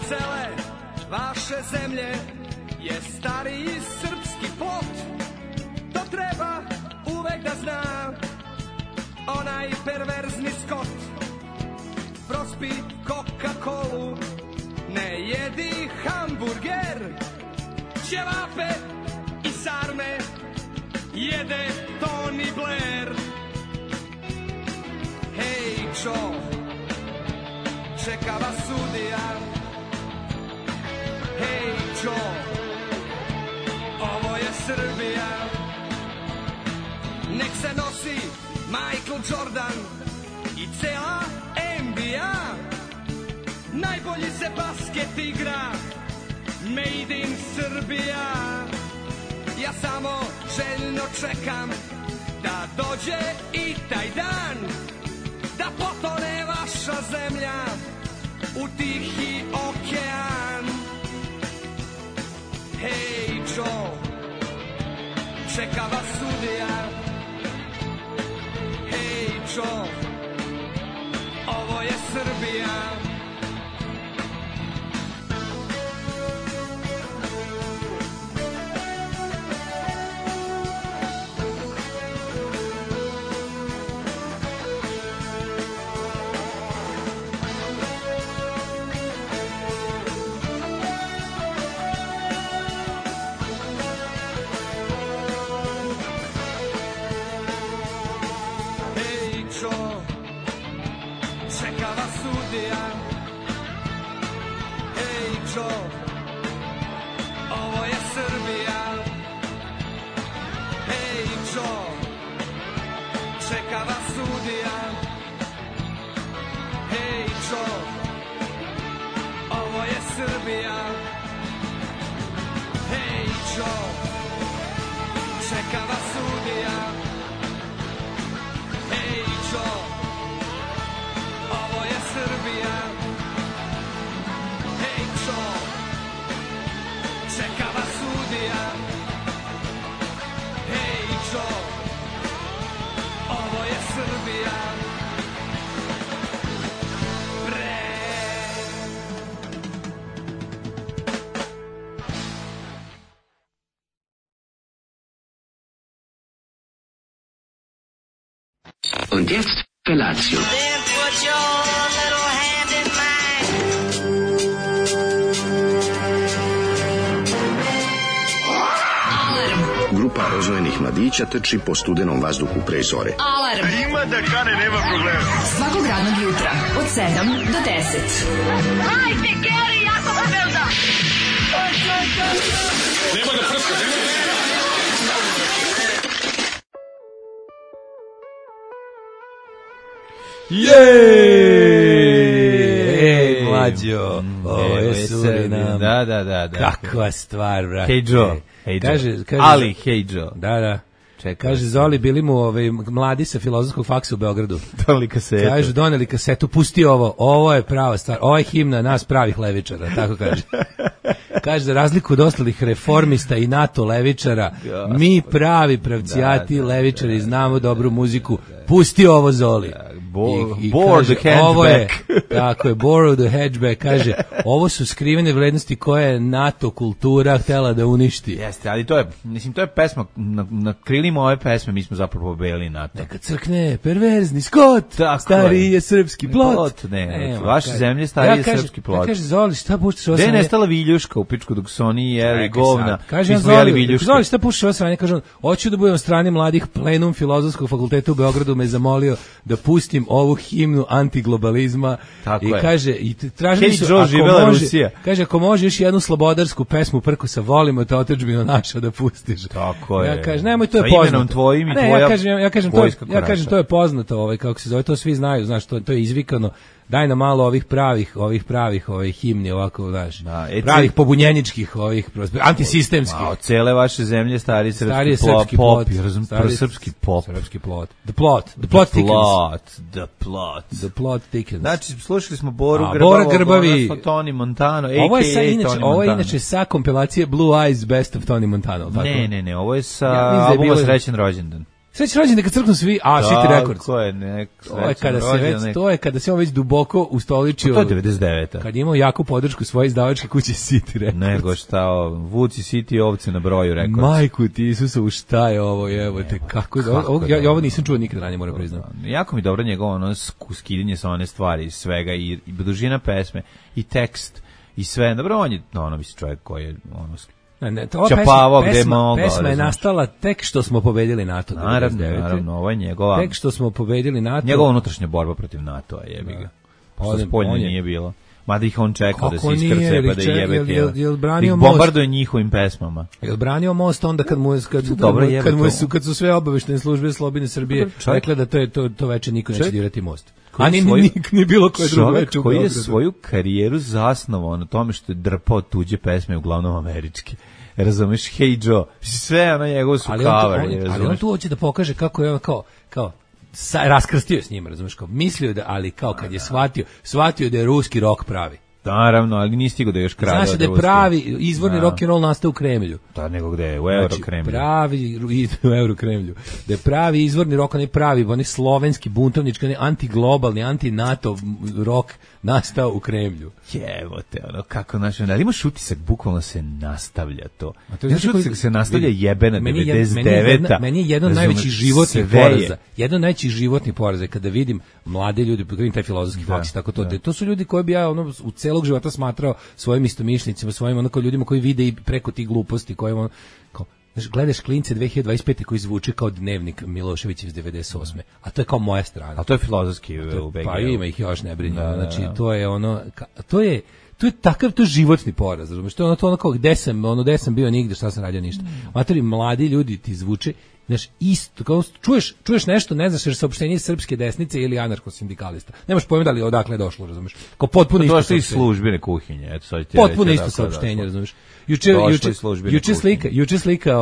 cele vaše zemlje je stariji srpski plot. To treba uvek da zna onaj perverzni Skot. Prospi Coca-Colu, ne jedi hamburger, ćevape i sarme jede Tony Blair. Hej čo, čeka vas sudija. Hej čo, ovo je Srbija. Nek se nosi Michael Jordan i cela NBA. Najbolji se basket igra Made in Srbija. Ja samo željno čekam da dođe i taj dan, da potone vaša zemlja u Tihi okean. Hej Joe, čeka vas sudija. Hej Joe, ovo je Srbija. Ovo je Srbija. Hej Joe, čeka vas sudija. Hej Joe, ovo je Srbija. Hej Joe, čeka vas sudija. Hej Joe, ovo je Srbija. Čeka vas sudija. Hej Joe, ovo je Srbija. Und jetzt Felatio. Then put your little hand in mine. Grupa rozvojenih mladića trči po studenom vazduhu pre zore. Alarm. Ima da kane, nema problema. Svakog radnog jutra od 7 do 10. Hajde, Geri, jako se velda. Nema da prska, nema da... Jej, mlađo, ovo je Surinam. Da. Kakva stvar, brate. Hey Joe. Kaže, Ali, hey Joe. Da. Kaže, Zoli, bili mu mladi sa filozofskog faksa u Beogradu. Doneli kasetu. Kaže, doneli kasetu, pusti ovo je prava stvar, ovo je himna nas pravih levičara, tako kaže. Kaže, za razliku od ostalih reformista i NATO levičara, mi pravi pravcijati levičari znamo dobru muziku, pusti ovo Zoli. Borrow the hatchback. Tako je, borrow the hatchback, kaže, ovo su skrivene vrednosti koje je NATO kultura htela da uništi. Jeste, ali to je pesma, na krilima ove pesme mi smo zapravo pobedili NATO. Neka crkne, perverzni Skot, stari je srpski plot. Ne, vaše zemlje stari je srpski plot. Kaže, Zoli, šta puštaš ovo? Gde je nestala viljuška u pičku dok su oni jeli govna? Kaže, Zoli, šta puštaš ovo sranje? Kaže, hoću da budem u strani mladih, plenum Filozofskog fakulteta u Beogradu me zamolio da pustim ovu himnu antiglobalizma. Tako i je. kaže, i tražili su, kaže, ako može još jednu slobodarsku pesmu Prkosa, volimo te otadžbino naša da pustiš. Tako je. Ja kažem, nemoj, to je poznato. Imenom tvojim i ne, tvoja ja kažem, to je poznato, kako se zove, to svi znaju, znaš, to je izvikano. Daj nam malo ovih pravih himni, ovako, znaš, pravih pobunjeničkih, antisistemskih. Od cele vaše zemlje stari srpski plot. Srpski plot. The plot thickens. Znači, slušali smo Bora Grbavi, Tony Montano, ovo je inače sa kompilacije Blue Eyes Best of Tony Montano. Ne, ovo je sa albuma Srećan rođendan. Srećan rođendan kad crknu svi, City Records. To je kada se on već duboko ustoličio. To je 99. Kad je imao jaku podršku svoje izdavačke kuće City Records. Nego šta, Vuci City ovce na broju Records. Majku ti Isusovu, šta je ovo, jebote, kako ja ovo nisam čuo nikada ranije, moram priznati. Jako mi dobro njegovo ono skidanje sa one stvari, svega i dužina pesme i tekst i sve. Dobro, on je mislim čovjek koji je čapavao gde mogao. Pesma je nastala tek što smo pobedili NATO. Naravno, ovo je njegova. Tek što smo pobedili NATO. Njegova unutrašnja borba protiv NATO-a, jebi ga. Što spoljno nije bilo. Mada ih on čekao da se iskrce pa da jebe tijelo. Ih bombarduje njihovim pesmama. Jel branio most onda kad su sve obaveštene službe Slobodne Srbije rekle da to veče niko neće dirati most. A ni bilo koje drugo veče. Čovjek koji je svoju karijeru zasnovao na tome što je drpao tuđe pesme, uglavnom američke. Razumeš, Hey Joe, sve ono njegovo su cover. Ali on tu hoće da pokaže kako je on kao raskrstio s njima, razumiješ, kao mislio da, ali kao kad je shvatio da je ruski rock pravi. Naravno, ali nije stigao da je još krade. Znaš da je pravi izvorni rock and roll nastao u Kremlju. Da, nego gde je, u Eurokremlju. Pravi u Eurokremlju. Da je pravi izvorni rock, ne pravi, onaj slovenski buntovnički, ne antiglobalni, anti-NATO rock nastao u Kremlju. Jevo te, ono, kako naš, ali imaš utisak, bukvalno se nastavlja to. Imaš utisak se nastavlja jebena 99-a. Meni je jedan najvećih životnih poraza. Jedan najvećih životnih poraza kada vidim mlade ljudi, kada vidim taj filozofski faks, tako to. To su ljudi koji bi ja ono u celog života smatrao svojim istomišljenicima, svojim onako ljudima koji vide i preko tih gluposti koje on kao gledaš klince 2025 koji zvuči kao dnevnik Miloševića iz 98. A to je kao moja strana. A to je filozofski u BG. Pa ima ih još ne brinje. Znači to je ono to je takav to životni poraz, razumiješ? To je ono kao gde sam bio nigde, šta sam radio ništa. Matori mladi ljudi ti zvuče, znaš, isto, kao čuješ nešto, ne znaš, jer saopštenje srpske desnice ili anarcho-sindikalista. Nemaš pojma da li odakle je došlo, razumiješ? Kao potpuno isto saopštenje. To je službene kuhinje, eto sad ti potpuno isto saopštenje, razumiješ? Juče slika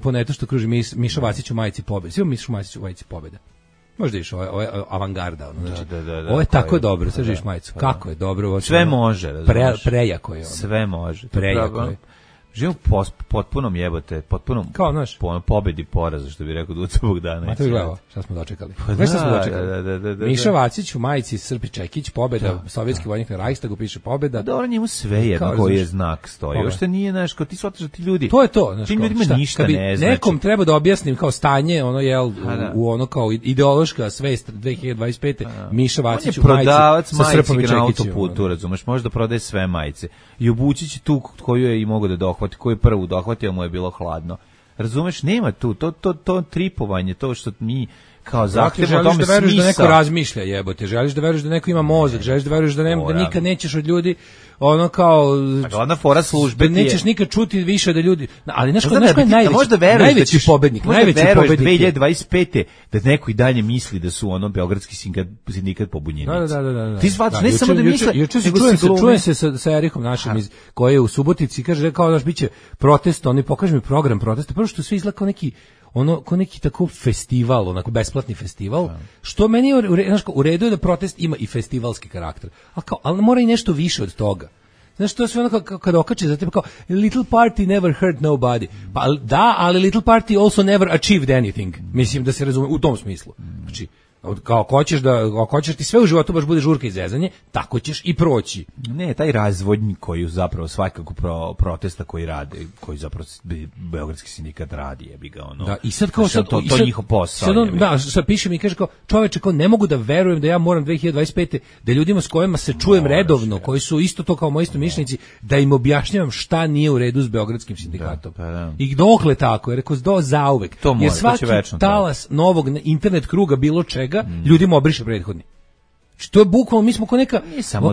po netu što kruži Miša Vacić u majici pobede. Svi Miša Vacić u majici pobede. Možda iš, ovo je avangarda, ono, znači, ovo je tako dobro, sad živiš majicu, kako je dobro. Sve može, prejako je ono. Sve može. Prejako je. Živim potpunom jebote, potpunom pobedi poraza, što bi rekao Duca Bogdanović. Ma to je gledao, šta smo dočekali. Miša Vacić u majici Srpi Čekić, pobeda, sovjetski vojnik na Reichstagu, piše pobeda. Dobro, njemu sve jedno koji je znak stoji. Uopšte nije, znaš, kao ti shvataš da ti ljudi... To je to, znaš, tim ljudima ništa ne znači. Nekom treba da objasnim kao stanje, ono, jel, u ono kao ideološka svest 2025. Miša Vacić u majici sa Srpom i Čekićem. Na autoputu, razumeš, može da prodaje sve majice. I obući će tu koju je i mogo da dohvati, koju je prvu dohvatio, mu je bilo hladno. Razumeš, nema tu, to tripovanje, to što mi kao zahtevamo o tome smisao. Želiš da neko razmišlja, jebote, želiš da veruješ da neko ima mozak, želiš da veruješ da nikad nećeš od ljudi ono kao glavna fora službe da nećeš nikad čuti više da ljudi, ali znaš ko je najveći pobednik, najveći pobednik 2025. da neko i dalje misli da su ono beogradski sindikat pobunjenici. Da. Ti shvataš, ne samo da misle, čujem se sa Erihom našim koji je u Subotici, kaže kao daš biće protest, oni pokaže mi program protesta, prvo što sve izgleda kao neki tako festival, onako besplatni festival, što meni u redu je da protest ima i festivalski karakter, ali mora i nešto više od toga. Znaš, to je sve ono kada okače za tebe kao little party never hurt nobody. Pa da, ali little party also never achieved anything. Mislim da se razume u tom smislu. Znači, kao ako hoćeš ti sve u životu baš bude žurka i zezanje, tako ćeš i proći. Ne, taj razvodnji koji zapravo svakako protesta koji rade, koji zapravo beogradski sindikat radi, jebi ga ono. Da, i sad kao to njihov posao. Sad piše mi kaže kao čoveče, kao ne mogu da verujem da ja moram 2025. da ljudima s kojima se čujem redovno, koji su isto to kao moji istomišljenici, da im objašnjavam šta nije u redu s beogradskim sindikatom. I dokle tako, jer rekao do zauvek. Jer svaki talas novog internet kruga bilo čega ljudima obriše prethodni. Što je bukvalno, mi smo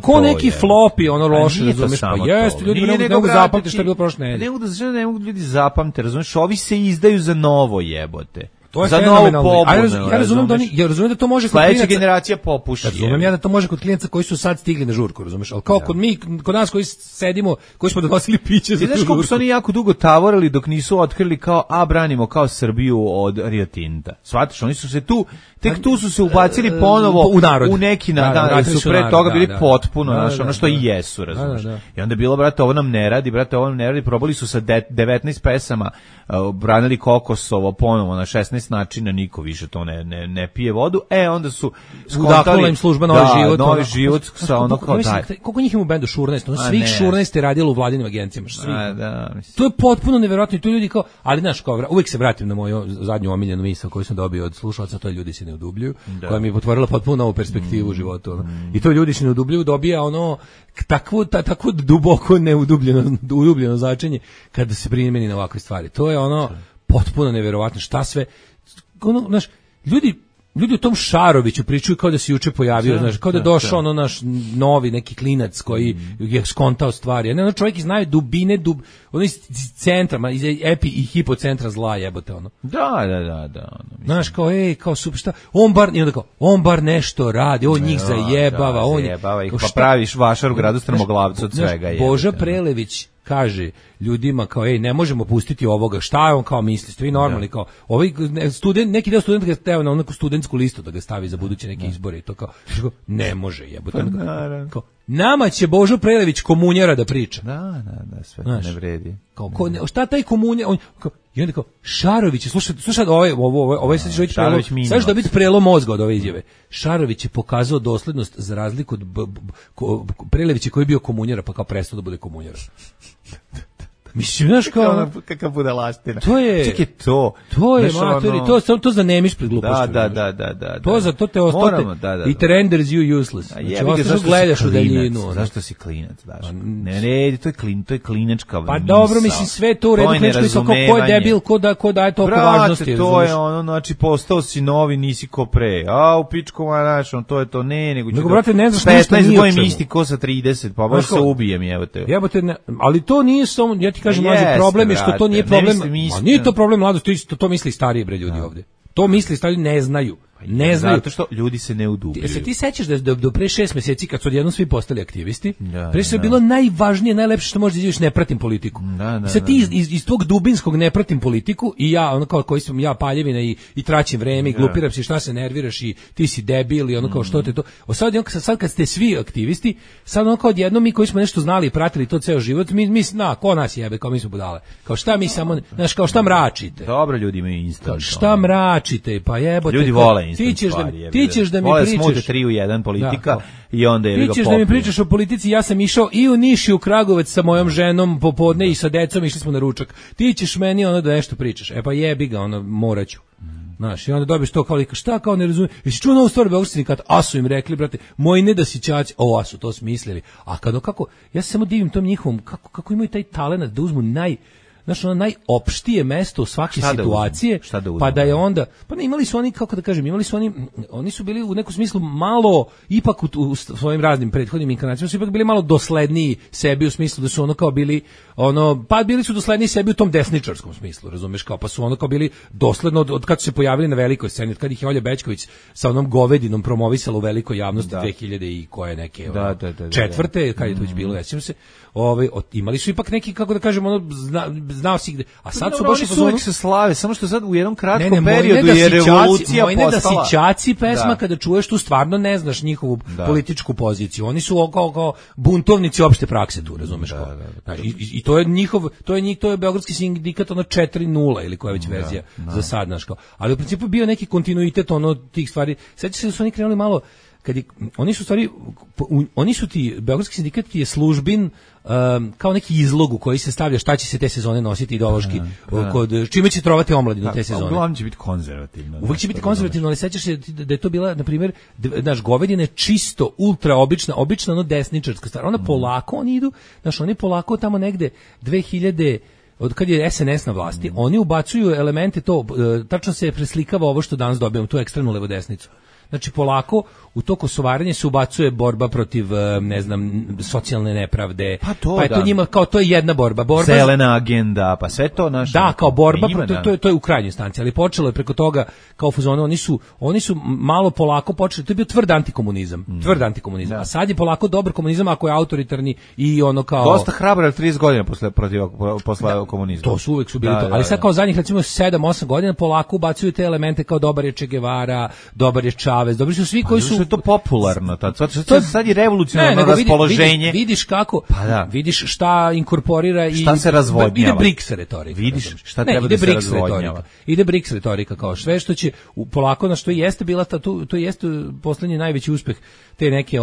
ko neki flopi, ono loše, razumeš, pa jeste, ljudi ne mogu zapamtiti što je bilo prošle nedelje. Ne mogu ljudi zapamtiti, razumeš, ovi se izdaju za novo jebote. To je za novu pobunu. Ja razumem da to može kod klijenca. Sledeća generacija popuši. Razumem ja da to može kod klijenca koji su sad stigli na žurku, razumeš? Al kao kod nas koji sedimo, koji smo donosili piće za žurku. Znaš kako su oni jako dugo tavorili dok nisu otkrili kao branimo kao Srbiju od Rio Tinta. Shvataš, oni su se tek tu su se ubacili ponovo u neki su pre toga bili potpuno, znaš, ono što i jesu, razumeš. I onda je bilo, brate, ovo nam ne radi, probali su sa 19 pesama, branili Kokosovo ponovo na 16 17 načina, niko više to ne pije vodu. Onda su udahnula im služba Novi život sa ono kao daj. Koliko njih ima u bendu Šurnaest? Svih 16 je radilo u vladinim agencijama. To je potpuno neverovatno i to ljudi kao, ali znaš, uvijek se vratim na moju zadnju omiljenu misao koju sam dobio od slušalaca, to je ljudi se ne udubljuju, koja mi je potvorila potpuno novu perspektivu u životu. I to ljudi se ne udubljuju dobija ono takvo duboko neudubljeno značenje kada se primeni na ovakve stvari. To je ono potpuno neverovatno šta sve ono, znaš, ljudi o tom Šaroviću pričaju kao da se juče pojavio, znaš, kao da je došao ono naš novi neki klinac koji je skontao stvari. Ono čovjek znaju dubine, ono iz centra, iz epi i hipocentra zla jebote ono. Da. Znaš, kao super šta, on bar nešto radi, on njih zajebava, ih, pa praviš vašar u gradu Strmoglavcu od svega je. Boža Prelević kaže ljudima kao ne možemo pustiti ovoga, šta je on kao misli, ste vi normalni kao ovaj neki deo studenta ga stavio na neku studentsku listu da ga stavi za buduće neke izbore i to kao ne može jebote. Kao nama će Božo Prelević komunjara da priča. Da, sve to ne vredi. Kao šta taj komunja i onda kao Šarović, slušaj ovo sad će sad će dobiti prelom mozga od ove izjave. Šarović je pokazao doslednost za razliku od Prelevića koji je bio komunjara pa kao prestao da bude komunjara. Mislim, znaš kao... Kakav budalaština. To je... Čekaj, to je, matori, to zanemiš pred glupošću. Da. To te ostate. It renders you useless. Znači, ostaš gledaš u daljinu. Zašto si klinac, daš? Ne, to je klinačka misao. Pa dobro, mislim, sve to u redu klinačka, ko je debil, ko daje toliko važnosti. Brate, to je ono, znači, postao si novi, nisi ko pre. A, u pičkova, znaš, to je to, nego ću brate, ne znaš ništa nije o čemu. 15 godina isti ko sa 30, pa baš se ubijem, jebote. Ali to nije samo, ja ti kažem, mlađi, problem je što to nije problem. A nije to problem mladosti, to misli stariji bre ljudi ovdje. To misli stariji, ne znaju. Zato što ljudi se ne udubljuju. Se ti sećaš da do pre 6 mjeseci kad su odjednom svi postali aktivisti, pre sve je bilo najvažnije, najlepše što možeš da izjaviš, ne pratim politiku. Sad ti iz tog dubinskog ne pratim politiku i ja, ono kao koji sam ja paljevina i traćim vreme i glupiram se, šta se nerviraš i ti si debil i ono kao što te to. Sad kad ste svi aktivisti, sad ono kao odjednom mi koji smo nešto znali i pratili to ceo život, mi ko nas jebe, kao mi smo budale. Kao šta mi samo, znaš, kao šta mračite. Dobro, ljudi imaju instant. Šta mračite, pa jebote. Ljudi vole ti ćeš da mi pričaš. Vole 3 u 1 politika i onda je ga ti ćeš da mi pričaš o politici, ja sam išao i u Niš i u Kragujevac sa mojom ženom popodne i sa decom, išli smo na ručak. Ti ćeš meni ono da nešto pričaš. Pa jebi ga, ono moraću. Znaš, i onda dobiš to kao šta kao ne razumijem. Jesi čuo novu stvar Beogradski sindikat? A su im rekli, brate, moji nedasićaci, a su to smislili. A kako, ja se samo divim tom njihovom, kako imaju taj talenat da uzmu najopštije mesto u svake situacije, pa da je onda, pa ne, imali su oni, kako da kažem, oni su bili u nekom smislu malo, ipak u svojim raznim prethodnim inkarnacijama su ipak bili malo dosledniji sebi u smislu da su ono kao bili, pa bili su dosledniji sebi u tom desničarskom smislu, razumeš, kao pa su ono kao bili dosledno od kad su se pojavili na velikoj sceni, od kad ih je Olja Bećković sa onom govedinom promovisala u velikoj javnosti 2000 i koje neke četvrte, kad je to već bilo, sećam se, imali su ipak neki, kako da kažem, znao si gde, a sad su baš uvijek se slave, samo što sad u jednom kratkom periodu je revolucija postala. Moj nedasićaci pesma, kada čuješ tu stvarno ne znaš njihovu političku poziciju, oni su kao buntovnici opšte prakse tu, razumeš kao. I to je to je Beogradski sindikat 4.0 ili koja već verzija za sad, znaš kao. Ali u principu bio neki kontinuitet tih stvari. Sećaš se da su oni krenuli malo oni su ti, Beogradski sindikat je službin kao neki izlog u koji se stavlja šta će se te sezone nositi ideološki, čime će trovati omladinu te sezone. Uglavnom će biti konzervativno. Uvijek će biti konzervativno, ali sećaš se da je to bila, na primjer, naš govedina je čisto, ultra obična desničarska stvar. Ona polako, oni polako tamo negde 2000, od kad je SNS na vlasti, oni ubacuju elemente tačno se preslikava ovo što danas dobijamo, tu ekstremnu levo-desnicu. Znači polako u to kosovarenje se ubacuje borba protiv, ne znam, socijalne nepravde. Pa je to njima kao to je jedna borba zelena agenda, pa sve to naše. Da, kao borba protiv, to je u krajnjoj instanci, ali počelo je preko toga kao fuzon, oni su malo polako počeli, to je bio tvrd antikomunizam. A sad je polako dobar komunizam ako je autoritarni i ono kao dosta hrabro 30 godina posle komunizma. To su uvek su bili to, ali sad kao zadnjih recimo 7-8 godina polako ubacuju te elemente kao dobar je Che Guevara, dobar je savez, dobri su svi koji su... Što je to popularno, sad je revolucionarno raspoloženje. Vidiš kako, vidiš šta inkorporira i... Šta se razvodnjava. Ide BRICS retorika. Vidiš šta treba da se razvodnjava. Ide BRICS retorika, kao sve što će polako, na što jeste bila to jeste poslednji najveći uspeh te neke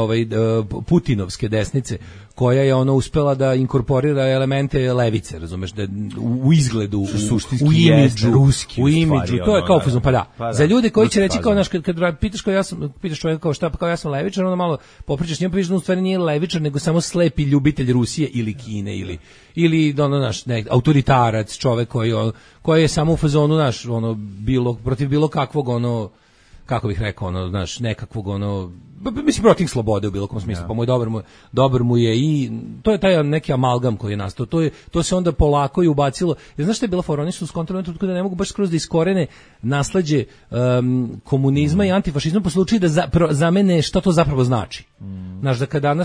putinovske desnice, koja je uspela da inkorporira elemente levice, razumeš, da u izgledu, u imidžu, ruski, u imidžu, to je kao fuzon, pa da. Za ljude koji će reći kao, kad pitaš čovjeka kao šta, pa kao ja sam levičar, onda malo popričaš njima, pa vidiš da u stvari nije levičar, nego samo slepi ljubitelj Rusije ili Kine, ili autoritarac, čovek koji je samo u fazonu, protiv bilo kakvog, kako bih rekao, nekakvog, mislim, protiv slobode u bilo kom smislu, pa dobar mu je i to je taj neki amalgam koji je nastao, to se onda polako i ubacilo. Jer znaš šta je bila fora, oni su skontrolirani tutko da ne mogu baš skroz da iskorene nasleđe komunizma i antifašizma po slučaju da zamene šta to zapravo znači. Znaš, da kada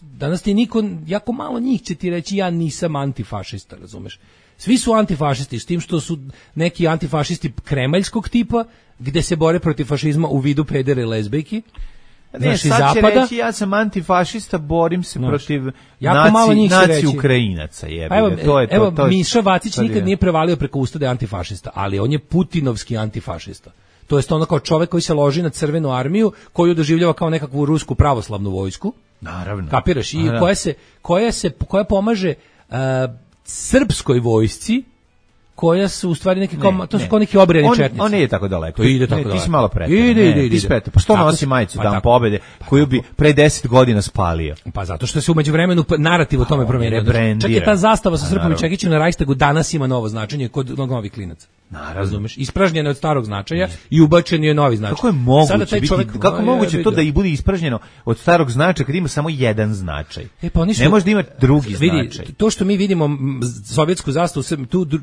danas ti niko, jako malo njih će ti reći ja nisam antifašista, razumeš? Svi su antifašisti, s tim što su neki antifašisti kremaljskog tipa, gde se bore protiv fašizma u vidu pedere i lezbejki. Ne, sad će reći ja sam antifašista, borim se protiv naci Ukrajinaca. Evo, Miša Vacić nikad nije prevalio preko usta da je antifašista, ali on je putinovski antifašista. To jest kao čovek koji se loži na Crvenu armiju, koju doživljava kao nekakvu rusku pravoslavnu vojsku. Naravno. Kapiraš? I koja pomaže srpskoj vojsci, koja su u stvari neki kao neki obrijani četnici. On nije tako daleko. To ide tako daleko. Ti si malo pretjerao. Ide. Pa što nosi majicu Dan pobede koju bi pre 10 godina spalio? Pa zato što se umeđu vremenu narativ o tome promenio. Čak je ta zastava sa Srpom i Čekićem na Rajstagu danas ima novo značenje kod novih klinaca. Razumeš? Ispražnjeno od starog značaja i ubačen je novi značaj. Kako je moguće to da i bude ispražnjeno od starog značaja kad ima samo jedan značaj? Ne može da ima drugi značaj. To što mi vidimo sovjetsku zastavu,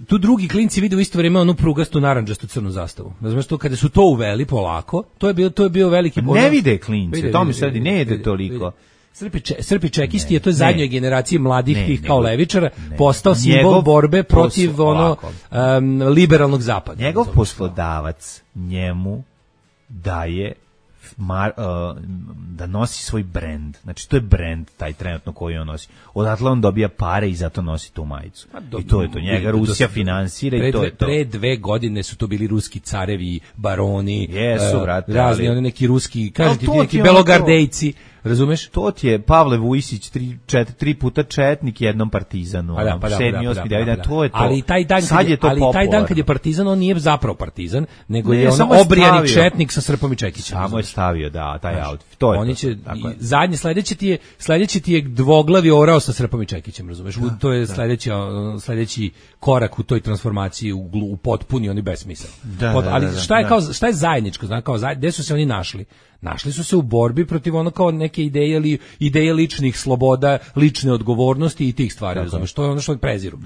tu drugi klinci vide u isto vrijeme onu prugastu narandžastu crnu zastavu. Razumeš, to kada su to uveli polako, to je bio veliki problem. Ne vide klinci, to mi sad ne ide toliko. Srpi čekisti je to zadnjoj generaciji mladih tih kao levičara postao simbol borbe protiv liberalnog zapada. Njegov poslodavac njemu daje da nosi svoj brend. Znači to je brend taj trenutno koji on nosi. Odatle on dobija pare i zato nosi tu majicu. I to je to. Njega Rusija finansira i to je to. Pre 2 godine su to bili ruski carevi, baroni, razni neki ruski, kažete ti neki belogardejci. Razumeš? To ti je Pavle Vujsić 3 puta četnik, jednom partizanu. To je to. Ali taj dan kad je partizan, on nije zapravo partizan, nego je on obrijani četnik sa Srpom i Čekićem. Samo je stavio, taj outfit. To je oni će zadnji sledeći ti je dvoglavi orao sa Srpom i Čekićem, razumeš? To je sledeći korak u toj transformaciji u potpuni oni besmisao. Ali šta je zajedničko, znači kao gde su se oni našli? Našli su se u borbi protiv kao neke ideje ličnih sloboda, lične odgovornosti i tih stvari, razumeš? To je ono što preziru.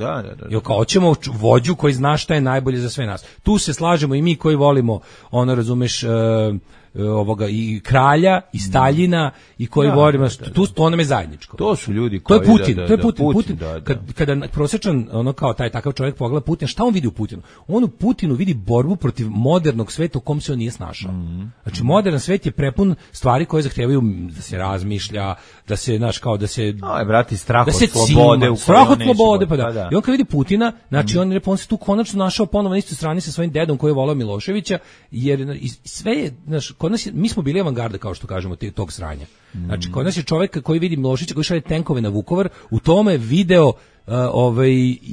Jer kao hoćemo vođu koji zna šta je najbolje za sve nas. Tu se slažemo i mi koji volimo, razumeš, i kralja i Staljina i koji volimo, to nam je zajedničko. To su ljudi koji... To je Putin. Kada prosječan, kao taj takav čovjek pogleda Putina, šta on vidi u Putinu? On u Putinu vidi borbu protiv modernog sveta u kom se on nije snašao. Znači, modern svet je prepun stvari koje zahtevaju da se razmišlja, da se, da se... brati, strah od slobode. Strah od slobode, pa da. I on kad vidi Putina, znači on se tu konačno našao ponovo na istoj strani sa svojim dedom koji je volao Miloševića, jer sve je, kod nas mi smo bili avangarda, kao što kažemo, tog sranja. Znači, kod nas je čovjek koji vidi Miloševića, koji šalje tenkove na Vukovar, u tome video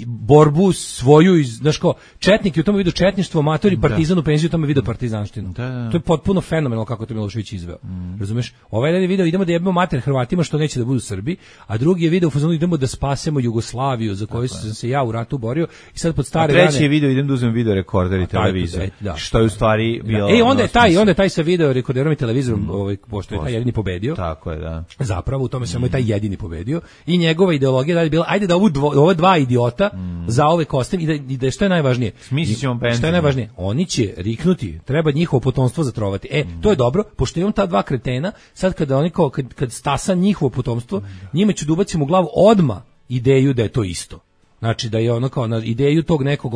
borbu svoju, znaš ko, četnik je u tome vidio četništvo, amatori, partizan u penziju u tome vidio partizanštinu. To je potpuno fenomenalno kako to Milošević izveo. Razumeš? Ovaj je video idemo da jebemo mater Hrvatima što neće da budu Srbi, a drugi je video u fazonu idemo da spasemo Jugoslaviju za koju sam se ja u ratu borio i sad pod stare dane. Treći je video idem da uzmem video rekorder i televizor. Što je u stvari bilo. Onda je taj sa video rekorderom i televizorom, pošto je taj jedini pobedio. Tako je, da. Zapravo u tome samo je taj jedini pobedio i njegova ideologija da je bila ajde da ova dva idiota za ove kostim i da što je najvažnije. Što je najvažnije? Oni će riknuti, treba njihovo potomstvo zatrovati. To je dobro, pošto imam ta dva kretena, sad kada oni kad stasa njihovo potomstvo, njima ću da ubacim u glavu odma ideju da je to isto. Znači da je kao na ideju tog nekog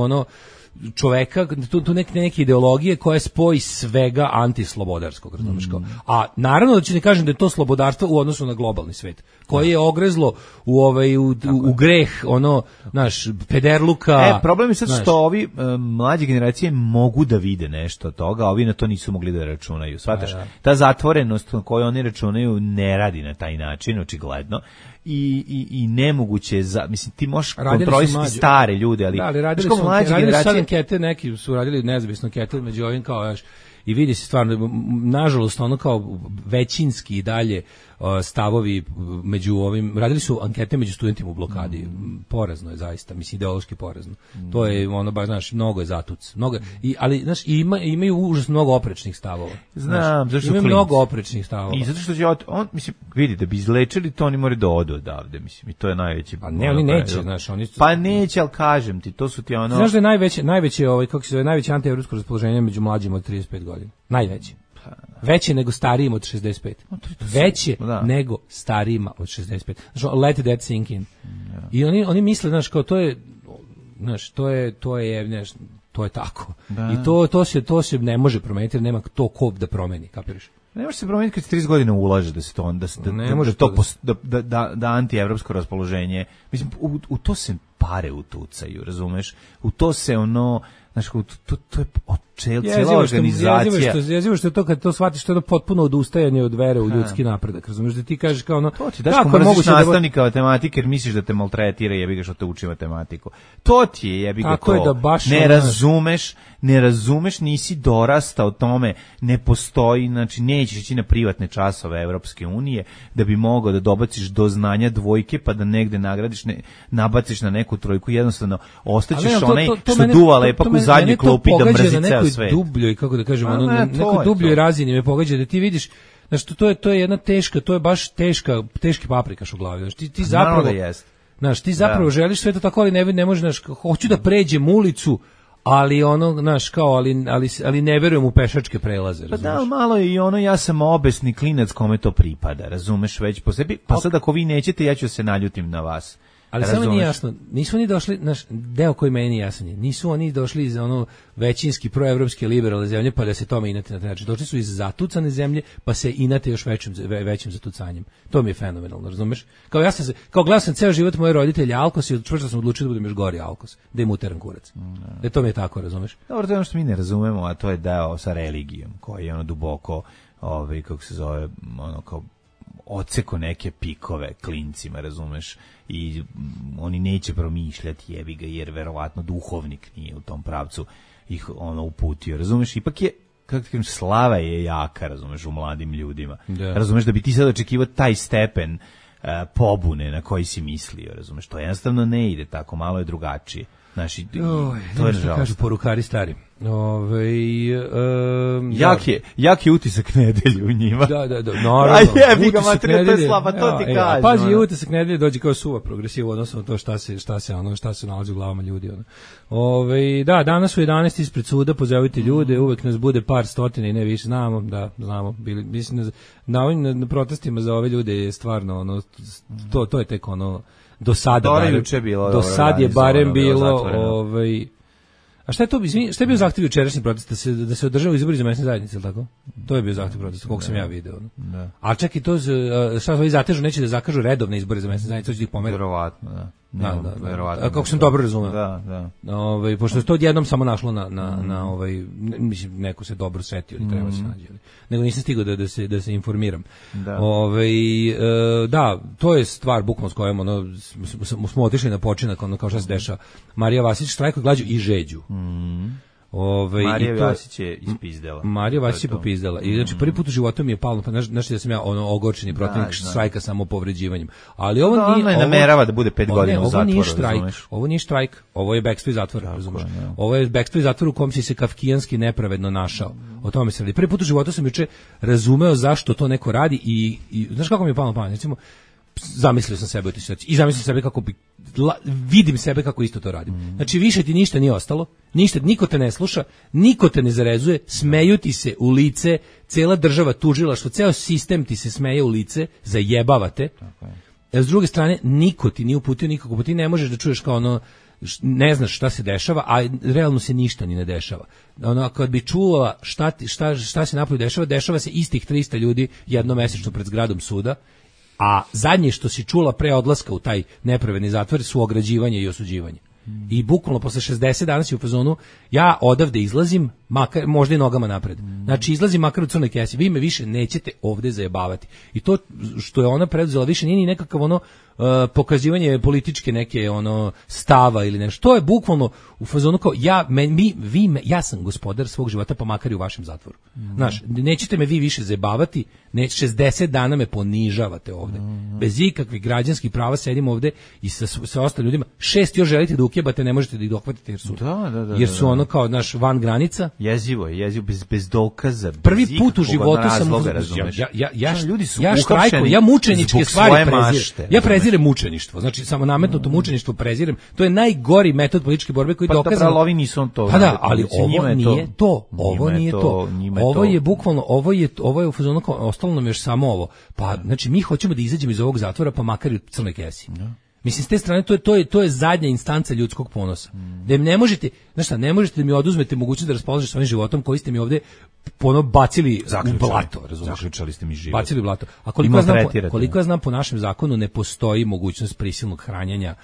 čoveka, tu neke ideologije koja spoji svega antislobodarskog, razumiješ kao. A naravno da ću ne kažem da je to slobodarstvo u odnosu na globalni svet, koje je ogrezlo u greh, naš, pederluka. Problem je sad što ovi mlađe generacije mogu da vide nešto od toga, a ovi na to nisu mogli da računaju. Shvataš? Ta zatvorenost na koju oni računaju ne radi na taj način, očigledno. I nemoguće mislim ti možeš kontrolisati stare ljude, ali radili su sad ankete, neki su radili nezavisno ankete među ovim kao i vidi se stvarno, nažalost, kao većinski i dalje stavovi među ovim, radili su ankete među studentima u blokadi. Porazno je zaista, mislim, ideološki porazno. To je baš, znaš, mnogo je zatuc. Ali, znaš, imaju užasno mnogo oprečnih stavova. Znam, zašto imaju mnogo oprečnih stavova. I zato što će mislim, vidi, da bi izlečili to, oni moraju da odu odavde, mislim, i to je najveći. Pa ne, oni neće, znaš, oni su... Pa neće, ali kažem ti, to su ti Znaš da je najveće kako se zove, najveće antievropsko raspoloženje među mlađima od 35 godina. Najveće. Veće nego starijim od 65. Veće nego starijima od 65. Znači, let that sink in. I oni misle, znaš, kao to je, znaš, to je tako. I to se ne može promeniti, jer nema to ko da promeni, kapiraš? Ne može se promeniti kad se 30 godina ulaže da se to da antievropsko raspoloženje. Mislim, u to se pare utucaju, razumeš? U to se znaš, to je cijela organizacija. Jezivo što je to kad to shvatiš, to je potpuno odustajanje od vere u ljudski napredak. Razumeš da ti kažeš kao to ti daš kako mrziš nastavnika matematike jer misliš da te maltretira, jebi ga što te uči matematiku. To ti je, jebi ga to. Ne razumeš, nisi dorastao tome, ne postoji, znači nećeš ići na privatne časove Evropske unije da bi mogao da dobaciš do znanja dvojke pa da negde nagradiš, nabaciš na neku trojku, jednostavno ostaćeš onaj što duva lepak u zadnjoj klupi da mrzi ceo svet. Dubljoj, kako da kažemo, na nekoj dubljoj razini me pogađa da ti vidiš, znači to je jedna teška, to je baš teški paprikaš u glavi. Znači ti zapravo, znaš, ti zapravo želiš sve to tako, ali ne možeš, znaš, hoću da pređem ulicu, ali znaš, kao, ali ne verujem u pešačke prelaze, razumeš? Pa da, malo je i ja sam obesni klinac kome to pripada, razumeš, već po sebi, pa sad ako vi nećete, ja ću se naljutim na vas. Ali samo nije jasno, nisu oni došli, naš deo koji meni nije jasan je, nisu oni došli iz većinski proevropske liberalne zemlje pa da se tome inate na taj način. Došli su iz zatucane zemlje pa se inate još većim zatucanjem. To mi je fenomenalno, razumeš? Kao gledao sam ceo život moje roditelje Alkos i čvrsto sam odlučio da budem još gori Alkos, da im uteram kurac. To mi je tako, razumeš? Dobro, to je ono što mi ne razumemo, a to je deo sa religijom, koji je duboko, kako se zove, kao odseko neke pikove klincima, razumeš, i oni neće promišljati, jebi ga, jer verovatno duhovnik nije u tom pravcu ih uputio, razumeš, ipak je, kako ti kažem, slava je jaka, razumeš, u mladim ljudima, razumeš, da bi ti sad očekivao taj stepen pobune na koji si mislio, razumeš, to jednostavno ne ide tako, malo je drugačije. Naši, to je što kažu porukari stari. Jak je utisak nedelje u njima. Da, naravno. A jebi ga materija, to je slaba, to ti kažem. Pazi, utisak nedelje dođe kao suva progresiva, odnosno to šta se nalazi u glavama ljudi. Da, danas su 11 ispred suda, pozovite ljude, uvek nas bude par stotina i ne više, znamo, mislim, na protestima za ove ljude je stvarno, to je tek do sad je barem bilo, a šta je to, šta je bio zahtev jučerašnji protest, da se održava izbori za mesne zajednice, tako? To je bio zahtev protesta, koliko sam ja video. A čak i to, šta ovi zatežu, neće da zakažu redovne izbore za mesne zajednice, hoće da ih pomeri. Verovatno, da. Kako sam dobro razumeo. Da. Pošto je to odjednom samo našlo mislim, neko se dobro setio, ili treba se nađe. Nego nisam stigao da se informiram. Da, to je stvar bukvalno s kojom smo otišli na počinak, kao šta se dešava. Marija Vasić štrajkuje glađu i žeđu. Marija Vasić je ispizdela. Marija Vasić je popizdela. I znači prvi put u životu mi je palo, pa znači da sam ja ogorčeni protivnik štrajka samo povređivanjem. Ali ovo nije, namerava da bude 5 godina u zatvoru. Ovo nije štrajk, ovo je bekstvo iz zatvora, razumeš? Ovo je bekstvo iz zatvora u kom si se kafkijanski nepravedno našao. O tome se radi. Prvi put u životu sam juče razumeo zašto to neko radi i znaš kako mi je palo na pamet, recimo zamislio sam sebe u toj situaciji i zamislio sebe kako vidim sebe kako isto to radim. Znači više ti ništa nije ostalo, niko te ne sluša, niko te ne zarezuje, smeju ti se u lice, cela država, tužilaštvo, ceo sistem ti se smeje u lice, zajebavate. S druge strane, niko ti nije uputio nikako, pa ti ne možeš da čuješ kao ne znaš šta se dešava, a realno se ništa ni ne dešava. Ono, kad bi čula šta se napolju dešava se istih 300 ljudi jednomesečno pred zgradom suda, a zadnje što si čula pre odlaska u taj nepravedni zatvor su ograđivanje i osuđivanje. I bukvalno posle 60 dana si u fazonu, ja odavde izlazim, makar, možda i nogama napred. Znači izlazim makar u crnoj kesi, vi me više nećete ovde zajebavati. I to što je ona preduzela više nije ni nekakav ono pokazivanje političke neke ono stava ili nešto. To je bukvalno u fazonu kao ja sam gospodar svog života, pa makar i u vašem zatvoru. Znaš, nećete me vi više zajebavati, 60 dana me ponižavate ovde. Bez ikakvih građanskih prava sedim ovde i sa ostalim ljudima. 6 još želite da ukjebate, ne možete da ih dohvatite jer su ono kao naš van granica. Jezivo bez dokaza. Prvi put u životu sam ljudi su štrajkuju, ja mučeničke stvari prezirem. Ja prezirem mučeništvo. Znači samo nametnuto mučeništvo prezirem. To je najgori metod političke borbe koji dokazano. Pa ovi nisu to. Pa da, ali ovo nije to. Ovo nije to. Ovo je bukvalno ovo je u fazonu kao ostalo nam još samo ovo. Pa znači mi hoćemo da izađemo iz ovog zatvora pa makar i u crnoj kesi. Mislim, s te strane, to je zadnja instanca ljudskog ponosa. Da ne možete, znaš šta, ne možete da mi oduzmete mogućnost da raspolažete svojim životom koji ste mi ovde bacili u blato, razumiješ? Zaključali ste mi život. Bacili u blato. A koliko ja znam po našem zakonu ne postoji mogućnost prisilnog hranjenja,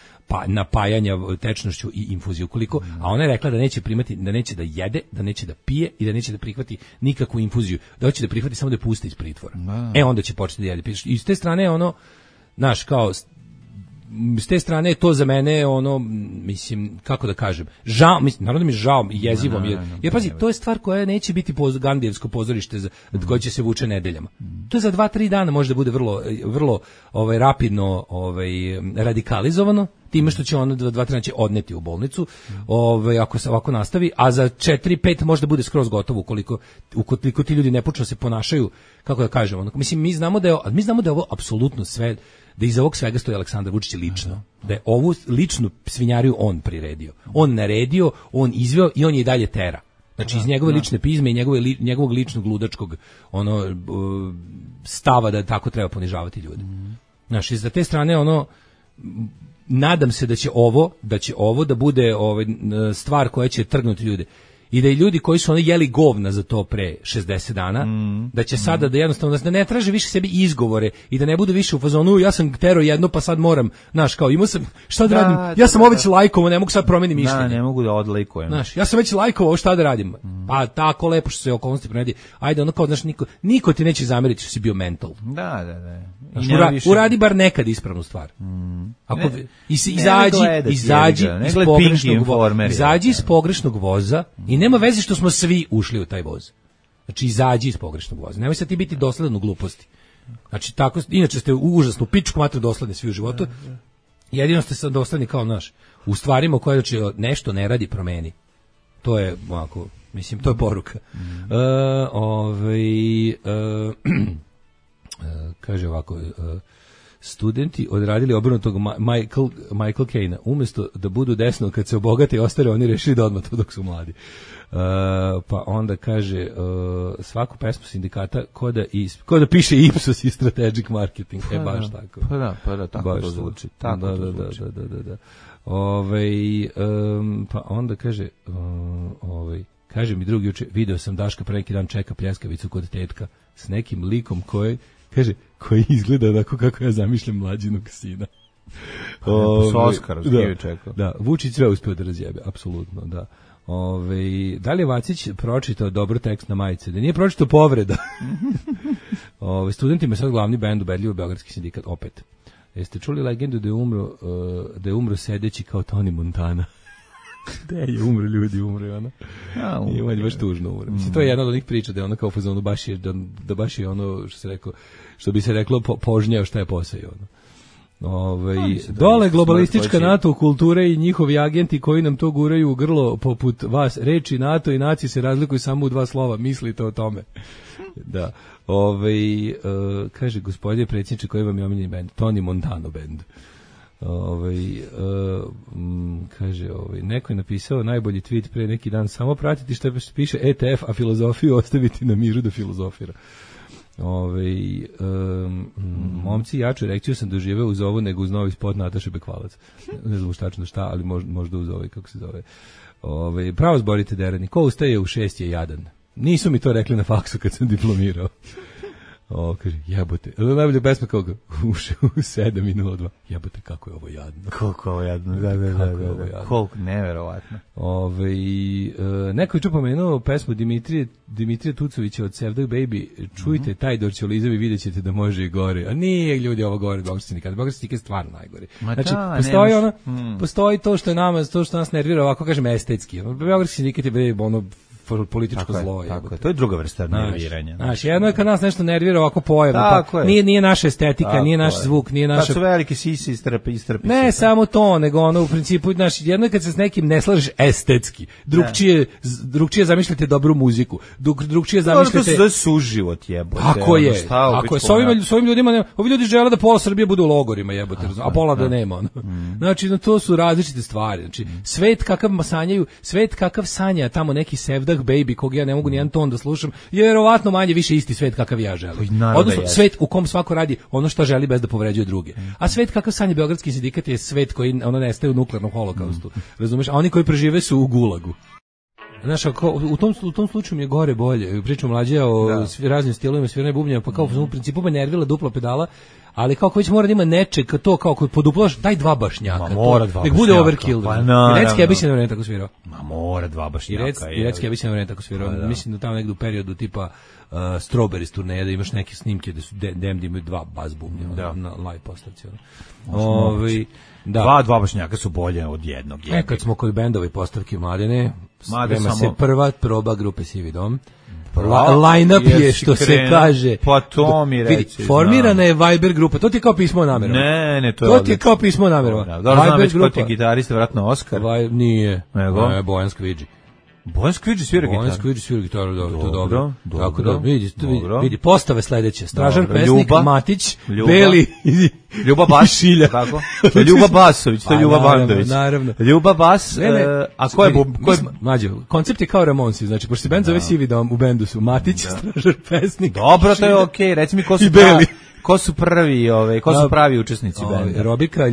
napajanja tečnošću i infuziju. A ona je rekla da neće primati, da neće da jede, da neće da pije i da neće da prihvati nikakvu infuziju. Da hoće da prihvati samo da je pusti iz pritvora. Onda će početi da jede. I s te strane ono, znaš, kao s te strane je to za mene ono, mislim, kako da kažem, žao, mislim, naravno mi je žao i jezivo mi je, jer pazi, to je stvar koja neće biti Gandijevsko pozorište koje će se vuče nedeljama. To je za 2-3 dana može da bude vrlo rapidno radikalizovano, time što će ono 2-3 dana će odneti u bolnicu, ako se ovako nastavi, a za 4-5 možda bude skroz gotovo ukoliko ti ljudi ne počnu se ponašaju, kako da kažem, ono, mislim, mi znamo da je ovo apsolutno sve, da iza ovog svega stoji Aleksandar Vučić lično, da je ovu ličnu svinjariju on priredio, on naredio, on izveo i on je i dalje tera. Znači iz njegove lične pizme i njegovog ličnog ludačkog stava da tako treba ponižavati ljude. Znači iz te strane ono, nadam se da će ovo da bude stvar koja će trgnuti ljude. I da i ljudi koji su jeli govna za to pre 60 dana, da će sada da jednostavno da ne traže više sebi izgovore i da ne budu više u fazonu ja sam tero jedno pa sad moram, znaš, kao imao sam, šta da radim, ja sam već lajkovao, ne mogu sad promenim mišljenje. Ne mogu da odlajkujem. Znaš, ja sam već lajkovao, šta da radim? Pa tako lepo što se okolnosti promedi. Ajde, ono kao, znaš, niko ti neće zameriti što si bio mental. Da. Znaš, uradi bar nekad ispravnu stvar. Ako izađi iz pogrešnog voza i nema veze što smo svi ušli u taj voz. Znači, izađi iz pogrešnog voza. Nemoj sad ti biti dosledan u gluposti. Znači, tako, inače ste užasno pičku matru dosledni svi u životu. Jedino ste sad dosledni kao naš. U stvarima koje nešto ne radi, promeni. To je, ovako, mislim, to je poruka. Kaže ovako, studenti odradili obrnutog Michael Caine-a. Umjesto da budu desno kad se obogate i ostare, oni rešili da odmah to dok su mladi. Pa onda kaže svaku pesmu sindikata ko da piše Ipsos i Strategic Marketing. Baš tako. Pa da, tako baš to zvuči. Tako da. Pa onda kaže kaže mi drugi juče, video sam Daška pre neki dan čeka pljeskavicu kod tetka s nekim likom koji izgleda onako kako ja zamišljam mlađinog sina. Da, Vučić sve uspeo da razjebe, apsolutno, da. Da li je Vacić pročitao dobro tekst na majice? Da nije pročitao povreda. Studentima je sad glavni bend ubedljivo Beogradski sindikat, opet. Jeste čuli legendu da je umro sedeći kao Tony Montana? Da je umro ljudi, umre ona. Ima je baš tužno umre. Mislim, to je jedna od onih priča da je ona kao fazonu baš je ono što bi se reklo požnjeo šta je posao ono. Dole globalistička NATO kultura i njihovi agenti koji nam to guraju u grlo poput vas. Reči NATO i naci se razlikuju samo u 2 slova. Mislite o tome. Da. Kaže gospodine predsjedniče, koji vam je omiljeni bend? Tony Montano bend. Kaže, neko je napisao najbolji tweet pre neki dan, samo pratiti što piše ETF, a filozofiju ostaviti na miru da filozofira. Momci, jaču erekciju sam doživeo uz ovo nego uz novi spot Nataše Bekvalac. Ne znam tačno šta, ali možda uz ovaj, kako se zove. Pravo zborite derani. Ko ustaje u 6 je jadan. Nisu mi to rekli na faksu kad sam diplomirao. Kaže, jebote. Najbolja pesma kako uše u 7:02. Jebote, kako je ovo jadno. Koliko je ovo jadno, da. Koliko, neverovatno. Neko je pomenuo pesmu Dimitrija Tucovića od Sevdaj Baby. Čujte taj Dorčolizam i vidjet ćete da može i gore. A nije, ljudi, ovo gore od Beogradskih sindikata. Beogradski sindikat je stvarno najgori. Znači, postoji to što je nama, to što nas nervira, ovako kažem, estetski. Beogradski sindikat je ono političko zlo. Tako je, to je druga vrsta nerviranja. Znači, jedno je kad nas nešto nervira ovako pojavno, pa nije naša estetika, nije naš zvuk, nije naša... Kad su velike sisi istrpi. Ne, samo to, nego ono, u principu, znači, jedno je kad se s nekim ne slažeš estetski, drugčije zamišljate dobru muziku, drugčije zamišljate... To se zove suživot, jebote. Ako je, s ovim ljudima, ovi ljudi žele da pola Srbije bude u logorima, jebote, a pola da nema. Znači, to su različite stvari. Znači, svet kakav sanja tamo neki Sevdah Baby, kog ja ne mogu nijedan ton da slušam, je verovatno manje više isti svet kakav ja želim. Odnosno, svet u kom svako radi ono što želi bez da povređuje druge. A svet kakav sanja Beogradski sindikat je svet koji nestaje u nuklearnom holokaustu. Razumeš? A oni koji prežive su u gulagu. Znaš, u tom slučaju mi je gore bolje. Pričam mlađe o raznim stilovima sviranja bubnjeva, pa kao u principu me nervila dupla pedala, ali kako već mora da ima nečeg, to kao kod poduplaš, daj dva bašnjaka. Nek bude overkill. I Recki Ebić je na vreme tako svirao. Mora dva bašnjaka. I Recki Ebić je na vreme tako svirao. Mislim da tamo negdje u periodu tipa Strawberries turneja, da imaš neke snimke da su Damned imaju dva bas bubnja na live postavci. Dva bašnjaka su bolje od jednog. Kad smo kod bendove postavke Mladene, sprema se prva proba grupe Sivi dom. Line-up je, što se kaže. Pa to mi reći. Vidi, formirana je Viber grupa. To ti je kao pismo o namerama. Ne, to je odlično. To ti je kao pismo o namerama. Znam već ko ti je gitarista, vratno Oskar. Nije. Bojan Skvidži. Bojan Skvidži svira gitaru. Bojan Skvidži svira gitaru, to je dobro. Tako da, vidi, postave sledeće. Stražar Pesnik, Matić, Beli, Ljuba Bas, Šilja. Kako? Ljuba Basović, to je Ljuba Bandović. Naravno. Ljuba Bas, a ko je Mađo, koncept je kao Ramonsi, znači, pošto se bend zove Sivi dom, u bendu su Matić, Stražar Pesnik. Dobro, to je okej, reci mi ko su Beli. Ko su prvi, ko su pravi učesnici benda? Robika,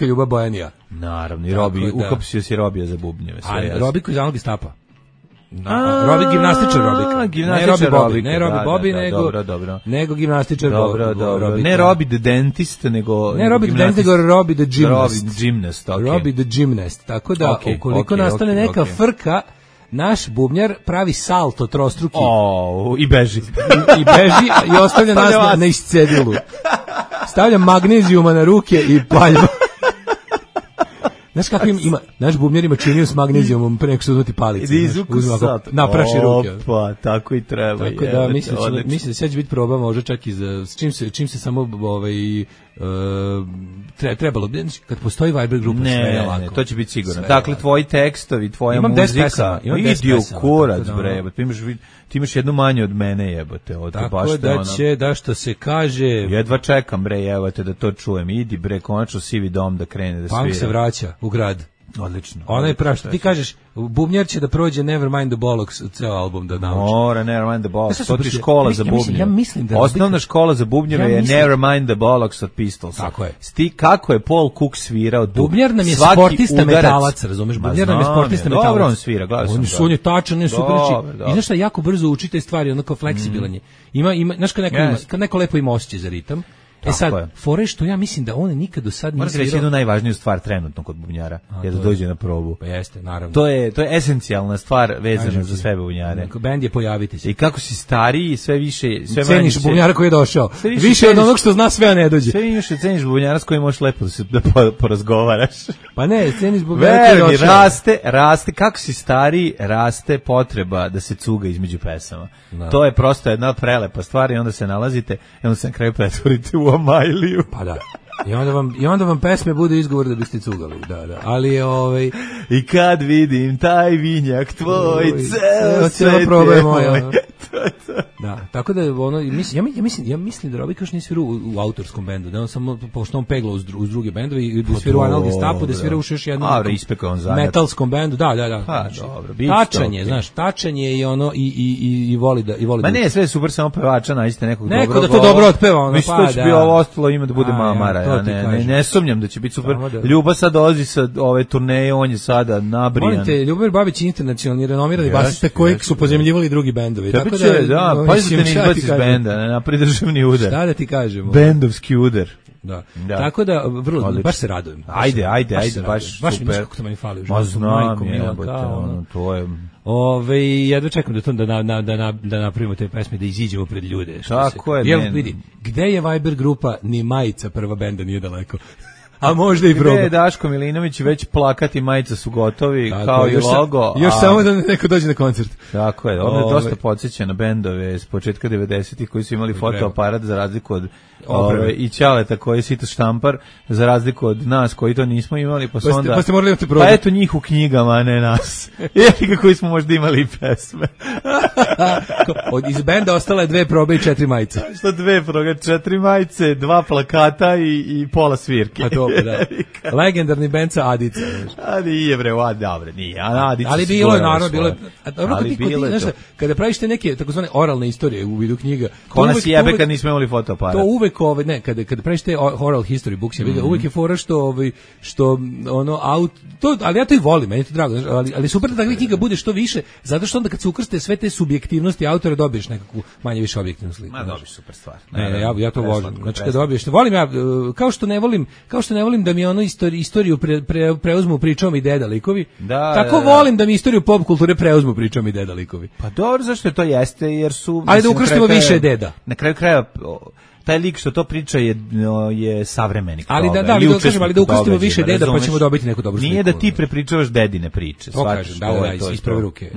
Ljuba, Bojanija. Naravno, i Robi, ukapsio si Robija za bubnjeve. A Robiko iz Anog Gestapa. Robi gimnastičar Robika. Ne Robi Bobi, nego gimnastičar Robika. Ne Robi the dentist, nego Robi the gymnast. Robi the gymnast. Tako da, ukoliko nastane neka frka, naš bubnjar pravi salto trostruki. I beži. I ostavlja nas na iscedilu. Stavlja magnezijuma na ruke i palja. Znaš kako ima, naš bubnjar ima činiju s magnezijumom pre nego što uzmati palice. Napraši ruke. Opa, tako i treba. Tako da, mislim da sad će biti proba, možda čak i za, čim se samo trebalo, kad postoji Viber grupa, sve je lako. Ne, to će biti sigurno. Dakle, tvoji tekstovi, tvoja muzika, idi u kurac, bre, ti imaš jednu manje od mene, jebote. Tako da će, da što se kaže... Jedva čekam, bre, jebote, da to čujem. Idi, bre, konačno Sivi dom da krene da svira. Punk se vraća u grad. Odlično. Ona je prav, što ti kažeš, bubnjar će da prođe Nevermind the Bollocks, ceo album da nauči. Mora, Nevermind the Bollocks, to ti škola za bubnjeve. Ja mislim da... Osnovna škola za bubnjeve je Nevermind the Bollocks od Pistolsa. Tako je. Kako je Paul Cook svirao bubnjar nam je sportista metalac, razumeš? Bubnjar nam je sportista metalac. Dobro on svira, gledao sam. On je tačan, je super reči. I znaš šta, jako brzo uči te stvari, onako fleksibilan je. Znaš kad neko lepo ima osjećaj za ritam, sad, fore što ja mislim da on nikad do sad nije svirao. Moram reći jednu najvažniju stvar trenutno kod bubnjara, je da dođe na probu. Pa jeste, naravno. To je esencijalna stvar vezana za sve bubnjare. Bend je pojaviti se. I kako si stariji, sve više... Ceniš bubnjara koji je došao. Više od onog što zna sve, a ne dođe. Sve više ceniš bubnjara s kojim možeš lepo da porazgovaraš. Pa ne, ceniš bubnjara koji je došao. Raste, kako si stariji, raste potreba da se cuga između pesama. To je prosto jedna prelepa stvar i onda se nalazite i onda se na kraju pretvorite u Amajliju. Pa da. I onda vam pesme budu izgovor da biste cugali. Da. Ali I kad vidim taj vinjak tvoj, ceo sve je moj. Da, tako da ono ja mislim da Robika još nije svirao u autorskom bendu, da on samo pošto on pegla uz druge bendove i da svira u Analgi Stapu, da svira još jednom metalskom bendu. Da. Pa dobro, tačanje, znaš, tačanje i ono i voli da Ma ne, sve super, samo pevača nađite nekog dobro. Neko da to dobro otpeva, ono, mislim, to će bi ovo ostalo ima da bude mamara, ja ne sumnjam da će biti super. Ljuba sad dolazi sa ove turneje, on je sada nabrijan. Molim te, Ljubomir Babić je internacionalni renomirani basista koji su pozemljivali drugi bendovi. Tako da, pazite ne izbaci iz benda, ne napravi državni udar. Šta da ti kažemo? Bendovski udar. Da. Tako da vrlo baš se radujem. Ajde, baš baš super. Kako to meni fali. Ma znam, to je. Jedva čekam da napravimo te pesme, da iziđemo pred ljude. Tako je. Evo vidi, gde je Viber grupa, ni majica prva benda nije daleko. A možda i proba. Gde je Daško Milinović, već plakati, majica su gotovi, tako, kao i logo. Još samo da neko dođe na koncert. Tako je, ono je dosta podsjeća na bendove s početka 90-ih koji su imali fotoaparat za razliku od i Ćaleta koji je sito štampar, za razliku od nas koji to nismo imali, pa ste morali imati probu. Pa eto njih u knjigama, a ne nas. Jefi koji smo možda imali i pesme. Iz benda ostale 2 probe i 4 majice. Što 2 probe, 4 majice, 2 plakata i pola svirke. A to, da. Legendarni bend sa Adica. Ali nije bre, dobre, nije. Ali bilo je, naravno, bilo je. Kada praviš te neke takozvane oralne istorije u vidu knjiga, ona si jebe kad nismo imali fotoaparat. To uvek kada praviš te oral history books, uvek je fora što ono ali ja to i volim, meni je to drago, ali super da takva knjiga bude što više, zato što onda kad se ukrste sve te subjektivnosti autora dobiješ nekakvu manje više objektivnu sliku. Ma dobiš super stvar. Ja to volim. Znači kad dobiješ, volim ja, kao što ne volim da mi ono istoriju preuzmu pričom i deda likovi, tako volim da mi istoriju pop kulture preuzmu pričom i deda likovi. Pa dobro, zašto to jeste, jer su... Ajde da ukrstimo više deda. Na kraju kraja taj lik što to priča je savremenik. Ali da ukrstimo više deda pa ćemo dobiti neku dobru sliku. Nije da ti prepričavaš dedine priče. To kažem, iz prve ruke.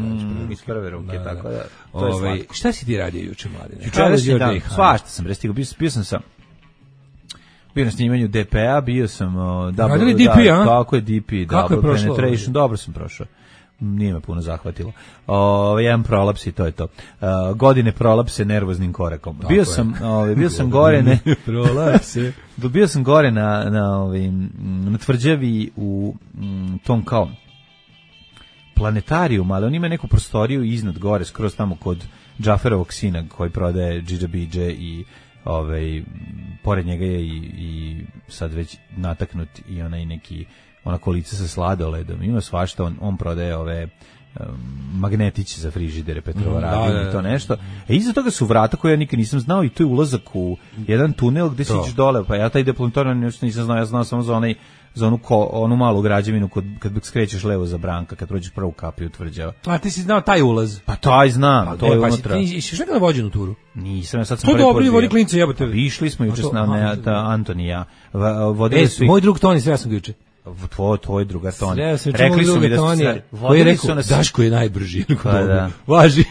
Iz prve ruke, tako da. To je slatko. Šta si ti radio juče, Mladine? Juče dan, svašta sam prestigao. Bio na snimanju DP-a, bio sam... Radili DP, a? Kako je DP, Double Penetration, dobro sam prošao. Nije me puno zahvatilo. Jedan prolaps i to je to. Godine prolapse nervoznim korakom. Bio sam gore Bio sam gore na tvrđavi u tom kao planetarijum, ali on ima neku prostoriju iznad gore, skroz tamo kod Džaferovog sina koji prodaje Džidža Bidže i pored njega je i sad već nataknut i onaj neki ona kolica sa sladoledom, ima svašta, on prodaje ove magnetiće za frižidere, Petrovaradin i to nešto. Iza toga su vrata koje ja nikad nisam znao i to je ulazak u jedan tunel gde se iđeš dole, pa ja taj deplantoran nisam znao, ja znao samo za onu malu građevinu kad skrećeš levo za Branka, kad prođeš prvu kapiju tvrđava. A ti si znao taj ulaz? Pa taj znam, to je unutra. Ti si nekada vođen u turu? Nisam, ja sad sam prvi put. To dobro, vodi klince, jebote. Išli smo juče s nama, Antonija. Moj drug Toni, sve sam juče. Tvoj druga Toni. Rekli su mi da koji je rekao, Daško je najbrži. Važi.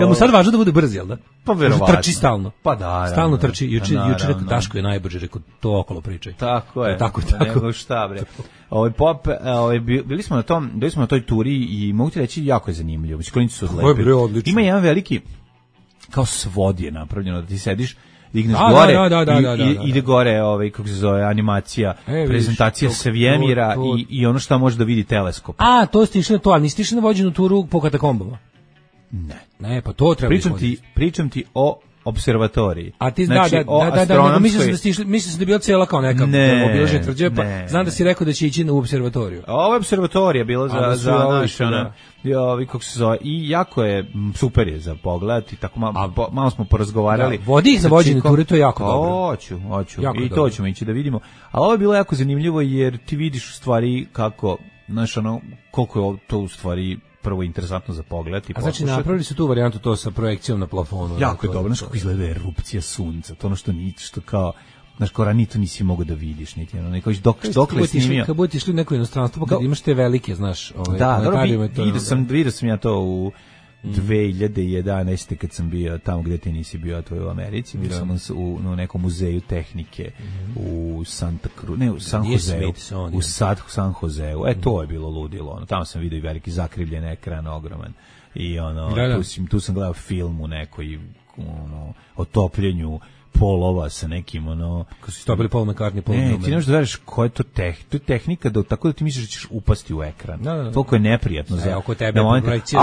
Jel mu sad važno da bude brzi, jel da? Pa verovatno. Trči stalno. Pa da. Stalno trči. Juče rekao, Daško je najbrži, rekao, to okolo pričaj. Tako je. Tako. Nego šta, bre. Bili smo na toj turi i mogu ti reći, jako je zanimljivo. Klinci su odlepili. Ima jedan veliki, kao svod je napravljeno, da ti sediš, digneš gore i ide gore kako se zove, animacija, prezentacija svemira i ono što može da vidi teleskop. A, to ste išli na to, ali niste išli na vođenu turu po katakombama? Ne, pa to treba pričam ti o observatoriji. A ti znači, da, mislim sam da je bila cijela kao neka obilažena tvrđava, pa znam da si rekao da će ići u observatoriju. Ovo je observatorija bila za naše, kako se zove, i jako je, super je za pogled i tako malo smo porazgovarali. Vodi ih za vođenje ture, to je jako dobro. Hoću, i to ćemo ići da vidimo. Ali ovo je bilo jako zanimljivo jer ti vidiš u stvari kako, znaš, koliko je to u stvari prvo interesantno za pogled i znači napravili su tu varijantu to sa projekcijom na plafonu. Jako je dobro, znaš kako izgleda erupcija sunca, to ono što kao, znaš, kao to nisi mogao da vidiš, niti ono, neko dokle snimio. Kad budete išli u neko inostranstvo, pa kad imaš te velike, znaš, da, dobro, vidio sam ja to 2011. kad sam bio tamo gde ti nisi bio, a to je u Americi, bio sam u nekom muzeju tehnike u Santa Cruz, ne, u San Joseu, u San Joseu. To je bilo ludilo, ono. Tamo sam vidio i veliki zakrivljen ekran, ogroman. I ono, tu sam gledao film u nekoj o topljenju polova sa nekim ono kako su stopili Paul McCartney ti ne možeš da veriš koja je to tehnika tako da ti misliš da ćeš upasti u ekran. Toliko je neprijatno za oko tebe. A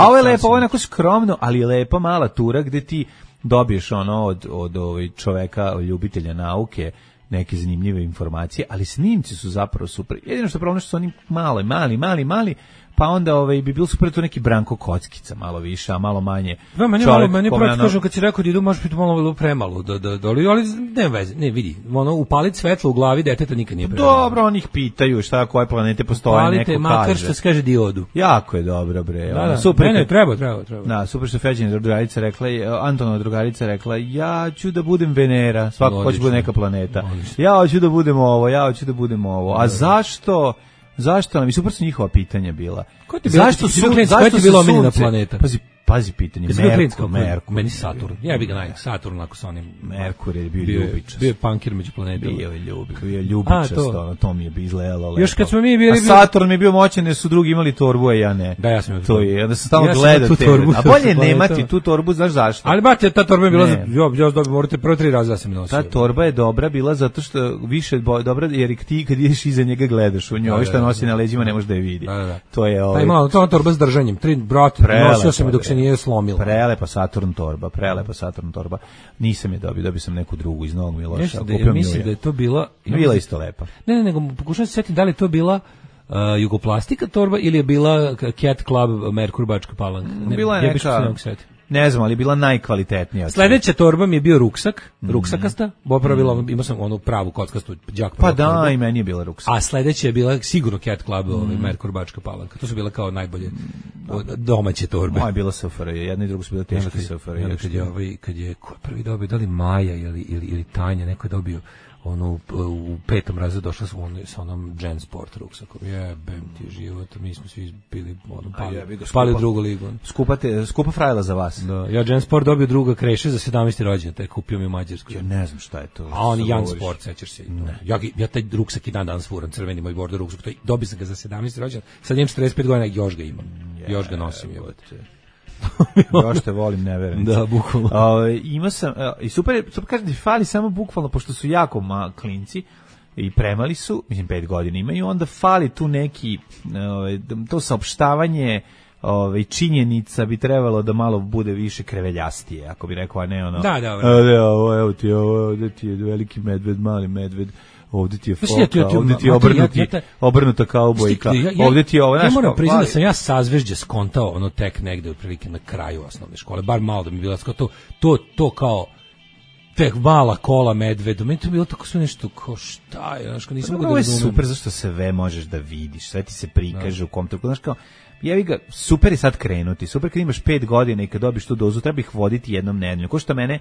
ovo je lepo, ovo je onako skromno, ali je lepa mala tura gde ti dobiješ ono od čoveka, ljubitelja nauke, neke zanimljive informacije, ali snimci su zapravo super. Jedino što je problem što su oni mali, pa onda bi bilo super tu neki Branko Kockica, malo više, a malo manje. Da, meni prvo kažem kad si rekao da idu, može biti malo premalo, ali ne veze, ne vidi, ono, upalit svetlo u glavi deteta nikad nije premalo. Dobro, oni ih pitaju šta, koje planete postoje, upalite, neko kaže. Makar što se kaže diodu. Jako je dobro, bre. Da, super. Ne, treba. Da, super što Feđina drugarica rekla, Antonova drugarica rekla, ja ću da budem Venera, svako hoće bude neka planeta. Ja hoću da budem ovo, a zašto nam, super su njihova pitanja bila. Zašto je bila omiljena planeta? Pazi pitanje, Merkur. Meni Saturn. Ja bih ga Saturn ako sa onim. Merkur je bio ljubičast. Bio je punkir među planetama. Bio je ljubičast, to mi je izgledalo lepo. Još kad smo mi bili... A Saturn mi je bio moćan jer su drugi imali torbu, a ja ne. Da, ja sam imao torbu. Onda sam stalno gledao te. A bolje nemati tu torbu, znaš zašto? Ali bate, ta torba je bila, morate prvo 3 raza da sam nosio. Ta torba je dobra bila zato što više dobra, jer ti kad ideš iza njega gledaš u njoj, što nosi na leđima ne možeš da je vidi. To je ovaj. Imala to torba s držanjem. 3 brate, nosio sam je dok se nije slomila. Prelepa Saturn torba. Nisam je dobio sam neku drugu iz Novog Miloša. Ja mislim da je to bila isto lepa. Ne, nego pokušam se setiti da li to bila Jugoplastika torba ili je bila Cat Club Merkur Bačka Palanka. Bila je neka, ne znam, ali bila najkvalitetnija. Sledeća torba mi je bio ruksakasta, imao sam onu pravu kockastu đak. Pa da, torba. I meni je bila ruksak. A sledeća je bila sigurno Cat Club, Merkur Bačka Palanka. To su bila kao najbolje domaće torbe. Moja je bila SFRJ, jedna i druga su bila teške SFRJ. Kad je ko prvi dobio, da li Maja ili Tanja, neko je dobio ono u 5. razredu došla sa onom Gen Sport ruksakom. Jebem ti život, mi smo svi bili pali u drugu ligu. Skupa frajla za vas. Da, ja Gen Sport dobio druga Kreše za 17. rođendan, taj kupio mi u Mađarskoj. Ja ne znam šta je to. A on Young Sport, sećaš se. Ja taj ruksak i dan danas furam, crveni moj bordo ruksak, dobio sam ga za 17. rođendan, sad imam 45 godina, još ga imam. Još ga nosim, jebote. Još te volim, ne verujem. Da, bukvalno. Ima sam, i super kažem ti, fali samo bukvalno, pošto su jako klinci i premali su, mislim 5 godina imaju, onda fali tu neki, to saopštavanje činjenica bi trebalo da malo bude više kreveljastije, ako bi rekao, a ne ono. Da. Evo ti je veliki medved, mali medved. Ovdje ti je foka, ovdje ti je obrnuta kaubojka, ovdje ti je ovo, ja moram priznati da sam ja sazvežđe skontao ono tek negde otprilike na kraju osnovne škole, bar malo da mi je bilo to kao tek mala kola medvedu, meni to je bilo tako sve nešto kao šta je, znaš, nisam mogu da razumem. Ovo je super zašto sve možeš da vidiš, sve ti se prikaže u kom trenutku, znaš kao, jevi ga, super je sad krenuti, super kad imaš 5 godina i kad dobiš tu dozu, treba ih voditi jednom nedeljno, ko što mene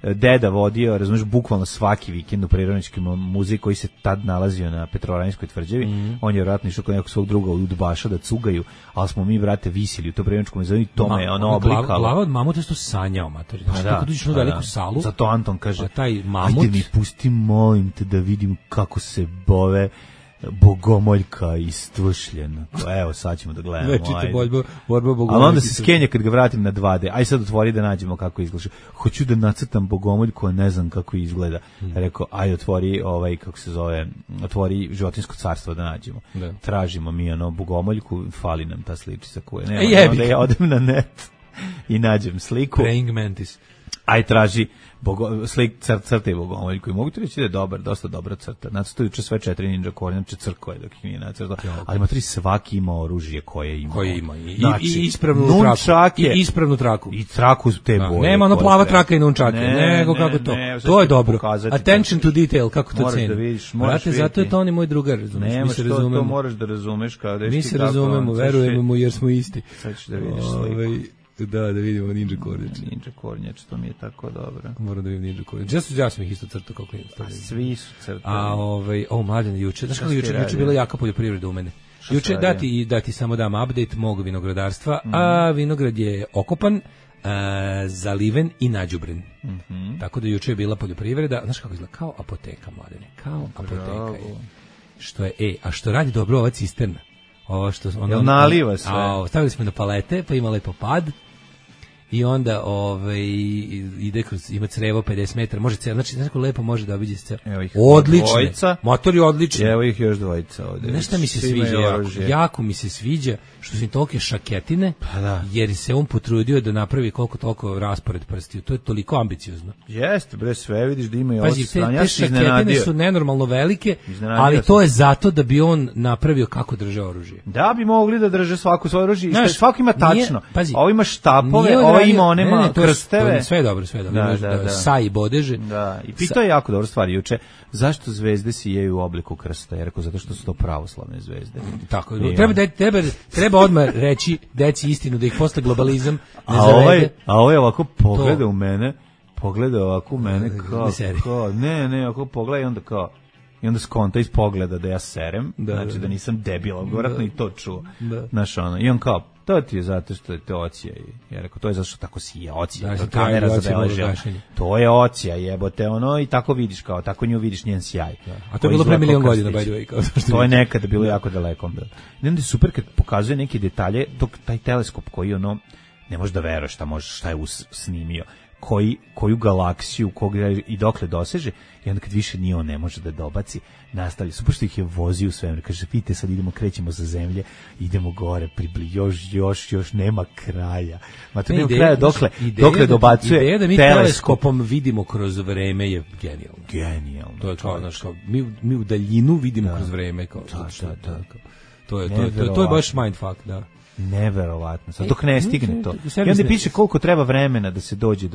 deda vodio, razumiješ, bukvalno svaki vikend u Prirodnjački muzej koji se tad nalazio na Petrovaradinskoj tvrđavi. On je vjerojatno išao kod nekog svog druga udbaša da cugaju, ali smo mi, vrate, visili u to Prirodnjačkom muzeju i to me ono oblikalo. Glava od mamuta je to sanjao, matori. Znači, kako dođeš u veliku salu. Zato Anton kaže, taj mamut, ajde mi pusti, molim te, da vidim kako se bove Bogomoljka istvršljena. Evo, sad ćemo da gledamo. Večite borba Bogomoljka. Ali onda se skenja kad ga vratim na 2D. Aj sad otvori da nađemo kako izgleda. Hoću da nacrtam Bogomoljku, a ne znam kako izgleda. Rekao, aj otvori kako se zove, otvori Životinjsko carstvo da nađemo. Da. Tražimo mi Bogomoljku, fali nam ta sličica koja nema. Onda ja odem na net i nađem sliku. Praying mantis. Aj traži crte Bogomoljku i mogu ti reći da je dobar, dosta dobra crta. Nacrtao juče sve 4 ninja kornjače crkove dok ih nije nacrtao. Ali matri svaki ima oružje koje ima. I ispravnu traku. I traku te boje. Nema ono plava traka i nunčake. Nego kako to. To je dobro. Attention to detail, kako to ceni. Brate, zato je to on i moj drugar, razumiješ. Mi se razumemo. To moraš da razumeš. Mi se razumemo, verujemo mu jer smo isti. Sad ćeš da vidiš sliku. Da vidimo Ninja Kornjač. Ninja Kornjač, to mi je tako dobro. Moram da vidim Ninja Kornjač. Ja sam ih isto crtao kako je. A svi su crtali. Mladen juče. Znaš kako juče bila jaka poljoprivreda u mene. Juče dati samo dam update mog vinogradarstva, a vinograd je okopan, zaliven i nađubren. Tako da juče je bila poljoprivreda, znaš kako izgleda, kao apoteka, mladene, kao apoteka je. Što je, a što radi dobro ova cisterna. Ovo što ono naliva sve. Stavili smo na palete, pa ima lepo pad. I onda ide kroz, ima crevo 50 metara, može celo, znači kako lepo može da obiđe celo. Odlično. Motor je odličan. Evo ih još dvojica ovde. Nešto mi se sviđa jako mi se sviđa što su im tolike šaketine, jer se on potrudio da napravi koliko toliko raspored prstiju. To je toliko ambiciozno. Jeste, bre, sve vidiš da ima i ovo stranje. Te šaketine su nenormalno velike, ali to je zato da bi on napravio kako drže oružje. Da bi mogli da drže svako svoje oružje. Svako ima tačno. Ovo ima štapove, ima onema krsteve. Sve je dobro. Sa i bodeže. Da, i pitao je jako dobro stvari juče. Zašto zvezde sijeju u obliku krsta? Ja rekao, zato što su to pravoslavne zvezde. Tako, treba odmah reći deci istinu, da ih posle globalizam ne zavede. A ovo je ovako pogleda u mene, kao, ne, ako pogleda i onda kao, i onda skonta iz pogleda da ja serem, znači da nisam debil, vjerojatno i to čuo. Znaš, ono, i on kao, to ti je zato što je to ocija. Ja rekao, to je zato što tako sije ocija. To kamera zabeležila. To je ocija, jebote, ono, i tako vidiš, kao, tako nju vidiš njen sjaj. A to je bilo pre milion godina, by the way. To je nekada bilo jako daleko. I onda je super kad pokazuje neke detalje, taj teleskop koji, ono, ne možeš da veruješ šta je snimio. Koju galaksiju, i dokle doseže, i onda kad više nije on ne može da dobaci, nastavlja. Super što ih je vozio u svemir, kaže, vidite, sad krećemo sa zemlje, idemo gore, još nema kraja. Ma to nema kraja dokle dobacuje. Ideja da mi teleskopom vidimo kroz vreme je genijalno. Genijalno. To je kao, znaš, mi u daljinu vidimo kroz vreme. To je baš mindfuck, da. Neverovatno, sad dok ne stigne to. I onda piše koliko treba vremena da se dođe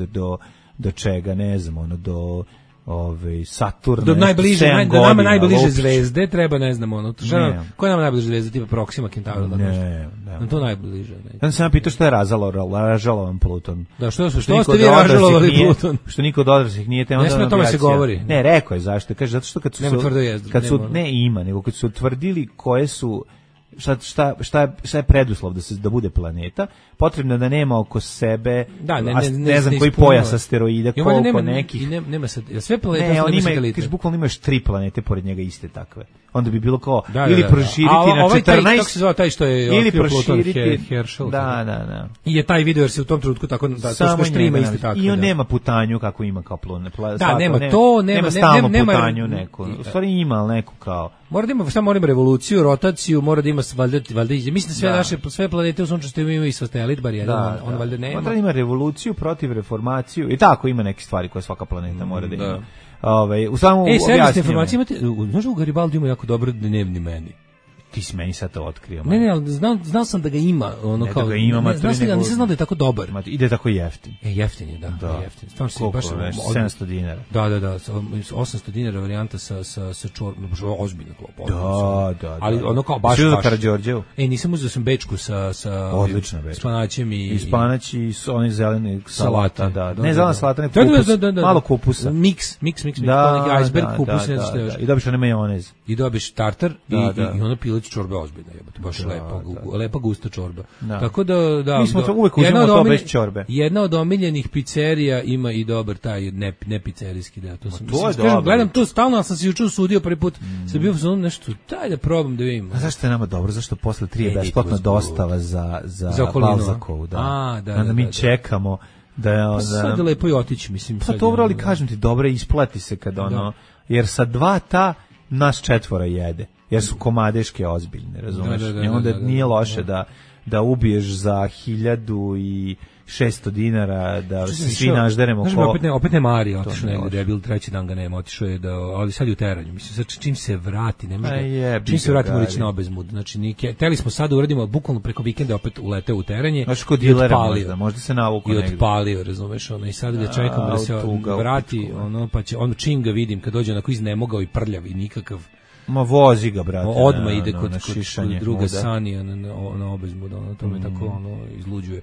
do čega, ne znam, ono, do Saturna. Do nama najbliže zvezde treba, ne znam, ono, koja je nama najbliže zvezda, tipa Proxima Centauri? Ne. To najbliže. Ja sam pitao što je ražalovan Pluton. Da, što ste vi ražalovali Pluton? Što niko od odraslih nije tema. Ne sme o tome se govori. Ne, rekao je zašto. Kaže, zato što kad su ne ima, nego kad su utvrdili koje su šta je preduslov da bude planeta, potrebno je da nema oko sebe, ne znam koji pojas asteroida, koliko nekih. Nema sad, sve planete su nema satelite. Kaže, bukvalno imaš 3 planete pored njega iste takve. Onda bi bilo kao, ili proširiti na 14, kako se zvao taj što je ili proširiti, Herschel. Da. I je taj video jer se u tom trenutku tako, da to što ima iste takve. I on nema putanju kako ima kao planet. Da, nema to, nema stalnu putanju neku. U stvari ima neku kao. Mora ima revoluciju, rotaciju, mora da ima valjda, mislim da sve planete u sunčevoj sistemu imaju i satelit, bar jedan, on valjda nema. Mora da ima revoluciju, protiv reformaciju i tako ima neke stvari koje svaka planeta mora da ima. U samom servisne informacije imate, znaš u Garibaldi ima jako dobro dnevni meni. Ti si meni sad to otkrio. Ne, ali znao sam da ga ima. Ne da ga ima, nisam znao da je tako dobar. Ide tako jeftin. Jeftin je, da. Stvarno si baš... 700 dinara. Da, 800 dinara varijanta sa čorbom, ozbiljno klopo. Da. Ali ono kao baš... Svi za Karađorđevu? Nisam uzeo sam bečku sa odlična bečka. Spanaćem i... I spanać i oni zeleni salata, da. Ne zelena salata, ne kupus, malo kupusa. Miks, neki iceberg, kupus, ne znaš. I dobiš one majonez. I dobiš tartar i ono pile čorbe ozbiljna, jebote, baš lepa gusta čorba. Tako da mi smo to uvek uzimamo to bez čorbe. Jedna od omiljenih pizzerija ima i dobar taj ne pizzerijski deo. To sam gledam to stalno, ali sam se juče usudio prvi put. Sam bio u nešto, daj da probam da vidim. A zašto je nama dobro? Zašto posle 3 je besplatna dostava za Balzakovu, da. Da mi čekamo da sad lepo i otići, mislim. Pa dobro, ali kažem ti, dobro, isplati se kad ono, jer sa 2 nas 4 jede. Jer su komadeške ozbiljne, razumeš? I onda nije loše da ubiješ za 1600 dinara, da se svi nažderemo. Opet ne Marija otišao negdje, da je bil 3. dan ga nema, otišao je ali sad je u teranju. Mislim, čim se vrati, čim se vrati mora ići na obezmud. Znači, teli smo sad da uradimo, bukvalno preko vikenda opet uleteo u teranje i odpalio. Možda se navuku negdje. I odpalio, razumeš, i sad ga čekamo da se vrati, pa će, čim ga vidim, kad dođe onako iznemogao i prljav i nikakav. Ma vozi ga, brate. Odmah ide kod druga Sanija na obezmud, to me tako izluđuje.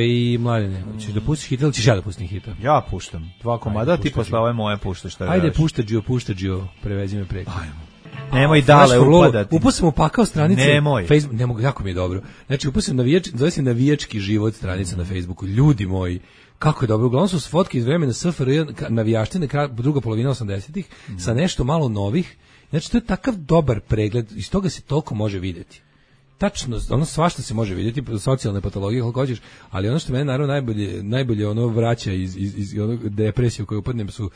I Mladene, ćeš da pustiš hit ili ćeš ja da pustim hita? Ja puštam 2 komada, ti posle ove moje puštaš. Ajde, pušta Gio, prevezi me preko. Ajmo. Nemoj dale upadati. Upao sam u pakao stranice. Nemoj. Facebook, ne mogu, jako mi je dobro. Znači, upao sam zove se navijački život stranica na Facebooku. Ljudi moji, kako je dobro. Uglavnom su fotke iz vremena SFRJ, navijaštine, druga polovina 80-ih, sa nešto malo novih. Znači, to je takav dobar pregled, iz toga se toliko može vidjeti. Tačno, ono svašta se može vidjeti, socijalne patologije, kako hoćeš, ali ono što mene naravno najbolje ono vraća iz onog depresije u kojoj upadnem su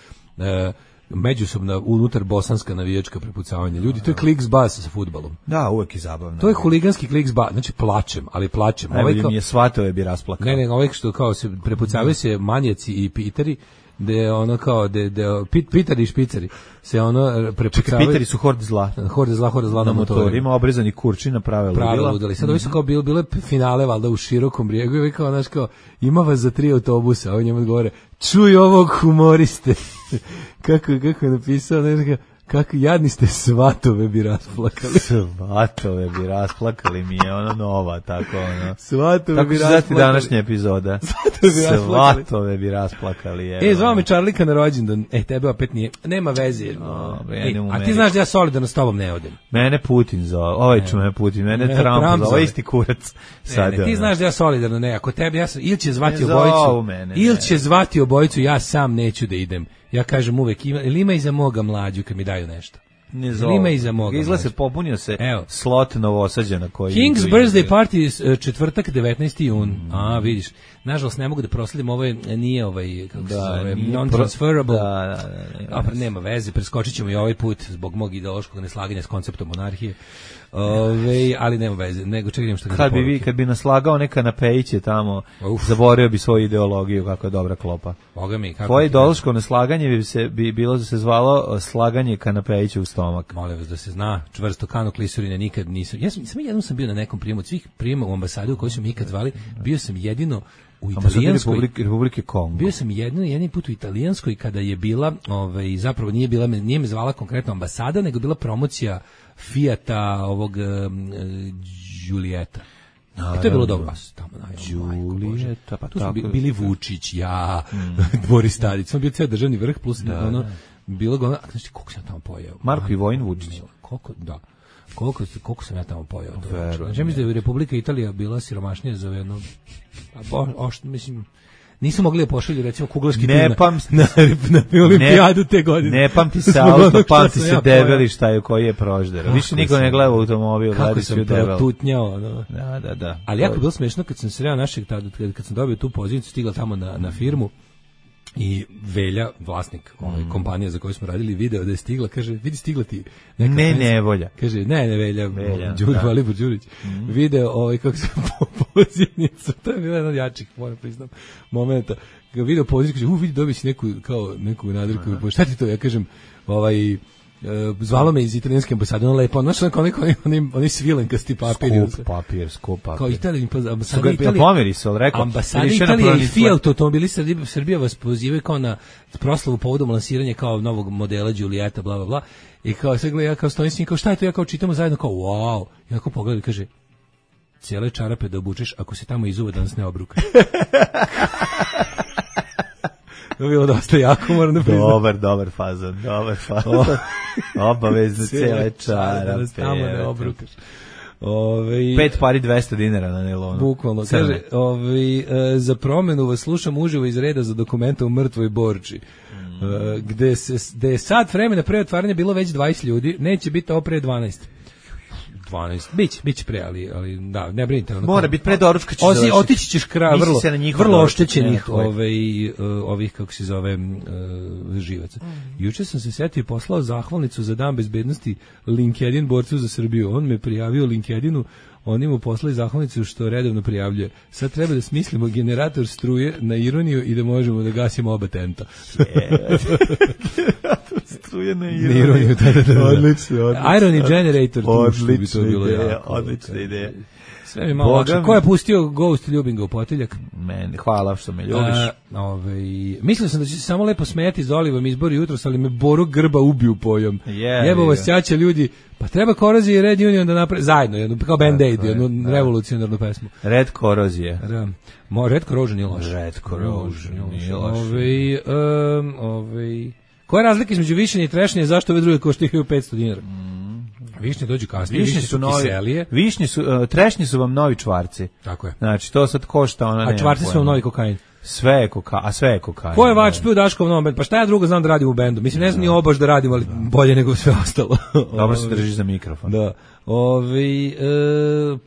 međusobna unutar bosanska navijačka prepucavanja. Ljudi, to je kliks-bas sa fudbalom. Da, uvek je zabavno. To je huliganski kliks-bas, znači plačem. Najbolje mi je svatove bi rasplakao. Ne, ovaj što kao se prepucavaju se manjaci i piteri, gde ono kao pitari i špicari se ono prepucavaju. Pitari su horde zla na motorima, obrezani kurči prave ludila. Sad ovi su kao bile finale valjda u Širokom Brijegu i kao znaš kao ima vas za 3 autobusa, a oni njemu odgovore čuj ovog humoriste. kako je napisao, ne kako jadni ste, svatove bi rasplakali. Svatove bi rasplakali, mi je ono nova, tako ono. Svatove bi rasplakali. Tako današnja epizoda. Svatove bi rasplakali. Zvao me Čarlika na rođendan. Tebe opet nije. Nema veze. A ti znaš da ja solidarno s tobom ne odem. Mene Putin zove. Ovaj ću me Putin. Mene Trump zove. Isti kurac. Ti znaš da ja solidarno ne. Ako tebi ja sam, ili će zvati obojicu. Ili će zvati obojicu, ja sam neću da idem. Ja kažem uvek, ima i za moga mlađu kad mi daju nešto. Ne zove. Ima i za moga mlađu. Izgleda se popunio se slot Novosađana koji... King's birthday party, četvrtak, 19. jun. Vidiš. Nažalost, ne mogu da prosledim, ovo nije kako se zove, non-transferable. Nema veze, preskočit ćemo i ovaj put zbog mog ideološkog neslaganja s konceptom monarhije. Ali nema veze, nego čekam što kad bi naslagao neka napejiće tamo, zaboravio bi svoju ideologiju, kako je dobra klopa. Boga mi, kako tvoje ideološko neslaganje bi bilo da se zvalo slaganje kanapejića u stomak. Molim vas da se zna, čvrsto kano klisurine nikad nisam. Samo jednom sam bio na nekom prijemu od svih prijema u ambasadi u kojoj su mi ikad zvali, bio sam jedino u italijanskoj Republike Kongo. Bio sam jedini put u italijanskoj kada je bila, zapravo nije me zvala konkretno ambasada, nego bila promocija Fijata ovog Giulietta. To je bilo dobro. Giulietta, pa tu su bili Vučić, ja, Boris Tadić. Sam bio ceo državni vrh plus bilo ga, znači koliko sam tamo pojeo. Marko i Vojin Vučić. Koliko sam ja tamo pojeo. Znači mislim da je Republika Italija bila siromašnija za jedno, mislim, nisu mogli da pošalju recimo kuglaški tim na olimpijadu te godine. Ne pamti se auto, pamti se debeli šta je koji je prožder. Više niko ne gleda u automobil, gleda se u debel. Kako sam protutnjao. Da. Ali jako je bilo smešno kad sam sreo našeg, kad sam dobio tu poziciju, stigla tamo na firmu i Velja, vlasnik kompanije za koju smo radili, video da je stigla, kaže, vidi stigla ti neka Nevolja. Kaže, ne Velja, Valibor Đurić. Video kako se pozivnicu, to je bilo jedan od jačih, moram priznam, momenta. Ga video pozivnicu, kaže, vidi, dobit si neku nadrku, šta ti to? Ja kažem, zvalo me iz italijanske ambasade, ono lepo, znaš, oni svilenkasti papiri. Skup papir. Kao ambasada Italije. Ambasada Italije i Fiat automobili Srbija vas pozivaju kao na proslavu povodom lansiranja kao novog modela Giulietta, bla, bla, bla. I kao sve gleda, ja kao stojim s njim, kao šta je to, ja kao čitamo zajedno, kao wow. I ako pogledaj, kaže, cijele čarape da obučeš, ako se tamo izuva da nas ne obruka. To je bilo dosta jako, moram da priznam. Dobar fazon. Obavezno cijele čarape. Tamo ne obrukaš. 5 pari 200 dinara na nelonu. Bukvalno. Kaže, za promenu vas slušam uživo iz reda za dokumenta u Mrtvoj Borči. Gde je sat vremena pre otvaranja bilo već 20 ljudi, neće biti ovo pre 12. Biće pre, ali da, ne brinite. Mora biti pre doručka će završiti. Otići ćeš vrlo oštećenih ovih, kako se zove, živaca. Juče sam se setio i poslao zahvalnicu za dan bezbednosti LinkedIn borcu za Srbiju. On me prijavio LinkedInu, oni mu poslali zahvalnicu što redovno prijavljuje. Sad treba da smislimo generator struje na ironiju i da možemo da gasimo oba tenta. Generator struje na ironiju. Da. Odlično. Irony generator. Odlična ideja. Sve mi malo lakše. Ko je pustio Ghost ljubim ga u potiljak? Meni, hvala što me ljubiš. Mislio sam da će se samo lepo smijati za Olivom izbor jutros, ali me Boro Grba ubiju pojom. Jebo vas ćaća ljudi. Pa treba Korozija i Red Union da napravi zajedno, kao Band-Aid, jednu revolucionarnu pesmu. Red Korozije. Red Corrosion nije loš. Koja je razlika između višenja i trešnja i zašto ove druge koštaju 500 dinara? Višnje dođu kasnije, višnje su kiselije. Višnje su, trešnje su vam novi čvarci. Tako je. Znači, to sad košta ona nema. A čvarci su vam novi kokain. Sve je kokain. Ko je vač pio Daškov novom bendu? Pa šta ja drugo znam da radim u bendu? Mislim, ne znam ni obaš da radim, ali bolje nego sve ostalo. Dobro se držiš za mikrofon. Da.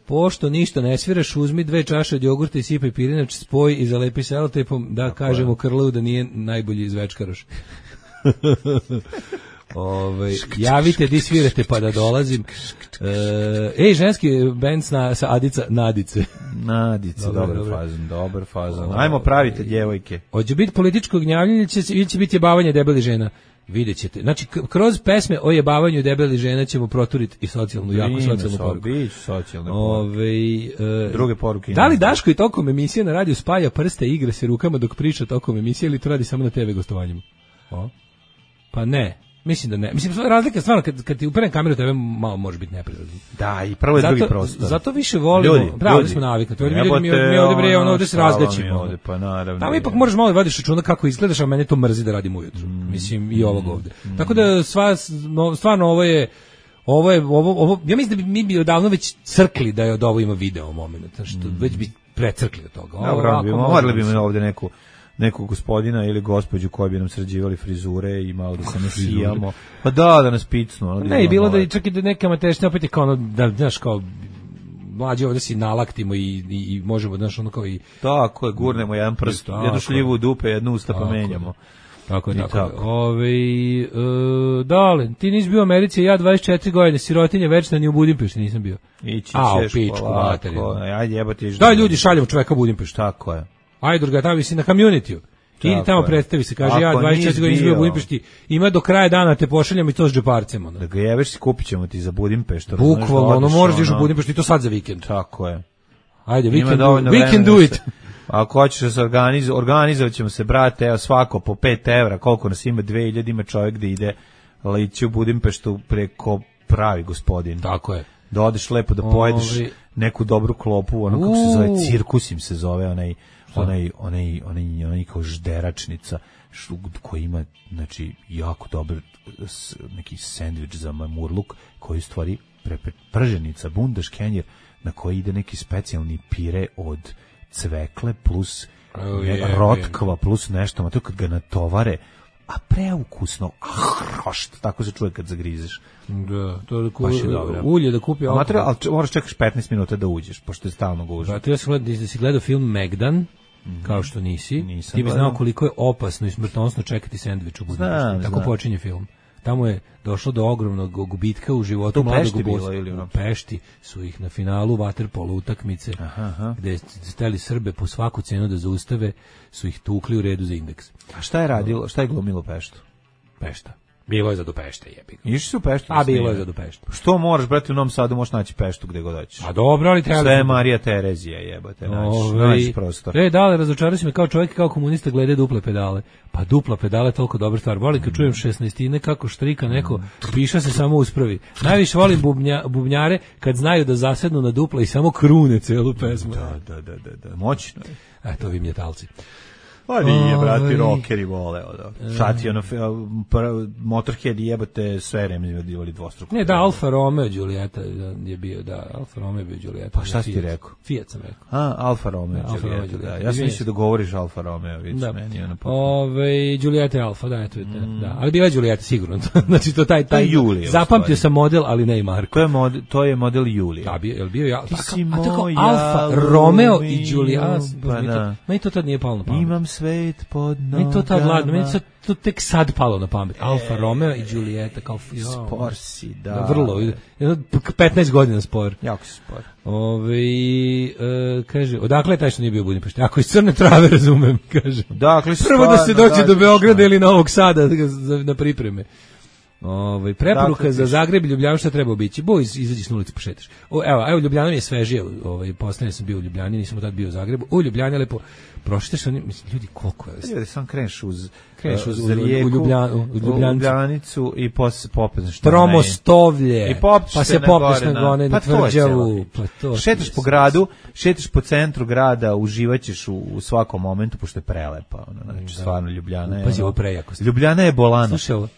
Pošto ništa ne sviraš, uzmi 2 čaše od jogurta i sipaj pirinač, spoj i zalepi selotejpom, da kažemo Krlevu da nije najbolji izvečkaroš. Javite di svirate pa da dolazim. Ženski bend sa Adica Nadice. Dobar fazon. Ajmo pravite djevojke. Hoće biti političko gnjavljenje ili će biti jebavanje debelih žena? Vidjet ćete. Znači, kroz pesme o jebavanju debelih žena ćemo proturiti i socijalnu, jako socijalnu poruku. Druge poruke. Da li Daško i tokom emisije na radiju spaja prste i igra se rukama dok priča tokom emisije ili to radi samo na TV gostovanjima? Pa ne. Mislim da ne. Mislim, razlika je stvarno, kad ti uperem kameru, tebe malo može biti neprirodno. Da, i prvo je drugi prostor. Zato više volimo, pravo smo naviknuti. Mi ovdje se razgaćimo. Pa naravno. Tamo ipak možeš malo vadiš računa kako izgledaš, a mene to mrzi da radim ujutru. Mislim, i ovog ovdje. Tako da, stvarno, ovo, ja mislim da mi bi odavno već crkli da je od ovo ima video moment. Što već bi precrkli od toga. Morali bi ovdje nekog gospodina ili gospođu koji bi nam sređivali frizure i malo da se ne sijamo. Pa da nas picnu. Ne, i bilo da čak i da neka matešnja opet je kao da, znaš, kao mlađe ovdje si nalaktimo i možemo, znaš, ono kao i... Tako je, gurnemo jedan prst, jednu šljivu u dupe, jednu usta pa menjamo. Tako je. Dale, ti nisi bio u Americi, ja 24 godine, sirotinje večna, ni u Budimpešti nisam bio. Ići ćeš polako. Ajde, jebati. Daj ljudi, šaljemo čoveka u Budimpešti. Tako je. Ajde, druga, tamo si na community-u. Idi tamo predstavi se, kaže ja 24 godina izbio u Budimpešti, ima do kraja dana te pošaljam i to s džeparcem. Da ga jebeš si, kupit ćemo ti za Budimpeštu. Bukvalno, moraš da iš u Budimpeštu i to sad za vikend. Tako je. Ajde, we can do it. Ako hoćeš da se organizovat ćemo se, brate, evo svako po 5 evra, koliko nas ima, 2000, ima čovjek da ide ići u Budimpeštu preko pravi gospodin. Tako je. Da odeš lepo da pojedeš neku dobru klopu, ono kako se zove, cirkus im se zove, onaj kao žderačnica koji ima, znači, jako dobar neki sendvič za mamurluk koji u stvari prženica, bundaš kenjer na koji ide neki specijalni pire od cvekle plus rotkva plus nešto, a to kad ga natovare, a preukusno, tako se čuje kad zagrizeš. Da, to je ulje da kupi alkohol. Ali moraš čekaš 15 minuta da uđeš, pošto je stalno gužva. Ja sam gledao, da si gledao film Megdan, kao što nisi, ti bi znao koliko je opasno i smrtonosno čekati sendvič u Budimpešti. Tako počinje film. Tamo je došlo do ogromnog gubitka u životu mladog bosa. U Pešti su ih na finalu vaterpolo utakmice, gde steli Srbe po svaku cenu da zaustave, su ih tukli u redu za indeks. A šta je glumilo Peštu? Pešta. Bilo je za do Pešte, jebi ga. Išli su u Peštu? A bilo je za do Peštu. Što moraš, brate, u Novom Sadu možeš naći Peštu gde god hoćeš. A dobro, ali treba... Sve je Marija Terezija, jebate, naći prostor. Dale, razočarao si me kao čovjek i kao komunista glede duple pedale. Pa dupla pedale je toliko dobra stvar. Volim kad čujem 16-ine kako štrika neko, piša se samo uspravi. Najviše volim bubnjare kad znaju da zasednu na dupla i samo krune celu pesmu. Da, moćno je. Eto, vi mjetalci. Pa nije, brati, rockeri vole. Sad ti Motorhead jebate sve remizivali dvostruko. Ne, da, Alfa Romeo Giulietta je bio, Alfa Romeo je bio Giulietta. Pa šta si ti rekao? Fiat sam rekao. Alfa Romeo Giulietta, da. Ja sam mislio da govoriš Alfa Romeo, vidiš meni. Giulietta je Alfa, da, eto je, da. Ali bila je Giulietta, sigurno. Znači, to taj zapamtio sam model, ali ne i marku. To je model Julije. Da, je li bio ja? A tako Alfa Romeo i Giulietta, meni to tad nije palo na pamet. Imam svet pod nogama. Meni to tad ladno, meni to tek sad palo na pamet. Alfa Romeo i Giulietta kao spor si, da. Vrlo, 15 godina spor. Jako spor. Kaže, odakle je taj što nije bio u Budimpešti? Ako iz Crne Trave, razumem, kaže. Dakle, prvo da se dođe do Beograda ili Novog Sada na pripreme. Preporuka za Zagreb i Ljubljanu, šta treba obići? Izađi s ulici, pošetaš. Evo, Ljubljana mi je svežije, poslednje sam bio u Ljubljani, nisam tad bio u Zagrebu. U Ljubljani je lepo, prošitaš oni, mislim, ljudi, koliko je? Ljudi, sam kreneš uz Rijeku, u Ljubljanicu i popneš Tromostovlje, pa se popneš na Gone, na Tvrđavu. Šetaš po gradu, šetaš po centru grada, uživaćeš u svakom momentu, pošto je prelepa. Znači, stvarno, Ljubljana je... Pazi, ovo prejako. Ljubljana je bolana. Slušaj, ovo,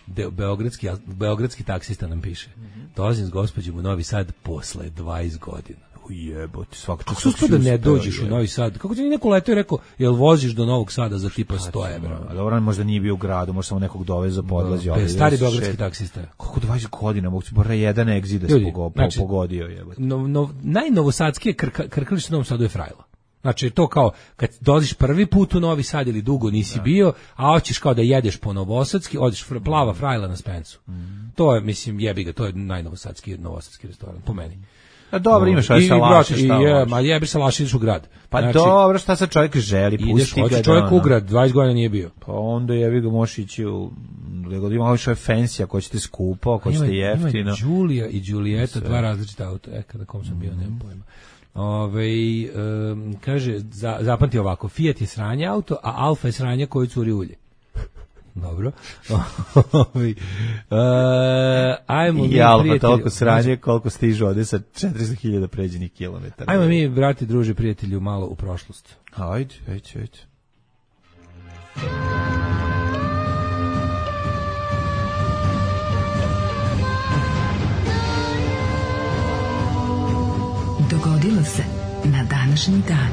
beogradski taksista nam piše. Dolazim s gospođom u Novi Sad posle 20 godina. Jebote, svaka čast. Kako da ne dođeš u Novi Sad? Kako ti neko letio i rekao, jel voziš do Novog Sada za tipa 100 evra? Dobro, možda nije bio u gradu, možda samo nekog doveza, podlazi. Stari beogradski taksista. Kako 20 godina, mogu ti bara jedan egzides pogodio. Jebote. Najnovosadskije krkalište u Novom Sadu je Frajla. Znači, to kao, kad dolaziš prvi put u Novi Sad ili dugo nisi bio, a hoćeš kao da jedeš po novosadski, odeš plava Frajla na Spencu. To je, mislim, jebi ga, to je najnovosadski restoran, po meni. A dobro, imaš ovaj salaš, šta hoćeš? Ma jebi salaš, ideš u grad. Pa znači, dobro, šta sad čovjek želi, pusti ga. Čovjek u grad, 20 godina nije bio. Pa onda jebi ga možeš ići u... Ima ovo što je fancy, ako ćete skupo, ako ćete jeftino. Ima Đulija i Đulijeta, dva različita auta. Kada kom sam bio, nemam pojma. Kaže, zapamti ovako, Fiat je sranje auto, a Alfa je sranje koji curi ulje. Dobro. Ajmo i Alfa toliko sranje koliko stiže ovde sa 400.000 pređenih kilometara. Ajmo mi, brati, druži, prijatelju, malo u prošlost. Ajde. Dogodilo se na današnji dan.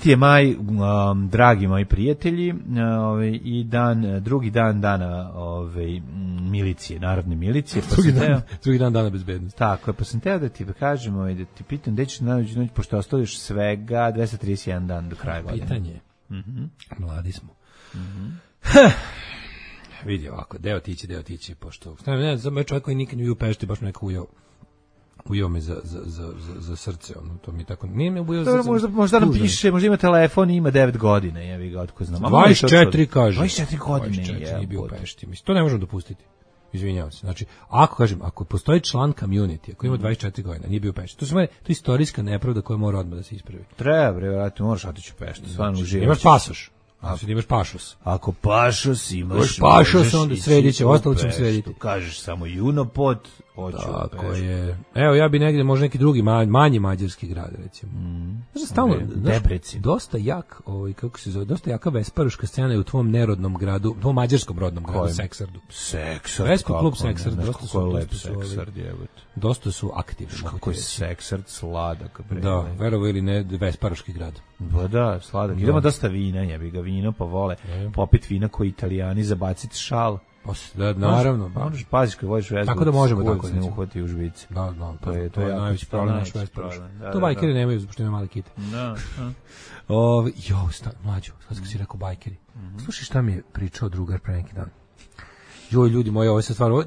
Je maj, dragi moji prijatelji, i drugi dan dana milicije, narodne milicije. Drugi dan dana bezbednosti. Tako je, pa sam teo da ti kažemo i da ti pitam gde ćeš naći noć, pošto ostalo još svega 231 dan do kraja godine. Pitanje je. Mladi smo. Vidi ovako, deo tići, pošto... Ne znam, čovjek koji nikad nije u Pešti, baš neko ujeo me za srce, to mi tako... Nije me ujeo za srce. Možda nam piše, možda ima telefon i ima 9 godina, jevi ga, otko znam. 24 kaže. 24 godine, 24 nije bio u Pešti. To ne možemo dopustiti. Izvinjavam se. Znači, ako postoji član community, ako ima 24 godina, nije bio u Pešti, to je istorijska nepravda koja mora odmah da se ispravi. Treba, vrati, moraš otići u Peštu, stvarno uživati. Imaš pasoš. Ako imaš pašos. Ako pašos imaš, onda sredit će, ostalo ćemo srediti. Kažeš samo Junopot, hoću tako je. Evo, ja bi negdje, možda neki drugi, manji mađarski grad, recimo. Znaš, stalno, dosta jak, kako se zove, dosta jaka vesparuška scena je u tvom nerodnom gradu, u tvom mađarskom rodnom gradu, Seksardu. Seksard, Vespi klub Seksard, dosta su aktivni. Kako je Seksard sladak. Da, verovo ili ne, vesparuški grad. Ba da, sladak. Idemo dosta vina, jebi ga, vino pa vole. Popit vina koji Italijani, zabaciti šal. Da, naravno. Možeš paziš kad voliš vesbu. Tako da možemo tako ne uhvati u žbici. Da, to je najveći problem naš vesparuš. To bajkeri nemaju, zbog što imaju male kite. Da. Mlađo, sad kad si rekao bajkeri. Slušaj šta mi je pričao drugar pre neki dan. Joj, ljudi moji, ovo je stvarno,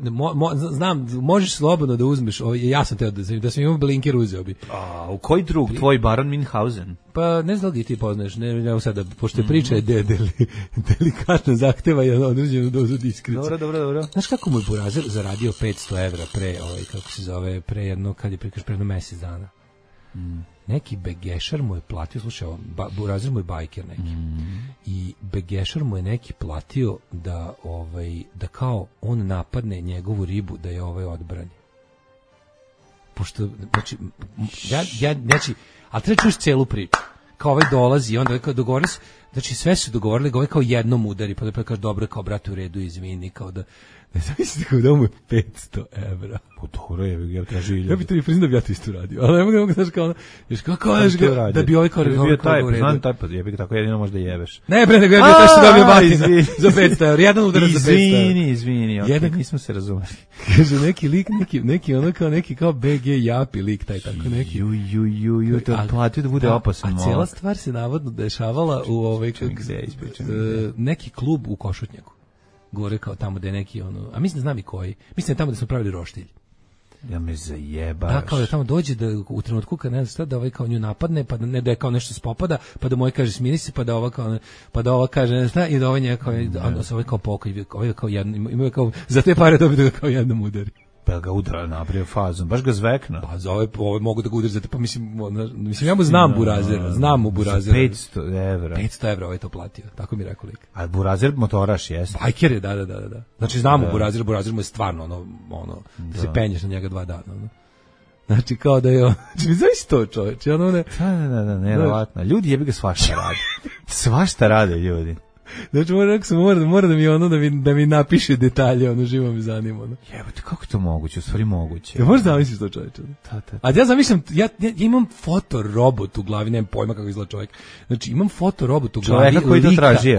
znam, možeš slobodno da uzmeš, ja sam teo da sam imao blinker, uzeo bi. A u koji drug, tvoj Baron Minhausen? Pa ne znam da li ti poznaš, ne sada, pošto je priča delikatno zahteva i određenu dozu diskrecije. Dobro. Znaš kako mu je Burazer zaradio 500 evra pre jedno, kad je prikaž pre jedno mjesec dana? Neki begešar mu je platio, slušaj, Burazer mu je bajker neki, i begešar mu je neki platio da kao on napadne njegovu ribu da je odbrani. Pošto, znači, ali treba čuš celu priču. Kao dolazi i onda dogovorili se, znači sve su dogovorili, kao jednom udari, pa da kaže, dobro, kao brate u redu, izvini, kao da ne zamislite kao da mu je 500 evra. Po dobro je, ja traži ilju. Ja bi to i priznam da bi ja to isto radio, ali ne mogu znaš kao, da bi ovaj kao u redu. Znam taj pa, ja bih tako jedino možda jebeš. Ne bre, nego ja bi taj što dobio batina za 500 evra, jedan udarac za 500 evra. Izvini, jedan nismo se razumeli. Kaže, neki lik, neki kao BG Japi lik, taj tako neki. Ju, to platio da bude opasan. A cijela stvar se navodno dešavala u neki klub u Košutnjaku. Gore kao tamo da je neki a mislim da znam i koji. Mislim da tamo da smo pravili roštilj. Ja me zajebaš. Da, kao da tamo dođe da u trenutku kad ne znam da kao nju napadne, pa da je kao nešto spopada, pa da moj kaže smiri se, pa da ova kaže ne znam i da ovaj njega kao pokoj, kao jedno, ima kao za te pare dobiti da kao jednom udari. Pa ga udara napravio fazom, baš ga zvekna. Pa za ove mogu da ga udarzate, pa mislim ja mu znam Burazera, znam mu Burazera. 500 evra. 500 evra ovaj to platio, tako mi rekao lik. A Burazer motoraš jeste? Bajker je, da. Znači znamo Burazera, Burazer mu je stvarno da se penješ na njega 2 dana, Znači kao da je znači znaš to čoveče, Da, nevjerovatno. Ljudi jebi ga svašta rade. Svašta rade ljudi. Znači mora da mi da mi napiše detalje, živo me zanima. Jebote, kako je to moguće? U stvari moguće. Ja možeš zamisliti to čoveče. A ja zamišljam, ja imam fotorobot u glavi, nemam pojma kako izgleda čovjek. Znači imam fotorobot u glavi čovjeka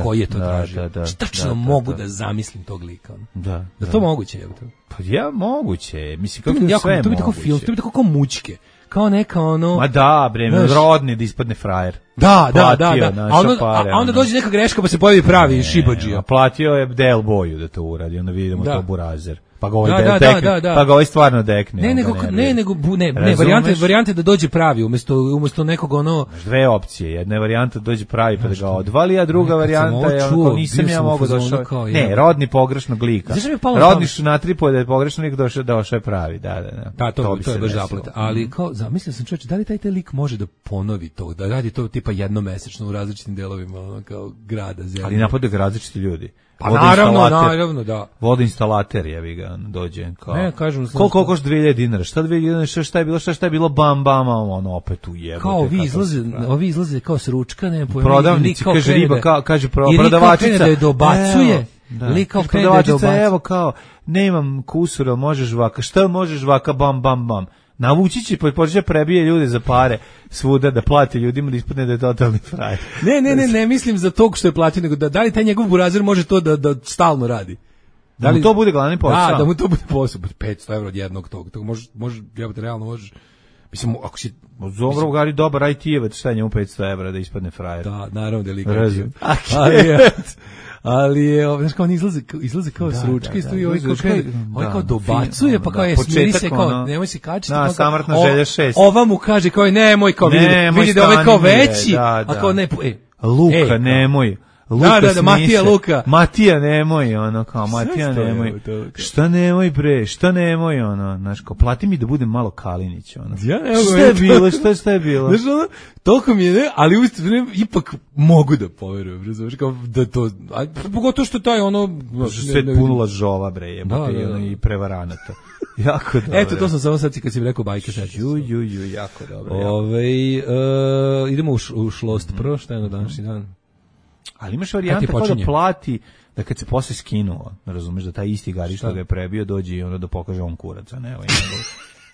koji je to tražio. Tačno mogu da zamislim tog lika. Da to moguće jebote. Pa ja moguće. Mislim kako je sve moguće. To bi tako film, to bi tako kao mućke. Kao neka Ma da, bre, rodni da ispadne frajer. Da. A onda dođe neka greška pa se pojavi pravi šibadžija. Platio je Del Boyu da to uradi, onda vidimo to Burazer. Pa ga ovaj stvarno dekne. Ne, varijante da dođe pravi umesto nekog dve opcije, jedna je varijanta da dođe pravi pa da ga odvali, a druga varijanta je onako nisam ja mogao došao. Ne, rodni pogrešnog lika. Rodni su natripuje da je pogrešno lik došao je pravi, da. To je baš zaplet. Ali kao, zamislio sam čovječe, da li taj lik može da ponovi to, da radi to tipa jednomesečno u različitim delovima kao grada, zemlje. Ali napadaju ga različiti ljudi. Pa naravno, da. Vodoinstalater je ga dođe kao. Ne, kažem, koliko košta 2000 dinara? Šta 2000 dinara? Šta je bilo bam, opet ujebote. Kao ovi izlaze kao s ručka, ne pojma. Prodavnici, kaže riba, kaže prodavačica. Da je dobacuje. Lik kao krene da je dobacuje. Evo kao, nemam kusura, možeš vaka. Šta možeš vaka, bam. Navući će, počeće prebije ljude za pare svuda da plati ljudima da ispadne da je totalni frajer. Ne mislim za tog što je platio, nego da li taj njegov Burazer može to da stalno radi. Da mu to bude glavni posao? Da mu to bude posao. 500 evra od jednog tog. Može, realno možeš. Mislim, ako si... Dobro, ugari dobar IT-evac, šta je njemu 500 evra da ispadne frajer? Da, naravno da je lika. Ali je, znaš kao on izlaze kao s ručke i stoji ovaj kao dobacuje, pa kao je smiri se kao, nemoj se kačiti. Da, samrtna želja 6. Ova mu kaže kao nemoj, kao vidi da ovaj kao veći, a kao ne, Luka, nemoj. Da, Matija Luka. Matija nemoj, kao Matija nemoj. Šta nemoj, znaš, kao plati mi da budem malo Kalinić, Šta je bilo? Znaš, toliko mi je, ali ipak mogu da poverujem, razumiješ, kao da to, pogotovo što taj sve punula žova, bre, i prevaranata. Jako dobro. Eto, to sam samo sad kad si mi rekao bajke. Jako dobro. Idemo u šlost prvo, šta je na današnji dan? Ali imaš varijanta kao da plati, da kad se posle skinuo, razumeš, da taj isti gari što ga je prebio dođe i onda da pokaže on kuraca, ne,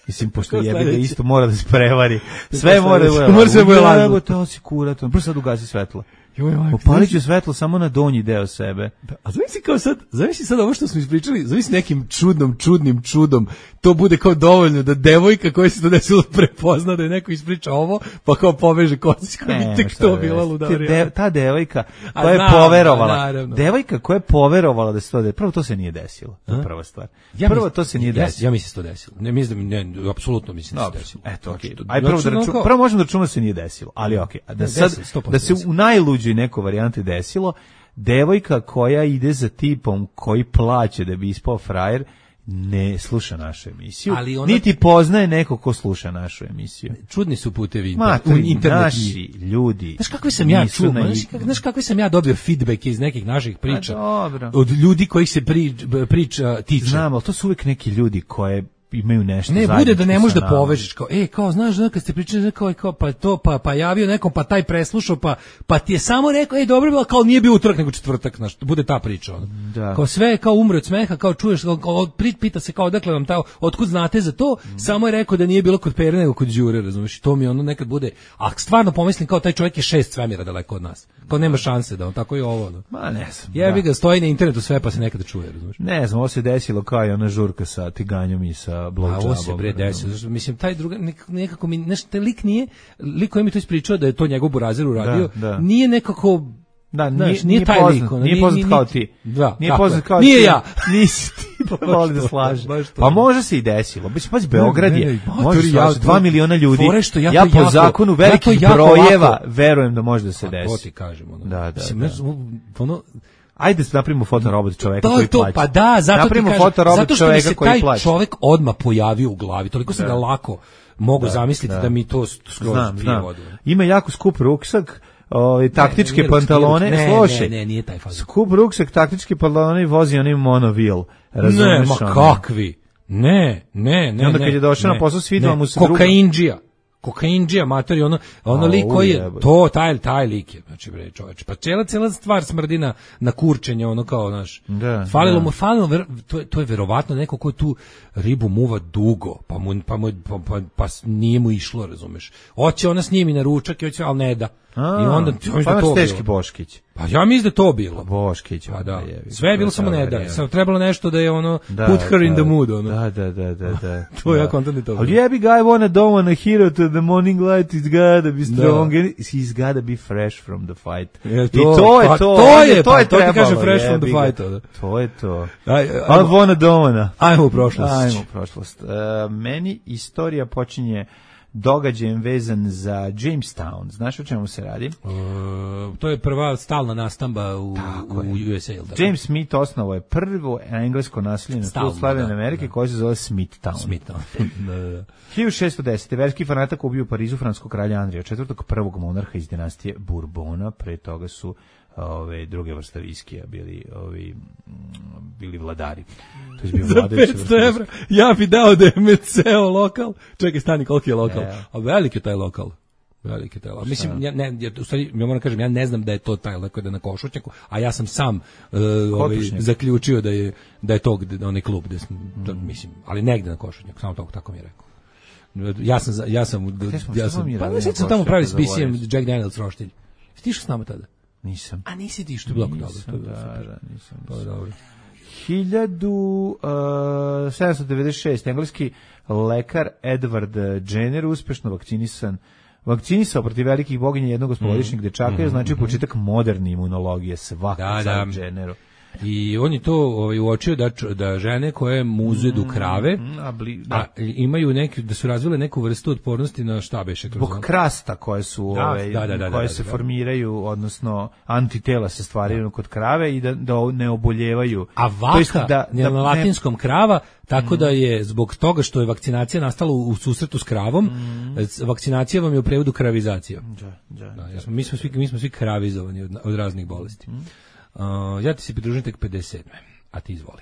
mislim, pošto jebi ga isto mora da se prevari. Sve mora da bude. Mora se bude lažno. To si kurat, on prvo sad ugasi svetlo. Upalit ću svetlo samo na donji deo sebe. A zamisli sad ovo što smo ispričali, zamisli nekim čudnim čudom, to bude kao dovoljno da devojka koja se to desilo prepozna da je neko ispriča ovo, pa kao poveže kosić koja bi tek to bila ludarija. Ta devojka koja je poverovala, da se to desilo, prvo to se nije desilo, to je prva stvar. Prvo to se nije desilo. Ja mislim se to desilo. Ne mislim da apsolutno mislim da se desilo. Eto, okej. Aj prvo možemo da računamo da se nije desilo, ali okej. Da se u najluđoj neko varijante desilo, devojka koja ide za tipom koji plaće da bi ispao frajer, ne sluša našu emisiju, niti poznaje neko ko sluša našu emisiju. Čudni su putevi naši ljudi. Znaš kakve sam ja čuo, znaš kakve sam ja dobio feedback iz nekih naših priča od ljudi kojih se priča tiče. Znam, ali to su uvijek neki ljudi koje imaju nešto zajedničko. Ne, bude da ne možeš da povežeš, kao, znaš, kad ste pričali, kao, pa to, pa javio nekom, pa taj preslušao, pa ti je samo rekao, dobro bilo, kao nije bio utorak, nego četvrtak, znaš, bude ta priča, Kao sve, kao umre od smeha, kao čuješ, pita se, kao, dakle vam otkud znate za to, samo je rekao da nije bilo kod Pere, nego kod Đure, razumiješ, to mi nekad bude, a stvarno pomislim, kao, taj čovjek je 6 svemira daleko od nas, kao, nema šanse da on tako i ovo, Ma ne znam. Jebi ga, stoji na internetu sve, pa se nekada čuje, razumiješ. Ne znam, ovo se desilo kao i ona žurka sa tiganjom i sa blowjobom. Ovo se bre desilo, zašto mislim taj druga nekako mi taj lik koji mi to ispričao da je to njegov Burazer uradio, nije nekako nije taj lik, nije poznat kao ti. Nije poznat kao ti. Nije ja. Nisi ti, voli da slaže. Pa može se i desilo. Pazi, Beograd je, može se 2 miliona ljudi. Ja po zakonu velikih brojeva verujem da može da se desi. To ti kažem. Da. Ajde napravimo fotorobot čoveka koji plaća. Pa da, zato napravimo ti kažem, fotorobot zato što mi se koji taj plaća. čovek odmah pojavio u glavi, toliko sam ga lako mogu zamisliti da mi to skroz pije vodu. Ima jako skup ruksak, taktičke pantalone, slušaj. Ne, nije taj fazon. Skup ruksak, taktičke pantalone i vozi onaj monovil. Ne, ma kakvi? Ne. I onda kad je došao na posao, svidela mu se druga. Kokaindžija, matori, ono lik koji je, taj lik je, znači bre čoveč, pa cijela stvar smrdi na kurčenje, ono kao, znaš, falilo, to je verovatno neko ko tu ribu muva dugo, pa nije mu išlo, razumeš, hoće ona s njim i na ručak, ali ne da. I onda pa to teški Boškić. Pa ja mislim da to bilo. Boškić. Pa da. Sve je bilo samo ne da. Samo trebalo nešto da je ono put her in the mood, ono. Da. To ja kontam to. Ali jebi guy don't wanna hero to the morning light, it's gotta be strong, he's gotta be fresh from the fight. I to je to. To ti kaže fresh from the fight. To je to. Ali don't. Ajmo u prošlost. Meni istorija počinje događajem vezan za Jamestown. Znaš o čemu se radi? To je prva stalna nastamba u USA. James Smith osnovao je prvo englesko naselje na tlu Slavene Amerike koje se zove Smithtown. 1610. verski fanatak ubio u Parizu francuskog kralja Andrija IV, prvog monarha iz dinastije Bourbona. Pre toga su druge vrste viskija bili vladari. To je bio za 500 evra ja bi dao da je me ceo lokal. Čekaj, stani, koliki je lokal? A veliki je taj lokal. Mislim, ja moram kažem, ja ne znam da je to taj lekar da na Košutnjaku, a ja sam sam zaključio da je to onaj klub, mislim, ali negde na Košutnjaku, samo tako mi je rekao. Ja sam pa sad sam tamo pravili s BCM Jack Daniels roštilj. Stišao s nama tada? Nisam. A nisi ti što je bloko dobro. Nisam. Pa dobro. 1796. engleski lekar Edward Jenner uspešno vakcinisao protiv velikih boginja jednog osmogodišnjeg dečaka, znači početak moderne imunologije, svaka čast Jenneru. I on je to uočio da žene koje muzedu krave imaju da su razvile neku vrstu otpornosti na šta beše kroz zbog krasta koje su koje se formiraju, odnosno antitela se stvaraju kod krave i da ne oboljevaju. A vaka na latinskom krava, tako da je zbog toga što je vakcinacija nastala u susretu s kravom, vakcinacija vam je u prevodu kravizacija. Mi smo svi kravizovani od raznih bolesti. Ja ti se pridružim tek 57. A ti izvoli.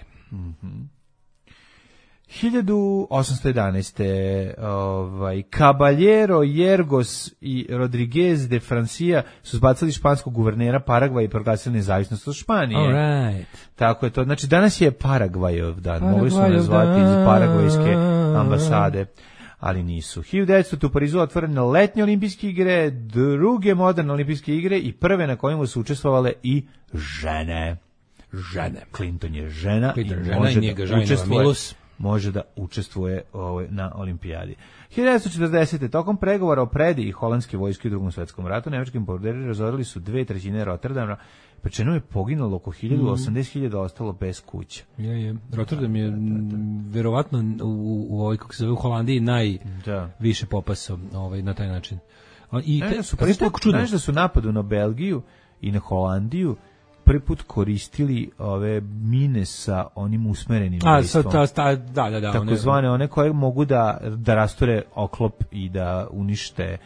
1811. Caballero, Yergos i Rodriguez de Francia su zbacili španskog guvernera Paragvaja i proglasili nezavisnost od Španije. Tako je to. Znači, danas je Paragvajov dan. Mogli su nazvati iz Paragvajske ambasade, ali nisu. 1900. u Parizu otvorene letnje olimpijske igre, druge moderne olimpijske igre i prve na kojima su učestvovale i žene. Clinton je žena i može da učestvuje na olimpijadi. 1940. tokom pregovora o predaji holandske vojske u Drugom svetskom ratu, nemački bombarderi razorili su 2/3 Rotterdama, pri čemu je poginulo oko 80.000, ostalo bez kuća. Rotterdam je verovatno u kako se zove u Holandiji najviše popasao na taj način. Znaš da su napadu na Belgiju i na Holandiju prvi put koristili ove mine sa onim usmerenim listom. Takozvane one koje mogu da rasture oklop i da unište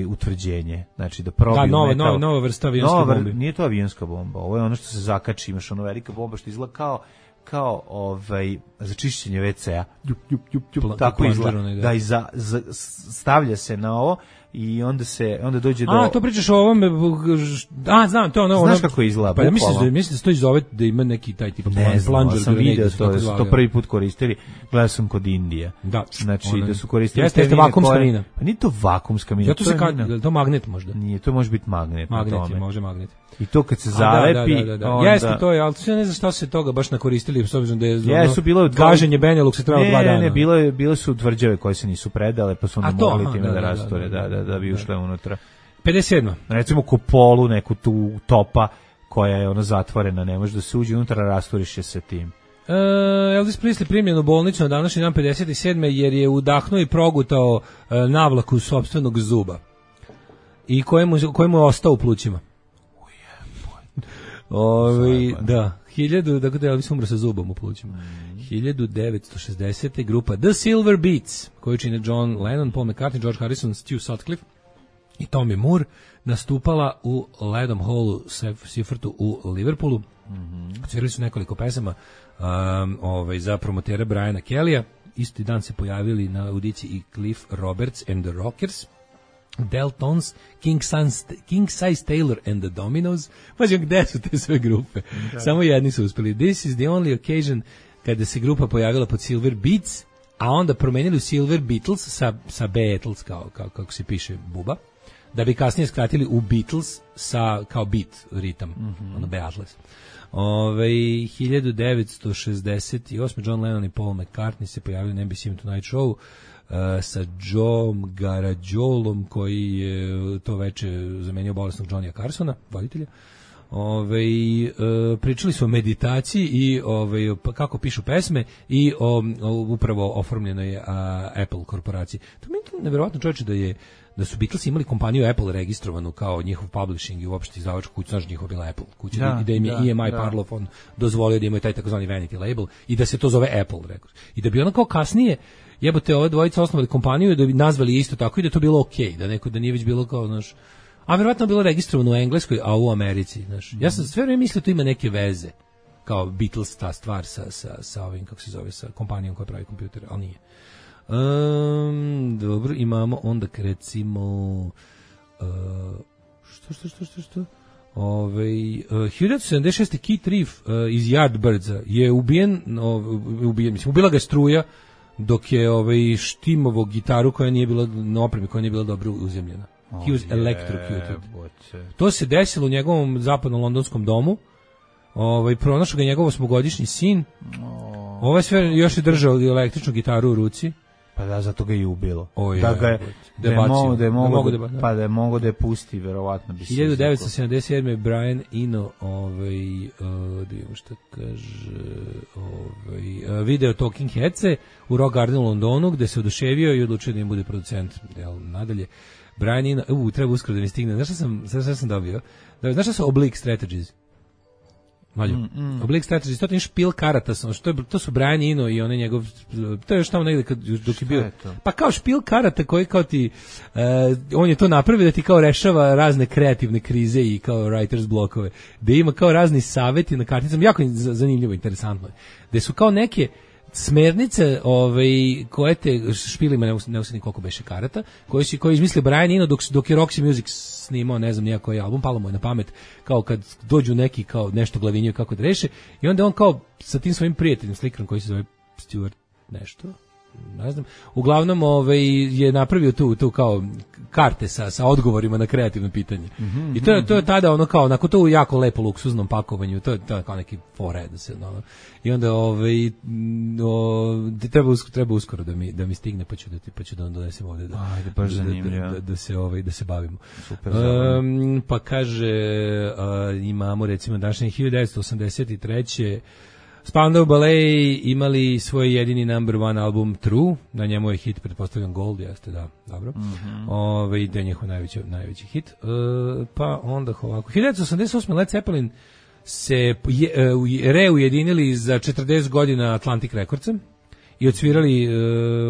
utvrđenje, znači da probiju metal. Nova vrsta avionske bombe. Nije to avionska bomba, ovo je ono što se zakači, imaš ono velika bomba što izgleda kao za čišćenje WC-a. Tako izgleda. Da i stavlja se na ovo i onda dođe do... to pričaš o ovome... znam, to ono... Znaš kako izgleda, bukvalno? Mislim da se to iz zove da ima neki taj tipa plunger. Ne znam, sam vidio to prvi put koristili. Gledao sam kod Indije. Znači, da su koristili... Jeste vakumska mina. Pa nije to vakumska mina. Je to magnet možda? Nije, to može biti magnet. Može magnet. I to kad se zalepi... Jeste to je, ali ne znam šta se toga baš nakoristili, s obzirom da je gaženje Benelux se trebalo 2 dana. Ne, bile su tvrđave koje se nisu predale, pa su onda mogli time da rasture, da bi ušle unutra. 57. Recimo kupolu, neku tu topa koja je zatvorena, ne može da se uđe unutra, rasturiš je se tim. Elvis Presley primljen u bolnicu na današnji dan 57. jer je udahnuo i progutao navlaku sopstvenog zuba i kojemu je ostao u plućima. Da, 1000, dakle da Elvis umro sa zubom u plućima. 1960. grupa The Silver Beats, koju čine John Lennon, Paul McCartney, George Harrison, Stu Sutcliffe i Tommy Moore, nastupala u Ledom Hallu Seifertu u Liverpoolu. Svirali su nekoliko pesama za promotera Briana Kellya. Isti dan se pojavili na audici i Cliff Roberts and the Rockers, Deltons, King Size Taylor and the Dominos. Pađe, gde su te sve grupe? Samo jedni su uspeli. This is the only occasion kada se grupa pojavila pod Silver Beats, a onda promenili u Silver Beatles sa Beatles, kako se piše buba, da bi kasnije skratili u Beatles kao beat ritam, ono Beatles. 1968. John Lennon i Paul McCartney se pojavili na NBC Tonight Show sa Joeom Garagolom, koji je to veče zamenio bolesnog Johnnya Carsona, voditelja. Pričali su o meditaciji i kako pišu pesme i upravo oformljenoj Apple korporaciji. To mi je nevjerovatno, čovječe, da su Beatles imali kompaniju Apple registrovanu kao njihov publishing i uopšte izdavačku kuću, znaš, njihova bila Apple kuća, i da im je EMI Parlophone dozvolio da imaju taj takozvani vanity label i da se to zove Apple Records. I da bi ono kao kasnije, jebote, ove dvojice osnovali kompaniju i da bi nazvali isto tako i da to bilo okej, da nije već bilo kao, znaš, a verovatno bilo registrovano u Engleskoj, a u Americi, znaš. Ja sam sve vreme mislio to ima neke veze, kao Beatles, ta stvar sa ovim, kako se zove, sa kompanijom koja pravi kompjutere, ali nije. Dobro, imamo onda recimo što 1976. Keith Reef iz Yardbirdsa je ubijen, mislim, ubila ga struja dok je štimovo gitaru koja nije bila na opremi, koja nije bila dobro uzemljena. He was electrocuted. To se desilo u njegovom zapadno-londonskom domu. Pronašao ga njegov 8-godišnji sin. Ovaj sve još je držao električnu gitaru u ruci. Pa da, zato ga je ubilo. Da je mogo da je pusti, verovatno bi se. 1977. Brian Eno, da vidimo šta kaže, video Talking Headse u Rock Gardenu u Londonu, gde se oduševio i odlučio da im bude producent. Nadalje, Brian Eno, treba uskoro da mi stigne. Znaš šta sam dobio? Znaš šta su Oblique Strategies? Oblique Strategies, to je špil karata, to su Brian Eno i onaj njegov, to je još tamo negde dok je bio, pa kao špil karata koji kao ti, on je to napravio da ti kao rešava razne kreativne krize i kao writer's blokove, da ima kao razni saveti na karticama, jako zanimljivo, interesantno, gde su kao neke smernice koje te špilima, ne osjetim koliko beše karata, koji izmislio Brian Eno dok je Roxy Music snimao, ne znam nijako album, palo mu je na pamet, kao kad dođu neki kao nešto glavinjaju kako da reše, i onda on kao sa tim svojim prijateljem slikarom koji se zove Stuart nešto, ne znam, uglavnom je napravio tu kao karte sa odgovorima na kreativno pitanje. I to je tada ono kao, onako to u jako lepo luksuznom pakovanju, to je kao neki fored da se i onda treba uskoro da mi stigne, pa ću da vam donesem ovde da se bavimo. Super, pa kaže, imamo recimo današnje 1983. Spandau Ballet imali svoj jedini number one album True, na njemu je hit, pretpostavljam Gold, jeste, da, dobro. Da je njihov najveći hit. Pa onda ovako. 1988. Led Zeppelin se reujedinili za 40 godina Atlantic Recordsa i odsvirali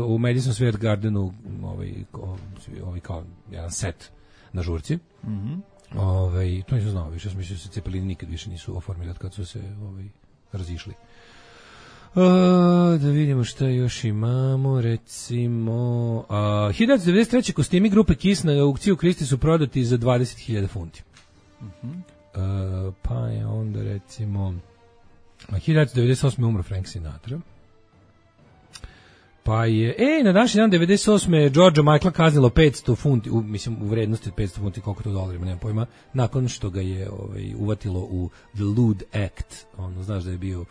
u Madison Square Gardenu kao jedan set na žurci. To nisam znao više, sam mislio da se Zeppelini nikad više nisu oformili od kad su se razišli. Da vidimo šta još imamo, recimo 1993. kostimi grupe Kiss na aukciju u Kristi su prodati za 20.000 funti. Pa je onda recimo 1998. umro Frank Sinatra. Pa je, na današnji dan 98. Georgia Michaela kaznilo 500 funti, mislim u vrednosti od 500 funti, koliko to dolarima, nemam pojma, nakon što ga je uvatilo u The Lewd Act, znaš da je bio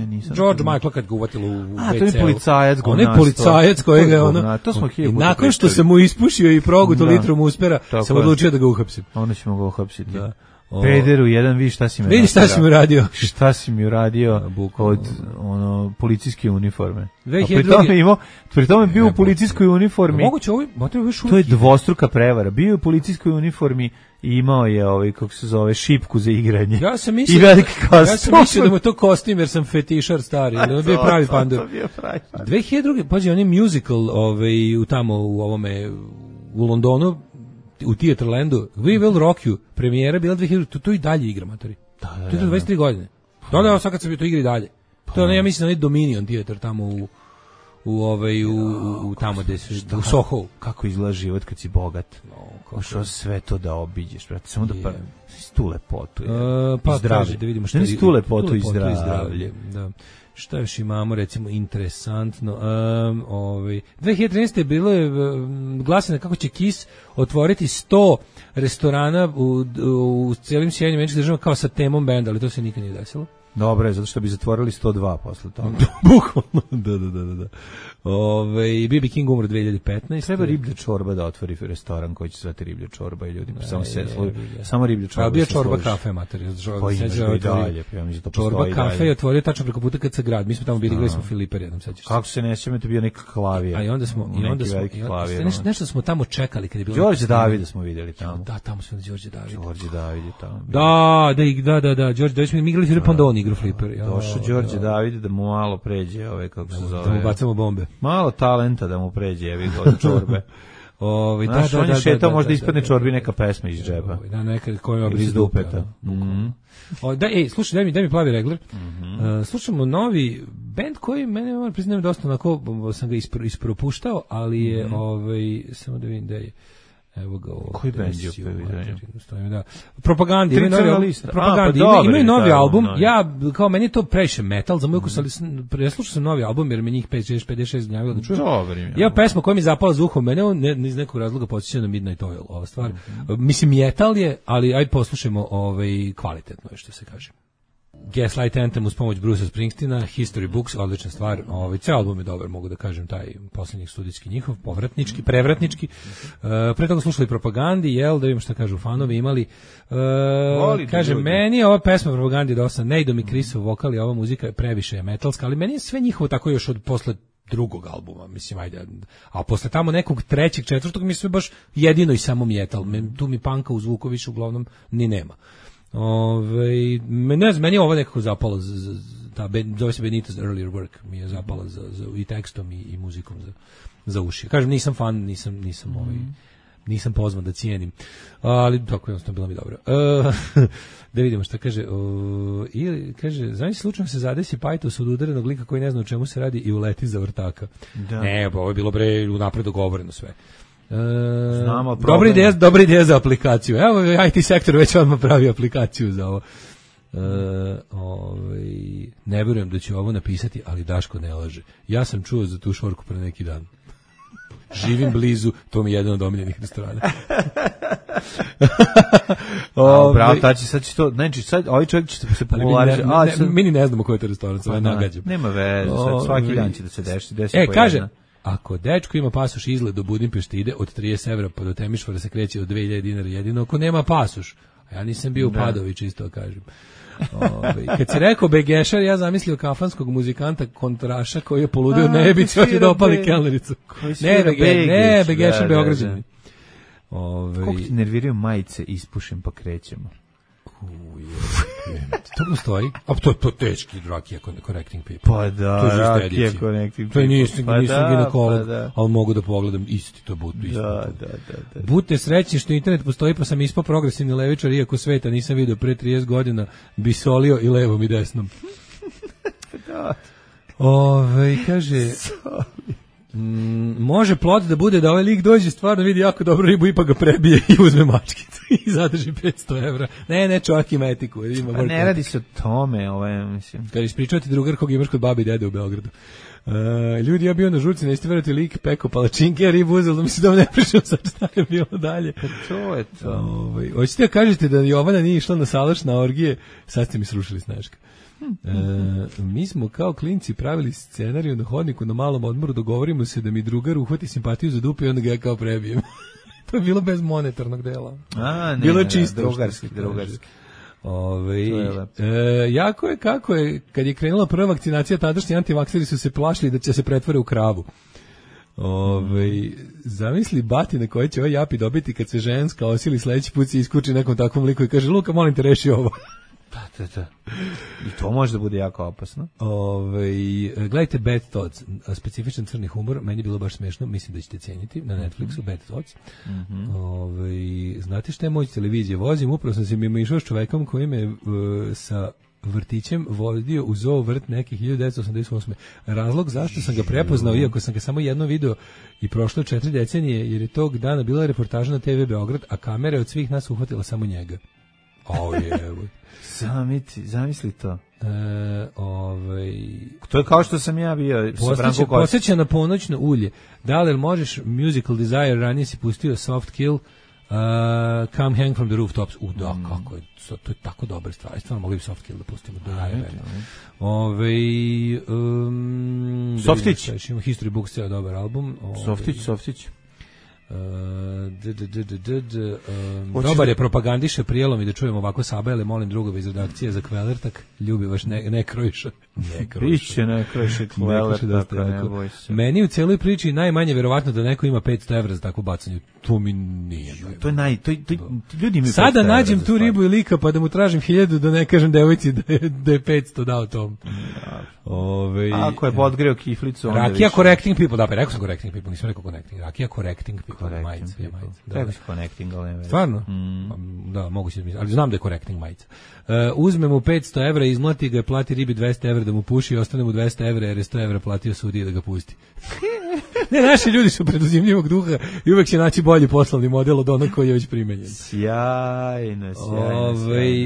nisam. George Michael kad ga uvatilo u WC. To je policajac govnasto. On je policajac kojega to smo nakon što se mu ispušio i progutao litrom uspera, sam odlučio da ga uhapsim. Onda ćemo ga uhapsiti. Da. Pederu, jedan, vidi šta si mi vidi šta si mi uradio. Šta si mi uradio od policijske uniforme. Pri tome bio u policijskoj uniformi. Moguće to je dvostruka prevara. Bio je u policijskoj uniformi i imao je kako se zove, šipku za igranje. Ja sam mislio da mu to kostim jer sam fetišar stari, ali on bio pravi pandur. 2002. pazi, on je musical u Londonu, u Theaterlandu, We Will Rock You, premijera bila 2000, to i dalje igra, matori. To je 23 godine. Da, sad kad se to igra i dalje. To je, ja mislim, onaj Dominion Theater tamo u tamo gde se u Soho. Kako izgleda život kad si bogat. Što sve to da obiđeš, brate, samo da tu lepotu i zdravlje. Da vidimo šta je tu lepotu i zdravlje. Da. Šta još imamo, recimo, interesantno. 2013. je bilo glasine kako će KISS otvoriti 100 restorana u cijelim Sjedinjenim Američkim Državama kao sa temom benda, ali to se nikad nije desilo. Dobro je, zato što bi zatvorili 102 posle toga. Bukvalno, da. B.B. King umro 2015. Treba Riblja čorba da otvori restoran koji će zvati Riblja čorba i ljudi samo Riblja čorba. Bio čorba kafe, mater. Čorba kafe je otvorio tačno preko puta kad se grad. Mi smo tamo bili, gledali smo Filiper jednom, sećaš se. Kako se ne sjećam, to bio neka klavija. A i onda smo nešto smo tamo čekali kad je bilo. Đorđe Davida smo videli tamo. Da, tamo smo Đorđe David. Đorđe David je tamo. Da, Đorđe David smo igrali Filip Pandoni igru Fliper. Došao Đorđe David da mu malo pređe, kako se zove. Da mu bacamo bombe. Malo talenta da mu pređe, evi ga od čorbe. On je šetao, možda ispadne čorbi neka pesma iz džepa. Da, neka koja ima iz dupeta. Slušaj, daj mi plavi regler. Slušamo novi band koji mene, moram priznam, dosta onako, sam ga ispropuštao, ali je, samo da vidim da je. Evo ga ovdje. Koji band je da. Propagandi. Imaju novi album. Ja, kao meni je to previše metal, za moj ukus, ali preslušao sam novi album, jer me njih 56 gnjavilo da čujem. Ja pesma koja mi je zapala za uhom, mene iz nekog razloga podsjeća na Midnight Oil, ova stvar. Mislim, metal je, ali aj poslušajmo kvalitetno je, što se kaže. Gaslight Anthem uz pomoć Brucea Springsteena, History Books, odlična stvar. Ceo album je dobar, mogu da kažem, taj posljednjih studijski njihov, prevratnički. Pre toga slušali Propagandi, da vidimo šta kažu fanovi, imali. Kaže, meni je ova pesma Propagandi dosta, ne idu mi Chrisov vokal i ova muzika je previše metalska, ali meni je sve njihovo tako još od posle drugog albuma, mislim, ajde, a posle tamo nekog trećeg, četvrtog mi sve baš jedino i samo metal, tu mi panka u zvuku više uglavnom ni nema. Meni je ovo nekako zapalo, zove se Benito's Earlier Work, mi je zapalo i tekstom i muzikom za uši. Kažem, nisam fan, nisam pozvan da cijenim, ali tako jednostavno bilo mi dobro. Da vidimo šta kaže. Ili kaže, znači slučajno se zadesi pajtos od udarenog lika koji ne zna o čemu se radi i uleti za vrtaka. Ne, ovo je bilo unapred dogovoreno sve. Dobra ideja za aplikaciju. Evo, IT sektor već odmah pravi aplikaciju za ovo. Ne vjerujem da će ovo napisati, ali Daško ne laže. Ja sam čuo za tu šorku pre neki dan. Živim blizu, to mi je jedan od omiljenih restorana. Bravo, sad će to, znači sad ovaj čovjek će se popularizati. Mi ni ne znamo koji je to restoran, sad nagađam. Nema veze, svaki dan će da se desi. Kaže, ako dečko ima pasoš izgled do Budimpešte ide od 30 evra pa do Temišvara se kreće od 2000 dinara jedino ako nema pasoš. A ja nisam bio u Padovi, čisto kažem. Kad si rekao Begešar, ja zamislio kafanskog muzikanta kontraša koji je poludio nebici, hoće da opali kelnericu. Ne, Begešar Beograđani. Koliko ti nerviraju majice, ispušim pa krećemo. To postoji. A to teški Rakija Connecting People. Pa da, Rakija Connecting People. To nisam ginekolog, ali mogu da pogledam isti to butu. Da. Budite srećni što internet postoji, pa sam ispao progresivni levičar, iako sveta nisam vidio pre 30 godina, bi solio i levom i desnom. Kaže... može plot da bude da ovaj lik dođe stvarno vidi jako dobro ribu i pa ga prebije i uzme mačkicu i zadrži 500 evra. Ne, čovjek ima etiku. Pa ne radi se o tome, mislim. Kad ispričavati drugar kog imaš kod babi i dede u Beogradu. Ljudi, ja bio na žurci, nećete verati, lik peko palačinke, ribu uzelo, da mi se da ne pričam sad šta je bilo dalje. To je to. Hoćete da kažete da Jovana nije išla na salaš na orgije, sad ste mi srušili snaška. Mi smo kao klinci pravili scenariju na hodniku na malom odmoru, dogovorimo se da mi drugar uhvati simpatiju za dupe i onda ga ja kao prebijem. To je bilo bez monetarnog dela. Bilo je čisto. Drugarski. Jako je kako je, kad je krenula prva vakcinacija, tadašnji antivakseri su se plašili da će se pretvore u kravu. Zamisli batine koje će ovaj japi dobiti kad se ženska osili sledeći put se iskuči nekom takvom liku i kaže Luka, molim te, reši ovo. Da. I to može da bude jako opasno. Gledajte Bad Thoughts, specifičan crni humor, meni je bilo baš smešno, mislim da ćete cijeniti, na Netflixu, Bad Thoughts. Znate šta je moć televizije? Vozim, upravo sam se mimo išao s čovekom koji me sa vrtićem vodio u zoo vrt nekih 1988. Razlog zašto sam ga prepoznao, iako sam ga samo jedno video i prošlo 4 decenije, jer je tog dana bila reportaža na TV Beograd, a kamera od svih nas uhvatila samo njega. Zamisli to. To je kao što sam ja bio sa Branko Kostić. Posjeća na ponoćno ulje. Da li možeš Musical Desire, ranije si pustio Soft Kill, Come Hang from the Rooftops. Da, kako je, to je tako dobra stvar. Stvarno mogli bi Soft Kill da pustimo. Softić. History Books je dobar album. Softić. Dobar je propagandiše prijelom i da čujemo ovako sabajale, molim drugove iz redakcije za Kvelertak, ljubi vaš ne krojiša. Biće ne krojiša Kvelertak, ne boj se. Meni u cijeloj priči najmanje verovatno da neko ima 500 evra za takvo bacanje. To mi nije. To je ljudi imaju. Sada nađem tu ribu i lika pa da mu tražim 1000 da ne kažem devojci da je 500 dao tom. Ako je podgreo kiflicu, onda Rakija Correcting People, da, pa rekao sam Correcting People, nisam rekao Connecting. Rakija Correcting People, majica. Rekao si Connecting, ali ne. Stvarno? Da, moguće da mislim, ali znam da je Correcting majica. Uzme mu 500 evra, izmlati ga, plati ribi 200 evra da mu puši i ostane mu 200 evra jer je 100 evra platio sudiji da ga pusti. Ne, naši ljudi su preduzimljivog duha i uvek će naći bolji poslovni model od onog koji je već primenjen. Sjajno.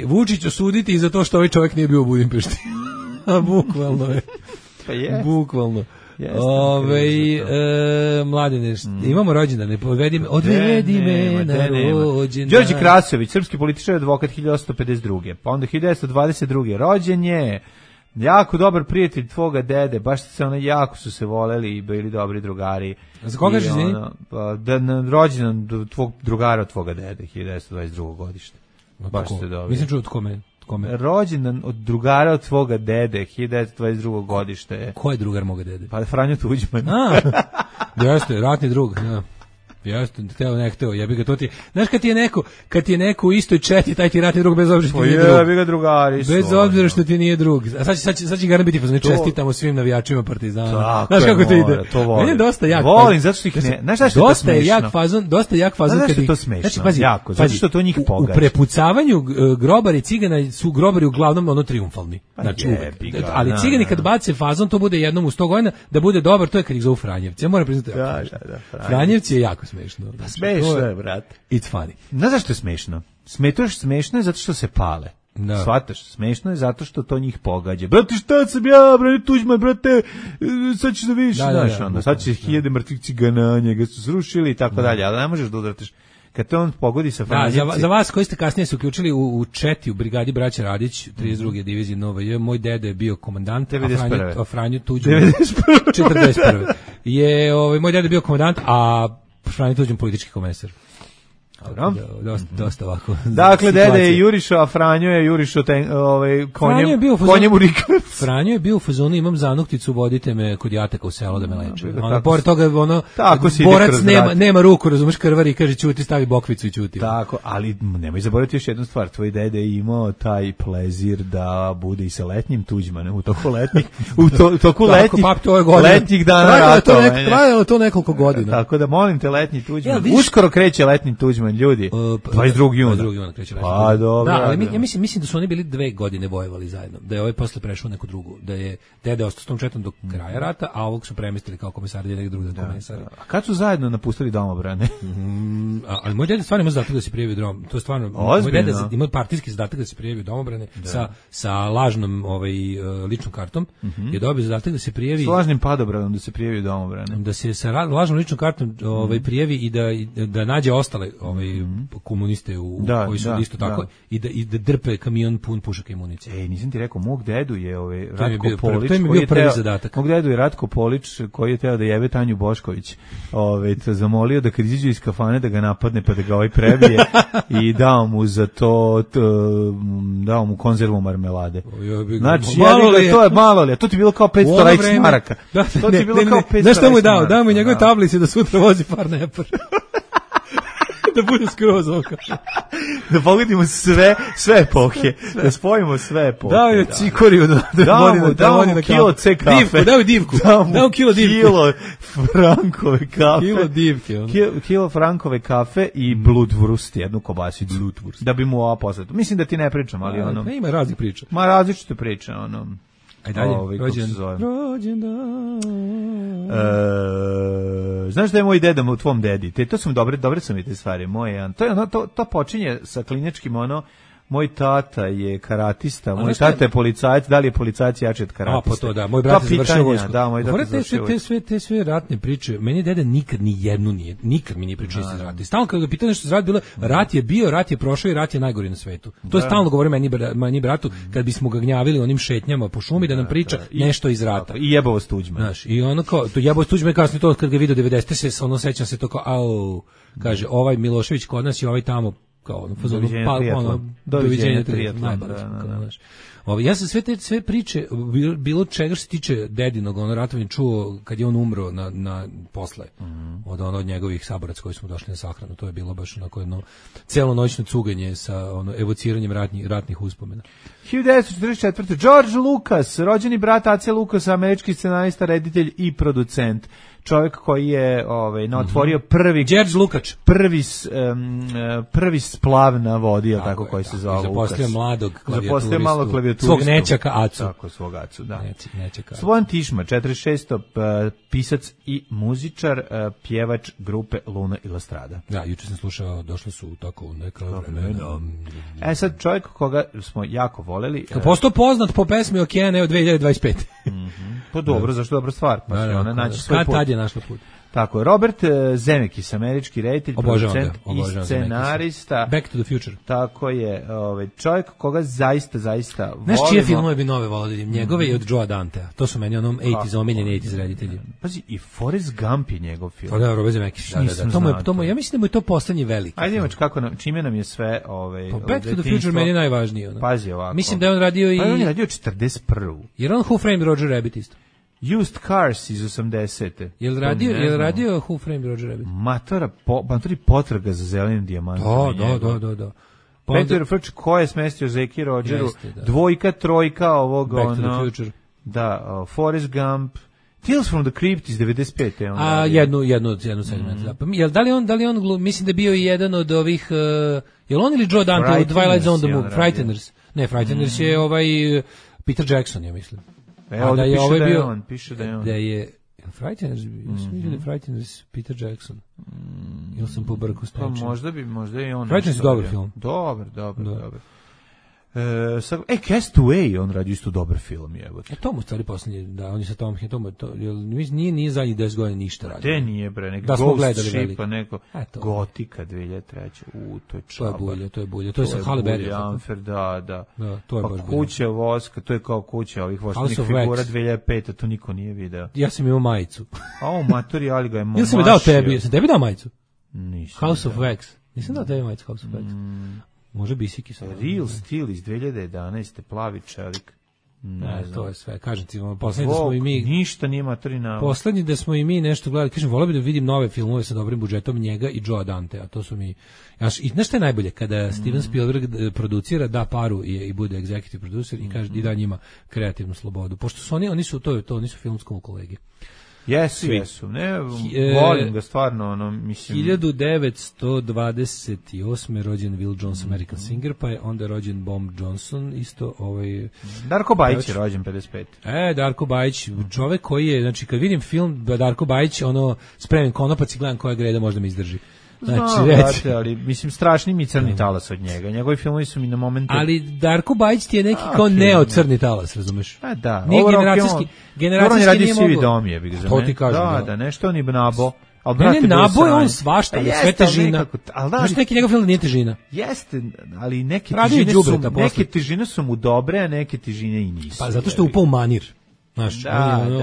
Vučić osuditi i za to što ovaj čovjek nije bio u Budimpešti. Bukvalno je. Pa je. Bukvalno. Mladine, imamo rođendane, odvedi me na rođendan. Đorđe Krasović, srpski političar, advokat 1852. Pa onda 1922. rođen je, jako dobar prijatelj tvoga dede, baš jako su se voleli i bili dobri drugari. Za koga je izvini? Rođendan tvog drugara od tvoga dede, 1922. godište. Baš ste dobri. Mislim čuo od kome? Rođendan od drugara od tvoga dede, 1922. godište. Ko je drugar moga dede? Pa Franjo Tuđman. Jeste, ratni drug, ja. Jeste, ne hteo, jebi ga to ti. Znaš kad ti je neko u istoj četi, taj ti ratni drug bez obzira što ti nije drug. Jebi ga drugari su. Bez obzira što ti nije drug. A sad će garant biti fazon, čestitamo svim navijačima Partizana. Znaš kako to ide? Meni je dosta jak. Volim, zato što ih ne. Znaš zašto je to smešno? Dosta jak fazon kad ih. Znači pazi, jako, zato što to njih pogađa. U prepucavanju grobari cigana su grobari uglavnom ono triumfalni. Znači, ali cigani kad bace fazon, to bude jednom u 100 godina, da bude dobar, to je kad ih zovu Franjevci. Ja moram priznati. Franjevci je jako smešno. Smešno je, brate. It's funny. Znaš zašto je smešno? Smešno je zato što se pale. Da. Shvataš, smešno je zato što to njih pogađa. Brate, šta sam ja, brate, Tuđman, brate, sad ćeš da vidiš, znaš, onda, sad će 1000 mrtvih cigana, njega su srušili i tako dalje, ali ne možeš da udratiš. Kad te on pogodi sa Franjevci... Za vas koji ste kasnije se uključili u četi u brigadi Braća Radić, 32. divizije Nova J, moj dede je bio komandant, a Franjo Tuđman 41. je moj dede bio komandant, a Franjo Tuđman politički komesar. Dosta ovako. Dakle, dede je jurišao, a Franjo je jurišao konjem u rikavac. Franjo je bio u fazonu, imam zanukticu, vodite me kod jataka u selo da me leče. Pored toga, borac nema ruku, razumeš, krvari, kaže ćuti, stavi bokvicu i ćuti. Tako, ali nemoj zaboraviti još jednu stvar, tvoj dede je imao taj plezir da bude i sa letnjim Tuđmanom, u toku letnjih dana ratovanja. Trajalo to nekoliko godina. Tako da molim te, letnji Tuđman, uskoro kreće letnji Tuđman, ljudi. 22. juna kreće. Pa dobro. Da, ali ja mislim da su oni bili 2 godine vojevali zajedno. Da je ovaj posle prešao neku drugu, da je dede ostao s tom četom do kraja rata, a ovog su premestili kao komesar jednog drugog komesara. A kad su zajedno napustili domobrane? Ali moj dede stvarno ima zadatak da se prijavi u dom. To je stvarno moj dede ima partijski zadatak da se prijavi u domobrane sa lažnom ličnom kartom. Je dobio zadatak da se prijavi s lažnim padobranom da se prijavi u domobrane. Da se sa lažnom ličnom kartom prijavi i da nađe ostale komuniste koji su isto tako i da drpe kamion pun pušaka i municije. Nisam ti rekao, mog dedu je Ratko Polić. To je bio prvi zadatak. Mog dedu je Ratko Polić koji je teo da jebe Tanju Bošković. Zamolio da kad izađe iz kafane da ga napadne pa da ga prebije i dao mu za to dao mu konzervu marmelade. Znači, to je malo li, to ti je bilo kao 500 Reichs maraka. To ti je bilo kao 500 Reichs maraka. Znaš šta mu je dao? Dao mu njegove tablice da sutra vozi Farnepar. Da bude skroz oko. Da pogledimo sve epohe. Da spojimo sve epohe. Dao je cikoriju da vodi na kilo C kafe. Dao divku. Dao kilo divke. Kilo frankove kafe. Kilo divke. Kilo frankove kafe i blutwurst, jednu kobasicu. Blutwurst. Da bi mu ova poslata. Mislim da ti ne pričam, ali ono. Pa ima raznih priča. Ma različite priče, ono. Aj dalje, rođendan. Znaš da je moj deda u tvom dedi? To su dobre su mi te stvari. To počinje sa klinjačkim moj tata je karatista, moj tata je policajac, da li je policajac jači od karatista? Pa to da, moj brat je završio vojsku. Da, moj brat je završio vojsku. Te sve ratne priče, meni deda nikad mi nije pričao iz rata. Stalno kad ga pitao nešto iz rata, bilo rat je bio, rat je prošao i rat je najgori na svetu. To je stalno govori meni bratu, kad bismo ga gnjavili onim šetnjama po šumi da nam priča nešto iz rata. I jebavost Tuđman. Znaš, i ono kao, to jebavost Tuđman kasnije to kad ga video 90 se, ono sećam se to kao, kaže, ovaj Milošević kod nas i ovaj tamo kao doviđenja triatlon. Ja sam sve priče bilo čega što se tiče dedinog ratovanja čuo kad je on umro na posle od njegovih saboraca koji smo došli na sahranu. To je bilo baš onako jedno celonoćno cuganje sa evociranjem ratnih uspomena. 1944. George Lucas, rođeni brat Ace Lucasa, američki scenarista, reditelj i producent. Čovjek koji je otvorio George Lukač, prvi splav na vodi, tako koji se zvao Lukas. Zaposlio malog klavijaturistu. Svog nećaka Acu. Tako, svog Acu, da. Nećaka. Slobodan Tišma, 46. Pisac i muzičar, pjevač grupe Luna i La Strada. Da, juče sam slušao, došli su tako neka vremena. Sad čovjek koga smo jako voleli. Postao poznat po pesmi Okeane od 2025. Pa dobro, zašto dobra stvar? Pa će ona naći svoj put. Tad je našla put. Tako, Robert Zemeckis, američki reditelj, producent i scenarista. Back to the Future. Tako je, čovjek koga zaista volimo. Znaš čije filmove bi nove volili? Njegove i od Joea Dantea. To su meni omiljeni 80s reditelji. Pazi, i Forrest Gump je njegov film. Pa da, Robert Zemeckis. Ja mislim da mu je to poslednji veliki. Ajde imaš čime nam je sve Back to the Future meni je najvažniji. Pazi ovako. Mislim da je on radio i... Pa on je radio 41. Jer on Who Framed Roger Rabbit isto. Used Cars iz 80. Jel radio Who Framed Roger Rabbit? Matori potraga za zelenim dijamantom. Da. Peter Frč, ko je smestio Zeki Rogeru? Dvojka, trojka ovog... Back to the Future. Da, Forrest Gump. Tales from the Crypt iz 95. Jednu segment. Da li on, mislim da je bio i jedan od ovih... Jel on ili Joe Dante u Twilight Zone the Movie? Frighteners. Ne, Frighteners je Peter Jackson, ja mislim. Da je Frighteners, Frighteners Peter Jackson. Ili sam pobrkao s nečim. Pa možda je on. Frighteners je dobar film. Dobar. Castaway, on radi isto dobar film, jebote. To mu stvari poslednji, da, on je sa Tom Hanksom, nije zadnjih 10 godina ništa radio. Te nije bre, neki Ghost Ship, neko Gotika 2003. To je čaba. To je bulje. To je sa Halle Berry. Da. To je baš bulje. Kuća voska, to je kao kuća ovih voštenih figura 2005, to niko nije video. Ja sam imao majicu. Matori, ali ga je momašio. Ili sam mi dao tebi, sam tebi dao majicu? Nisam. House of Wax. Nisam dao tebi majicu House of Wax. Može Bisiki sa Real Steel iz 2011. plavi čelik. Ne, to je sve. Kažem ti, poslednji da smo i mi... Ništa nije materina. Poslednji da smo i mi nešto gledali. Kažem, volio bi da vidim nove filmove sa dobrim budžetom njega i Joea Dantea. To su mi... I znaš šta je najbolje? Kada Steven Spielberg producira, da paru i bude executive producer i kaže i da njima kreativnu slobodu. Pošto su oni su filmskom kolege. Jesu. Ne, volim ga stvarno, mislim... 1928. rođen Will Jones, American singer, pa je onda rođen Bomb Johnson, isto Darko Bajić je rođen 55. Darko Bajić, čovek koji je, znači kad vidim film Darko Bajić, spremim konopac i gledam koja greda možda mi izdrži. Znači, ali mislim strašni mi crni talas od njega. Njegovi filmovi su mi na momente. Ali Darko Bajić ti je neki kao crni talas, razumeš? Da. Nije generacijski on je radio nije Sivi mogo. dom je, bih za mene. Da, nešto on je nabo. Ne, naboje on svašta, ali sve težina. Znaš neki njegov film da nije težina? Jeste, ali neke težine su mu dobre, a neke težine i nisu. Pa zato što je upao u manir. Znaš,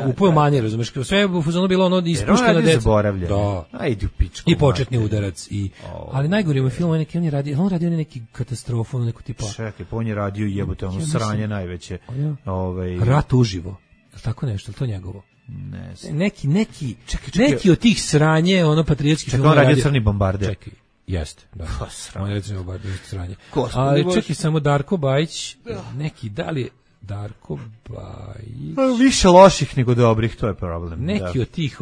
upao u manir, razumeš, sve u fazonu bilo ono ispušteno deca. Da. Ajde u pičku. I početni udarac. Ali najgore mu je film, on je radio neki katastrofu, neku tipa. Čekaj, on je radio jebote, ono sranje najveće. Rat uživo. Je li tako nešto, je to njegovo? Ne znam. Neki od tih sranje, ono patriotskih filmova. Čekaj, on radio Crni bombarder. Čekaj, jeste. Da. On je Crni bombarder, sranje. Ali čekaj, samo Darko Bajić, neki, da li je Darko Bajić? Više loših nego dobrih, to je problem. Neki od tih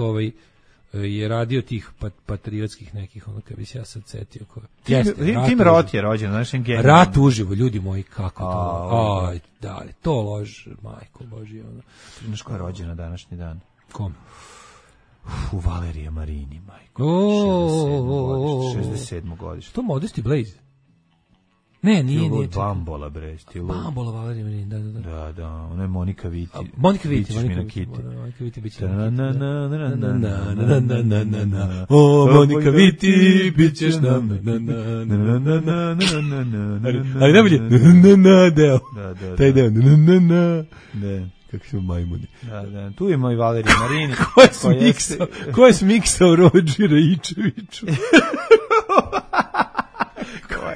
je radio tih patriotskih nekih, ono kad bi se ja sad setio. Tim Roth je rođen, znaš, genij. Rat uživo, ljudi moji, kako to? Aj, da li, to lož, majko Božje. Znaš ko je rođen na današnji dan? Kom? Valerija Marini, majko. 67. godište. To Modesty Blaze? Ne, nije. Bambola, bre. Bambola, Valerija Marini, da. Da, ono je Monika Viti. Monika Viti biće. O, Monika Viti, bit ćeš nam. Ali najbolje, deo. Taj deo, ne. Kako su majmuni. Da, tu je moj Valerij Marini. Ko je smiksao Rodžera Ičeviću?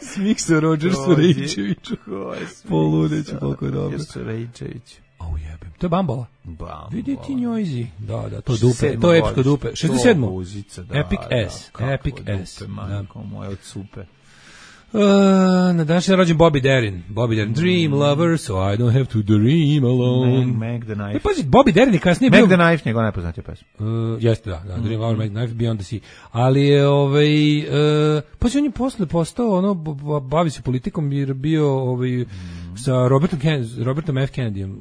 Smiksao Rodžersu Rejčeviću. Poludeću, koliko je dobro. Rejčević. Jebem. To je Bambola. Vidi ti njojzi. Da, to je dupe. To je epsko dupe. 67. Epic S. Epic S. Manko moje od supe. Na današnji je rođen Bobby Darin. Dream lover, so I don't have to dream alone. Meg the Knife. Pazi, Bobby Darin je kasnije bio... Meg the Knife, njegov najpoznatija pesma. Jeste, da. Dream lover, Meg the Knife, Beyond the Sea. Ali je, pazi, on je posle postao, bavi se politikom, jer bio, sa Robertom F. Kennedyjem,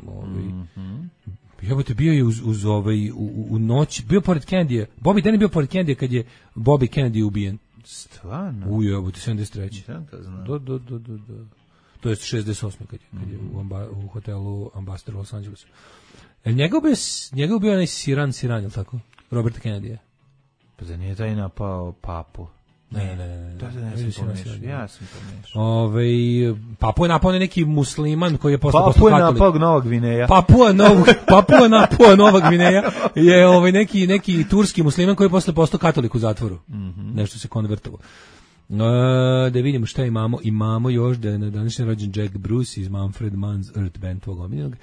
jebote, bio je u noći, bio pored Kennedyja. Bobby Darin bio pored Kennedyja kad je Bobby Kennedy ubijen. Stvarno? Ujebote, 73. Da. To je 68. kad je u hotelu Ambassador u Los Angelesu. Njegov bio onaj Siran, je li tako? Robert Kennedy. Pa da nije taj napao papu. Ne. Ja sam pomešao. Papu je napao neki musliman koji je postao katolik. Papu je napao Nova Gvineja. Papua napao Nova Gvineja je neki turski musliman koji je posle postao katolik u zatvoru. Nešto se konvertovao. Da vidimo šta imamo. Imamo još da je na današnji rođen Jack Bruce iz Manfred Mann's Earth Band, tvog omiljenog.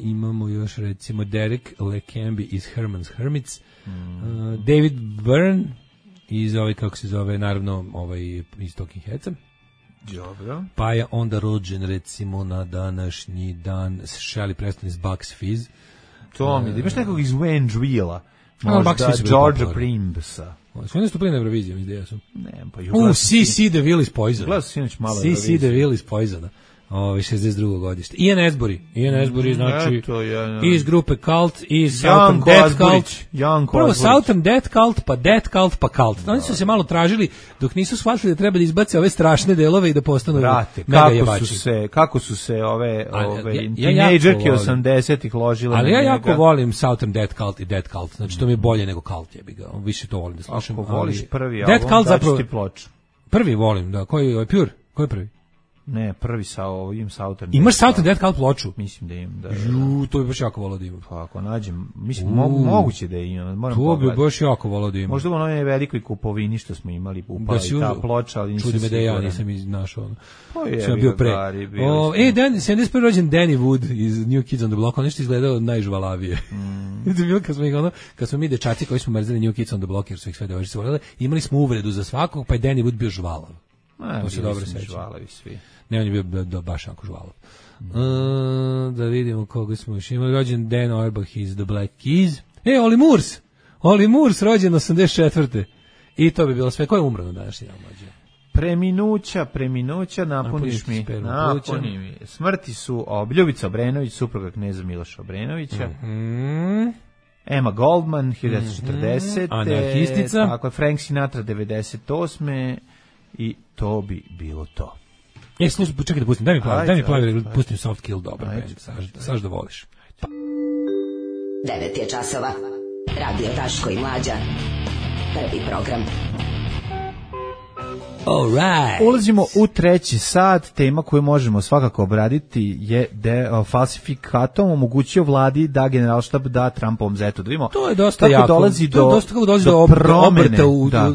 Imamo još recimo Derek LeCambie iz Herman's Hermits. David Byrne iz kako se zove, naravno iz Talking Headsa. Dobro. Pa je onda rođen recimo na današnji dan Shelley Preston iz Bucks Fizz. To mi, imaš nekog iz Wayne možda George Primsa. Sve nastupili na Euroviziju, mislim da ja sam. Ne, pa C.C. DeVille iz Poisona. Gledao sam sinoć malo C.C. DeVille iz Poisona. 62. godište. Ian Asbury, znači iz grupe Cult, iz Southern Death Cult. Prvo Southern Death Cult, pa Death Cult, pa Cult. Oni su se malo tražili dok nisu shvatili da treba da izbace ove strašne delove i da postanu mega jebači. Kako su se ove tinejdžerke 80-ih ložile. Ali ja jako volim Southern Death Cult i Death Cult. Znači to mi je bolje nego Cult, jebi ga. Više to volim da slušam. Ako voliš prvi album, daću ti ploču. Prvi volim, da. Koji je Pure? Koji je prvi? Ne, prvi sa ovim Southern. Imaš Southern Death Cult ploču? Mislim da imam, da. To bi baš jako volao da imam. Pa ako nađem, mislim, moguće da imam. Moram pogledati. To bi baš jako volao da imam. Možda u onoj velikoj kupovini što smo imali, upala i ta ploča, ali nisam siguran. Čudi me da ja nisam našao. Pa je, bio pre. 71. rođen Danny Wood iz New Kids on the Block, on nešto izgledao najžvalavije. Kad smo mi dečaci koji smo mrzeli New Kids on the Block, jer su ih sve devojčice voljele, imali smo uvredu za svakog, pa je Danny Wood bio žvalav. To se dobro seća. Žvalavi svi. Ne, on je bio baš jako žvalov. Da vidimo koga smo još imali. Rođen Dan Auerbach iz The Black Keys. Olly Murs, rođen 84. I to bi bilo sve. Ko je umro na današnji dan mlađe? Preminuća, napuniš mi. Napuni mi. Smrti su Ljubica Obrenović, supruga kneza Miloša Obrenovića. Emma Goldman, 1940. Anarhistica. Tako je, Frank Sinatra, 98. I to bi bilo to. Slušaj, čekaj da pustim, daj mi plavi, pustim Soft Kill, dobro, saš da voliš. 9 je časova, Radio Daško i Mlađa, Prvi program. Alright. Ulazimo u treći sat. Tema koju možemo svakako obraditi je falsifikatom omogućio vladi da generalštab da Trumpovom zetu. Da vidimo, to je dosta jako. Dolazi do promene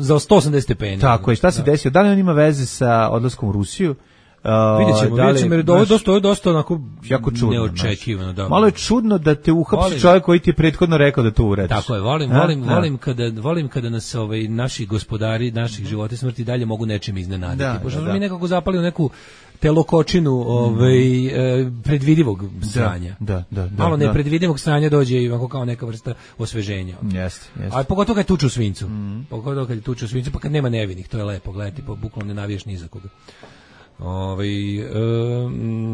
za 180 stepeni. Tako je, šta se desio? Da li on ima veze sa odlaskom u Rusiju? Vidjet ćemo, jer ovo je dosta onako jako čudno, neočekivano. Da. Malo je čudno da te uhapsi čovjek koji ti je prethodno rekao da to uradiš. Tako je, volim kada nas naši gospodari, naših života i smrti dalje mogu nečim iznenaditi. Pošto mi nekako zapali u neku telokočinu predvidivog sranja. Malo nepredvidivog sranja dođe i kao neka vrsta osveženja. Jeste. A pogotovo kad tuču svincu. Pa kad nema nevinih, to je lepo gledati, bukvalno ne navijaš ni za koga.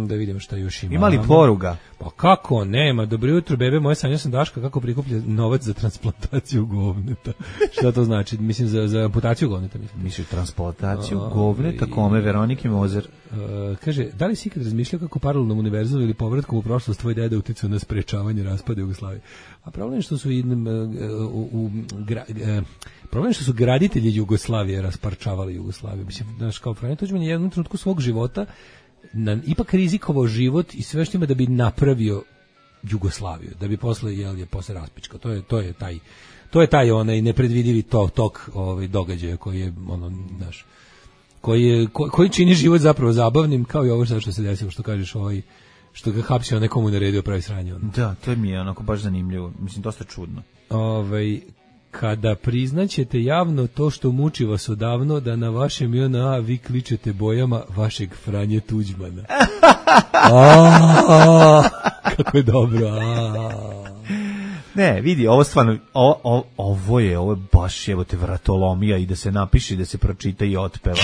Da vidimo šta još ima. Ima li poruga? Pa kako nema? Dobro jutro, bebe moje, sanjao sam Daška kako prikuplja novac za transplantaciju govneta. Šta to znači? Mislim za amputaciju govneta. Misliš transplantaciju govneta kome? Veroniki Mozer. Kaže, da li si ikad razmišljao kako paralelnom univerzumu ili povratkom u prošlost tvoj deda uticao na sprečavanje raspada Jugoslavije? A problem je što su problem je što su graditelji Jugoslavije rasparčavali Jugoslaviju. Mislim, znaš, kao Franjo Tuđman je jednom trenutku svog života ipak rizikovao život i sve što ima da bi napravio Jugoslaviju, da bi posle raspičkao. To je taj onaj nepredvidivi tok događaja koji je naš koji čini život zapravo zabavnim, kao i ovo što se desilo, što kažeš, što ga hapsio nekomu naredio pravi sranje. Da, to mi je onako baš zanimljivo. Mislim, dosta čudno. Kada priznaćete javno to što muči vas odavno, da na vašem JNA vi kličete bojama vašeg Franje Tuđmana. Kako je dobro. Ne, vidi, ovo stvarno, ovo je baš jebote vratolomija i da se napiše, da se pročita i otpeva.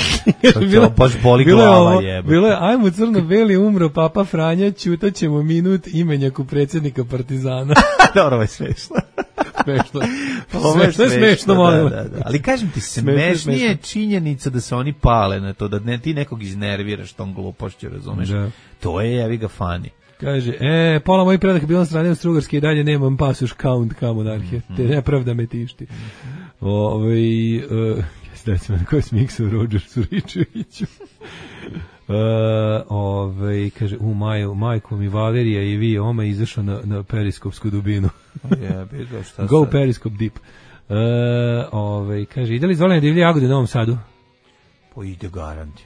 To baš boli glava jebote. Bilo je, ajmo crno-beli, umro Papa Franja, ćutaćemo minut imenjaku predsjednika Partizana. Dobro, ovo je smešno. Sve je smešno, molim. Da. Ali kažem ti, smešnije činjenica da se oni pale na to, da ne ti nekog iznerviraš tom glupošću, razumeš? Da. To je, jevi ga, fani. Kaže, pola mojih predaka bilo na strane Austrougarske i dalje nemam pasoš count ka monarhije. Te nepravda me tišti. Dajte me na koji smiksu Rodgersu Ričeviću. Kaže, majko mi Valerija i vi, oma izašao na periskopsku dubinu. Go periskop deep. Kaže, ide li izvolene divlje jagode u Novom Sadu? Po ide garant,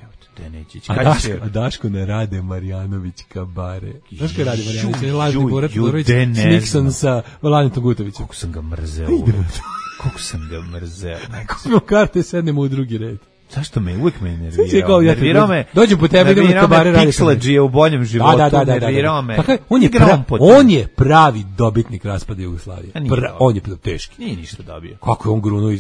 A Daško ne Rade Marjanović kabare. Daško je Rade Marjanović, je lažni Borat Todorović s Nixon sa Vladitom Gutovićem. Kako sam ga mrzeo. Kako smo karte, sednemo u drugi red. Zašto uvijek me nervirao? Dođem po tebe, idemo kabare raditi. Pixelađije u boljem životu, nervirao me. On je pravi dobitnik raspada Jugoslavije. On je teški. Nije ništa dobio. Kako je on grunuo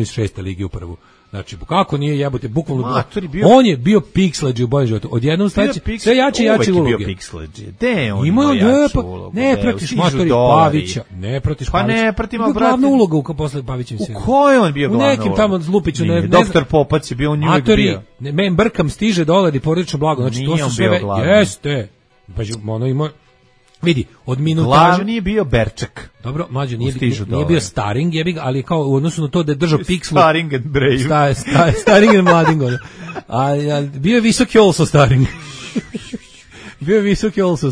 iz 6. lige u prvu? Znači, kako nije jebote, bukvalno on je bio Pixelađi u boljem životu. Odjednom sledeće, sve jače i jače uloge. Uvijek je bio Pixelađi. De, on ima jaču ulogu. Ne pratiš matori Pavića. Ne pratiš Pavića. Pa ne pratim, brate. Glavna uloga posle Pavićem sinu. U kojoj on bio glavna uloga? U nekim tamo Zlupiću. Doktor Popac je bio, on uvijek bio. Men brkam stiže $, porodično blago. Znači, to su sve, jeste. Pa ono ima... Vidi, od minutaža... Glavni bio Berček. Dobro, mlađo, nije bio Staring, ali kao u odnosu na to da je držao Pixelu... Staring and Brave. Staring and Mlading. Bio je visoki also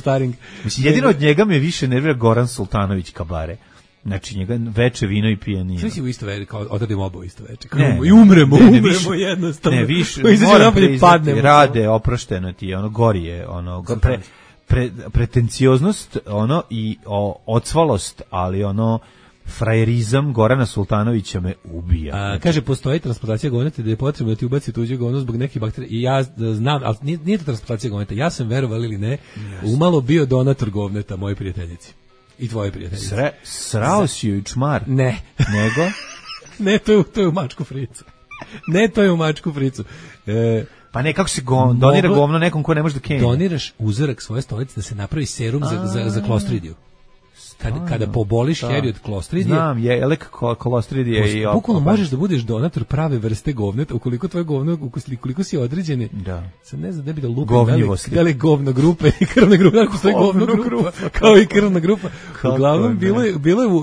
Staring. Mislim, jedino od njega me više nervira Goran Sultanović kabare. Znači, njega veče vino i pijanino. Sve si u isto veče, kao odradimo obo isto veče. I umremo jednostavno. Ne, više, moram priznati, Rade, oprošteno ti je, gori je, pretencioznost i ocvalost, ali frajerizam Gorana Sultanovića me ubija. Kaže, postoji transplantacija govneta da je potrebno da ti ubaci tuđe govno zbog nekih bakterija. I ja znam, ali nije to transplantacija govneta. Ja sam, verovali ili ne, umalo bio donator govneta moje prijateljici. I tvoje prijateljice. Srao si joj čmar? Ne. Nego? Ne, to je u mačku fricu. Pa ne, kako se donira govno nekom ko ne može da kenja? Doniraš uzorak svoje stolice da se napravi serum za klostridiju. kada poboliš Harry od klostridije. Znam, je elek klostridije i bukvalno možeš da budeš donator prave vrste govneta, ukoliko tvoje govno, ukoliko si određeni. Da. Sad ne znam da bi da lupim da li govno grupe i krvna grupa, ako stoji govno grupa, kao i krvna grupa. Uglavnom,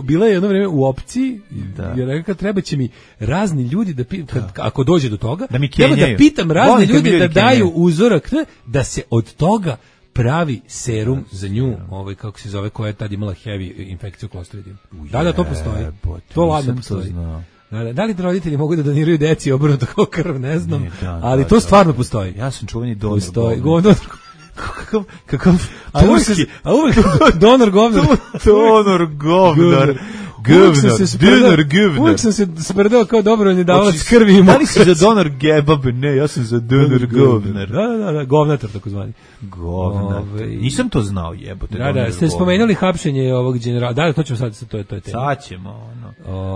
bila je jedno vreme u opciji, jer rekao treba će mi razni ljudi da ako dođe do toga, da pitam razne ljude da daju uzorak da se od toga pravi serum za nju, kako se zove, koja je tad imala heavy infekciju klostridijom. Da, to postoji. To ladno postoji. Da li roditelji mogu da doniraju deci obrnuto kao krv, ne znam, ali to stvarno postoji. Ja sam čuveni donor kakav turski, a uvek donor govnar. Donor govnar. Uvijek sam se spredao kao dobrovoljni davalac krvi i mokrać. Da li si za donor gebab? Ne, ja sam za donor govnar. Da, govnatar takozvani. Govnatar. Nisam to znao, jebote. Da, ste spomenuli hapšenje ovog generala. Da, to ćemo sad, to je tema. Sad ćemo,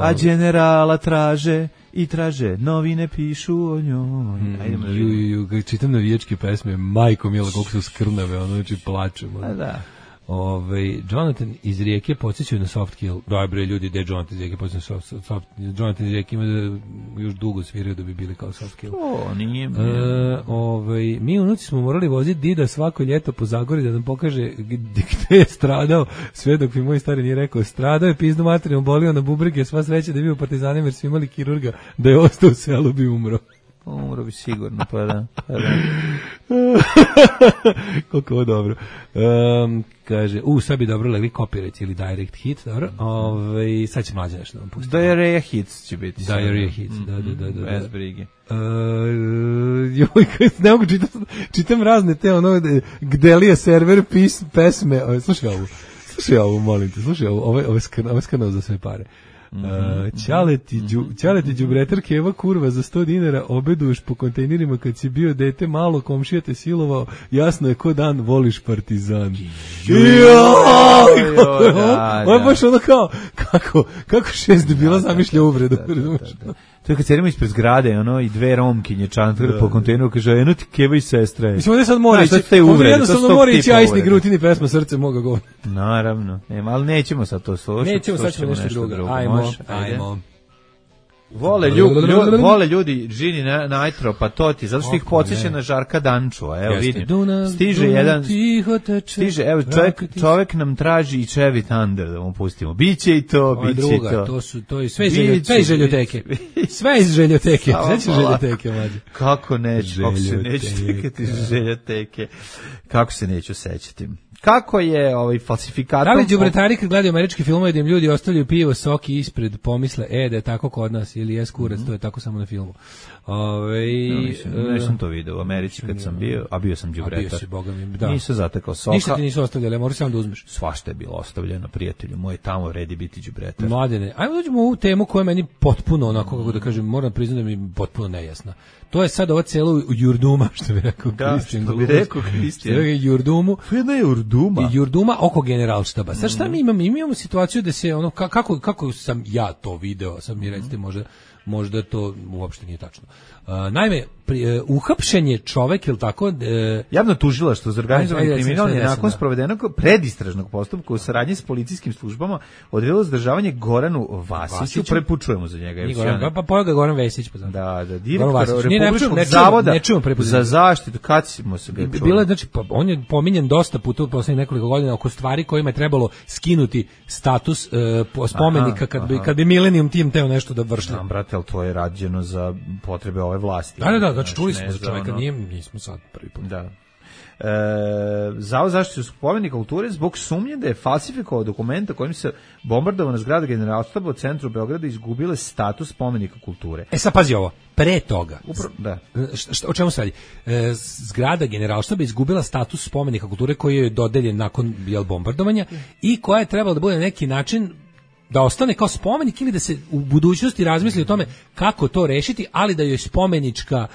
A generala traže i traže, novine pišu o njoj. Čitam navijačke pesme, majko mila, koliko su skrnave, znači plačemo. Da. Jonathan iz Rijeke podsjećaju na soft kill. Dobre ljudi, gde Jonathan iz Rijeke podsjećaju na soft kill. Jonathan iz Rijeke ima da još dugo sviraju da bi bili kao soft kill. Nije. Mi unuci smo morali voziti Dida svako ljeto po Zagori da nam pokaže gde je stradao, sve dok mi moj stari nije rekao, stradao je pizdu materijalno, bolio na bubrege, sva sreća da je bio partizanima jer su imali kirurga, da je ostao u selu bi umro. Umro bi sigurno, pa da. Koliko ovo dobro. Kaže, sad bi dobro legli copyright ili direct hit, dobro. Sad će mlađe nešto da vam pustiti. Diarrhea hits će biti. Diarrhea hits, da. Bez brige. Ne mogu čitam razne te Gdelija server pesme. Slušaj ovu, molim te, slušaj ovu, ovo je skanal za sve pare. Ćaleti đubretar Keva kurva za 100 dinara obeduš po kontejnerima kad si bio dete malo, komšija te silovao, jasno je ko dan voliš Partizan. Ovo je baš ono kao kako 6 debila zamišlja uvredu. To je kad sedimo ispred zgrade, i dve romkinje čantare po kontejneru, kaže, eno ti Keva i sestra je. Mislim, ovdje sad mora ići, jednostavno mora ići Ajsni Grutini pesma Srce moga govora. Naravno, ali nećemo sad to slušati. Nećemo, sad ćemo nešto drugo. Ajmo. Vole ljudi Gini Nitro, pa to ti, zato što ih podsjeća na Žarka Dančua, evo vidim. Stiže, evo čovek nam traži i Chevy Thunder da mu pustimo. Biće i to, biće i to. To je sve iz željoteke. Sve iz željoteke. Sveće željoteke, mlađe. Kako neću čekati željoteke. Kako se neću sećati. Kako je falsifikator? Da li đubretari kad gledaju američki filmove da im ljudi ostavljaju pivo, soki ispred, pomisle, da je tako kod nas, ili je kurac, to je tako samo na filmu. Nisam to video u Americi kad sam bio, a bio sam đubretar. Bio si, boga mi, da. Nisam zatekao soka. Ništa ti nisu ostavljali, moraš samo da uzmeš. Svašta je bilo ostavljeno, prijatelju moj, tamo vredi biti đubretar. Mladene, ajmo dođemo u ovu temu koja je meni potpuno, onako, kako da kažem, moram priznati da mi je potpuno nejasna. To je sad ova celo Jurduma, što bi rekao Kristijan. Da, što bi rekao Kristijan. Jurdumu. To je jedna Jurduma. Jurduma oko generalštaba. Sad šta mi imamo? Mi imamo situaciju da se, kako sam ja to video, sad mi recite možda to uopšte nije tačno. Naime, uhapšen je čovek, ili tako? Javno tužilaštvo za organizovani kriminal je nakon sprovedenog predistražnog postupka u saradnji s policijskim službama odredilo zadržavanje Goranu Vasiću. Prvi put čujemo za njega. Pa ga Goran Vesić. Da, direktor Republičkog zavoda za zaštitu. Kad smo se ga čuli? Bilo je, znači, on je pominjen dosta puta u poslednjih nekoliko godina oko stvari kojima je trebalo skinuti status spomenika kad bi Millennium Team teo nešto da vršli. Znam, brate, ali to je rađeno za potrebe ove vlasti. Da, znači čuli smo za čovjeka, nismo sad prvi put. Da. Zavod zaštitu spomenika kulture zbog sumnje da je falsifikovao dokumenta kojim se bombardovana zgrada Generalštaba u centru Beograda izgubile status spomenika kulture. Sad pazi ovo, pre toga. Da. O čemu se radi? Zgrada Generalštaba izgubila status spomenika kulture koji je dodeljen nakon bombardovanja i koja je trebala da bude na neki način da ostane kao spomenik ili da se u budućnosti razmisli o tome kako to rešiti, ali da joj spomenička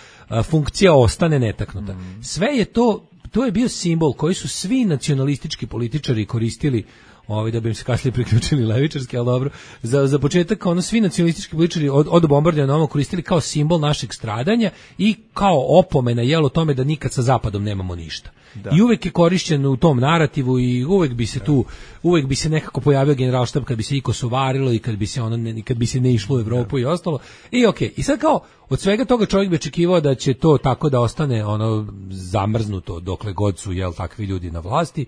funkcija ostane netaknuta. Sve je to je bio simbol koji su svi nacionalistički političari koristili da bi im se kasnije priključili levičarski, ali dobro. Za početak, svi nacionalistički političari od bombardovanja na koristili kao simbol našeg stradanja i kao opomena o tome da nikad sa Zapadom nemamo ništa. Da. I uvek je korišćen u tom narativu i uvek bi se nekako pojavio generalštab kad bi se i kosovarilo i kad bi se ne išlo u Evropu i ostalo. I okej. I sad kao od svega toga čovjek bi očekivao da će to tako da ostane zamrznuto dokle god su takvi ljudi na vlasti,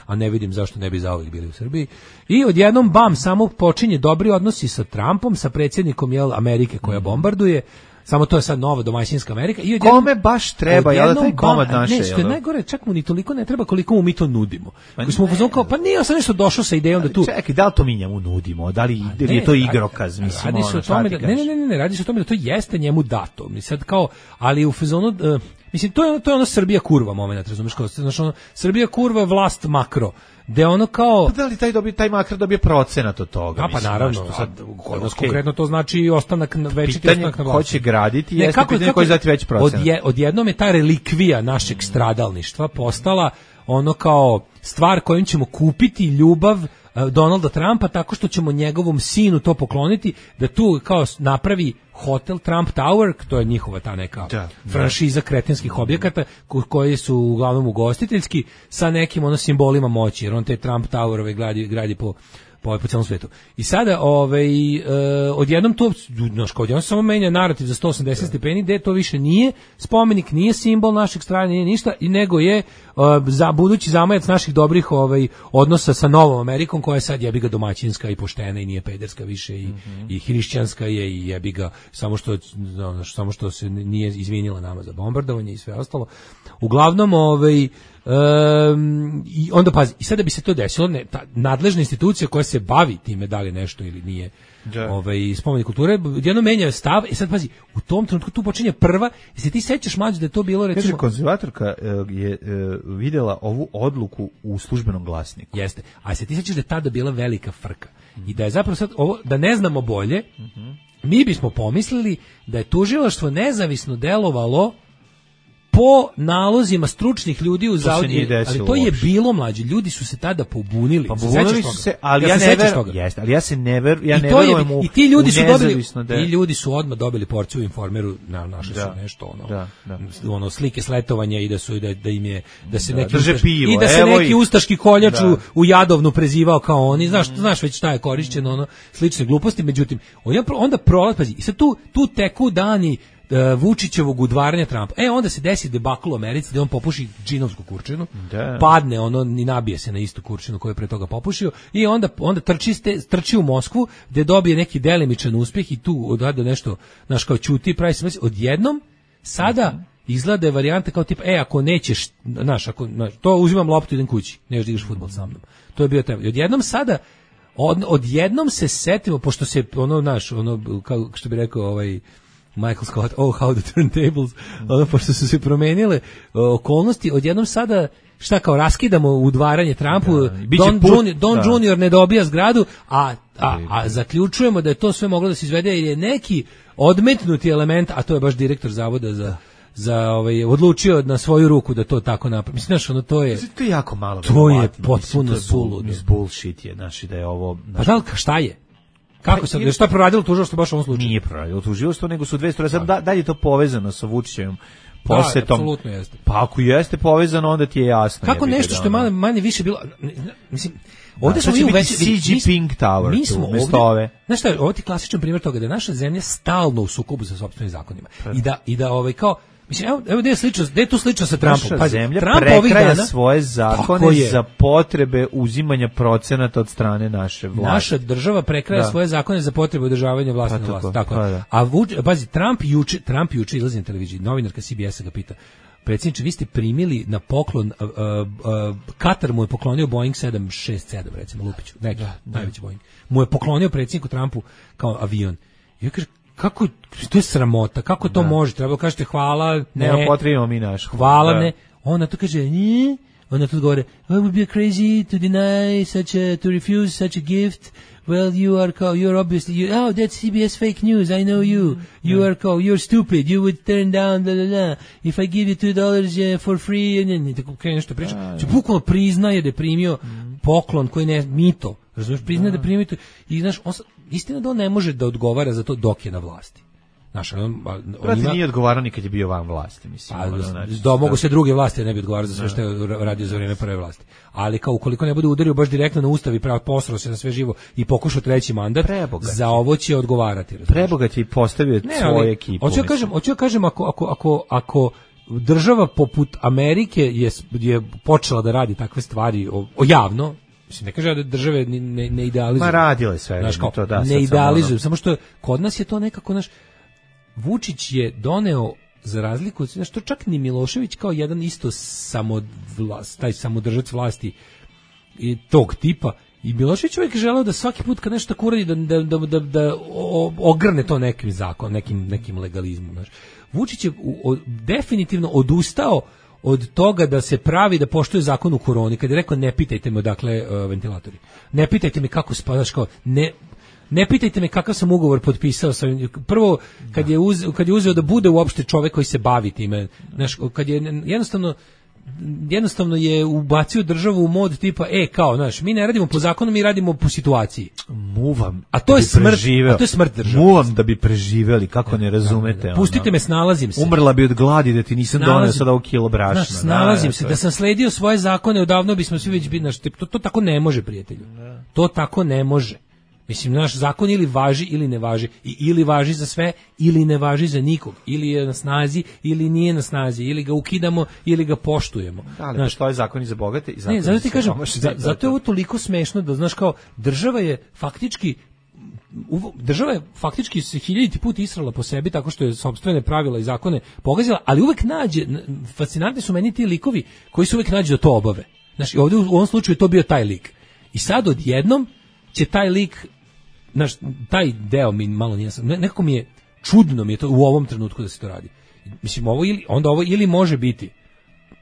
a ne vidim zašto ne bi zauvijek bili u Srbiji. I odjednom samo počinje dobri odnosi sa Trumpom, sa predsjednikom Amerike koja bombarduje. Samo to je sad nova domaćinska Amerika. I kome baš treba, taj komad naše? Ne, što je najgore, čak mu ni toliko ne treba koliko mu mi to nudimo. Koji smo upozorili kao, pa nije sam nešto došao sa idejom da tu... Čekaj, da li to mi njemu nudimo? Da li je to igrokaz? Mislim, radi se o tome ne, radi se o tome da to jeste njemu dato. Sad kao, ali u fazonu... Mislim, to je Srbija kurva moment, razumiješ, kao, Srbija kurva, vlast makro, gde kao... Pa da li taj makro dobije procenat od toga? Pa naravno, sad, konkretno to znači ostanak večiti ostanak na vlasti. Ko će graditi, jeste pitanje koji zati veći procenat. Odjednom je ta relikvija našeg stradalništva postala kao stvar kojom ćemo kupiti ljubav Donalda Trumpa tako što ćemo njegovom sinu to pokloniti, da tu kao napravi hotel Trump Tower, to je njihova ta neka franšiza kretenskih objekata koji su uglavnom ugostiteljski sa nekim simbolima moći, jer on te Trump Towerove gradi po celom svetu. I sada odjednom to, odjednom samo menja narativ za 180 stepeni, gde to više nije spomenik, nije simbol našeg strane, nije ništa, i nego je za budući zamajac naših dobrih odnosa sa Novom Amerikom, koja je sad jebiga domaćinska i poštena i nije pederska više i hrišćanska je i jebiga, samo što se nije izvinila nama za bombardovanje i sve ostalo. Uglavnom, i onda pazi, i sada bi se to desilo, ta nadležna institucija koja se bavi time da li nešto ili nije spomenik kulture, jedno menja stav. I sad pazi, u tom trenutku tu počinje prva, i se ti sećaš, Mlađe, da je to bilo recimo... Kaže, konzervatorka je vidjela ovu odluku u Službenom glasniku. Jeste, a se ti sećaš da je tada bila velika frka i da je zapravo sad ovo, da ne znamo bolje, mi bismo pomislili da je tužilaštvo nezavisno delovalo po nalozima stručnih ljudi u zavodu, ali to je bilo, Mlađe, ljudi su se tada pobunili. Pa pobunili su se, ali ja se ne verujem u... I ti ljudi su dobili, ti ljudi su odmah dobili porciju u Informeru, našli su nešto slike sletovanja i da im je, da se neki i da se neki ustaški koljač u Jadovnu prezivao kao oni, znaš već šta je korišćeno, slične gluposti. Međutim, onda prolazi, i sad tu teku dani Vučićevog udvaranja Trumpa. Onda se desi debakl u Americi da on popuši džinovsku kurčinu, padne i nabije se na istu kurčinu koju je pre toga popušio, i onda trči u Moskvu gde dobije neki delimičan uspjeh i tu odada nešto, kao ćuti i pravi se. Odjednom sada izgleda je varijanta kao tipa, ako nećeš, to uzimam loptu i idem kući, nećeš da igraš fudbal sa mnom. To je bio taj. Odjednom sada odjednom se setimo, pošto se kao što bi rekao Michael Scott, how to turn tables, pošto su se promenile okolnosti, odjednom sada, kao raskidamo udvaranje Trumpu, Don Junior ne dobija zgradu, a zaključujemo da je to sve moglo da se izvede jer je neki odmetnuti element, a to je baš direktor zavoda odlučio na svoju ruku da to tako napravi. Mislim, to je jako malo. To je potpuno suludo. Bullshit je, da je ovo... Pa da li, šta je? Kako se, šta je proradilo tužilaštvo baš u ovom slučaju? Nije proradilo tužilaštvo, nego su dve strane. Sad da li je to povezano sa Vučićevim posetom? Da, apsolutno jeste. Pa ako jeste povezano, onda ti je jasno. Kako nešto što je manje više bilo, mislim, ovdje smo mi u već CG Pink Tower, mi smo ovdje, ove. Znaš šta, ovo ti klasičan primjer toga da je naša zemlja stalno u sukobu sa sopstvenim zakonima. I da kao, mislim, evo gde je tu slično sa Trumpom. Naša zemlja prekraja svoje zakone za potrebe uzimanja procenata od strane naše vlasti. Naša država prekraja svoje zakone za potrebe održavanja vlasti na vlasti. Tako. A pazi, Trump juče izlazi na televiziji, novinarka CBS-a ga pita: predsjedniče, vi ste primili na poklon, Katar mu je poklonio Boeing 767, recimo, Lupiću, najveći Boeing. Mu je poklonio predsjedniku Trumpu kao avion. I ja kažem, kako, to je sramota, kako to može, treba kažete hvala, ne potrebimo mi naš. Hvala, ne. Ona to kaže, ne. Ona to govore, it would be crazy to deny to refuse such a gift. Well, you're obviously, that's CBS fake news, I know you. You're stupid, you would turn down, blah, blah, blah. If I give you $2 for free, and tako nešto priča. Bukvalno priznaje da je primio poklon, koji ne mito, razumiješ, priznaje da prima mito i znaš, istina da on ne može da odgovara za to dok je na vlasti. Znaš, on nije odgovarao ni kad je bio van vlasti, mislim. Mogu se druge vlasti, ne bi odgovarao za sve što je radio za vrijeme prve vlasti. Ali kao ukoliko ne bude udario baš direktno na ustav i posrao se na sve živo i pokušao treći mandat, za ovo će odgovarati. Prebogat je i postavio svoju ekipu. Hoću ja kažem, ako država poput Amerike je počela da radi takve stvari javno, mislim, ne kaže da države ne idealizuju. Ma radile sve. Znaš, kao, ne idealizuju, samo što kod nas je to nekako, Vučić je doneo, za razliku od, što čak ni Milošević kao jedan isto taj samodržac vlasti i tog tipa, i Milošević uvijek želeo da svaki put kad nešto tako uradi da ogrne to nekim zakonom, nekim legalizmom. Znaš. Vučić je definitivno odustao od toga da se pravi da poštuje zakon u koroni, kad je rekao ne pitajte me odakle ventilatori, ne pitajte me kako spadaš, kao ne pitajte me kakav sam ugovor potpisao sa prvo kad je uzeo da bude uopšte čovjek koji se bavi time, znaš, kad je jednostavno je ubacio državu u mod tipa kao, znaš, mi ne radimo po zakonu, mi radimo po situaciji. Muvam. A to je smrt države. Muvam da bi preživeli, kako ne razumete. Pustite me, snalazim se. Umrla bi od gladi da ti nisam doneo sada ovo kilo brašna. Snalazim se, da sam sledio svoje zakone, odavno bismo svi već bili, to tako ne može, prijatelju. To tako ne može. Mislim, naš zakon ili važi ili ne važi, ili važi za sve ili ne važi za nikog, ili je na snazi ili nije na snazi, ili ga ukidamo ili ga poštujemo. Da, što je zakon i za bogate i zakon. Ne, zato ti kažem, zato je ovo toliko smešno da, znaš, kao država je faktički se 1000 put israla po sebi tako što je sopstvene pravila i zakone pogazila, ali uvek nađe, fascinantni su meni ti likovi koji se uvek nađu da to obave. Znaš, i ovdje u ovom slučaju to bio taj lik. I sad odjednom će taj lik, znaš, taj deo mi malo nije, nekako mi je čudno mi je to u ovom trenutku da se to radi. Mislim, ovo ili može biti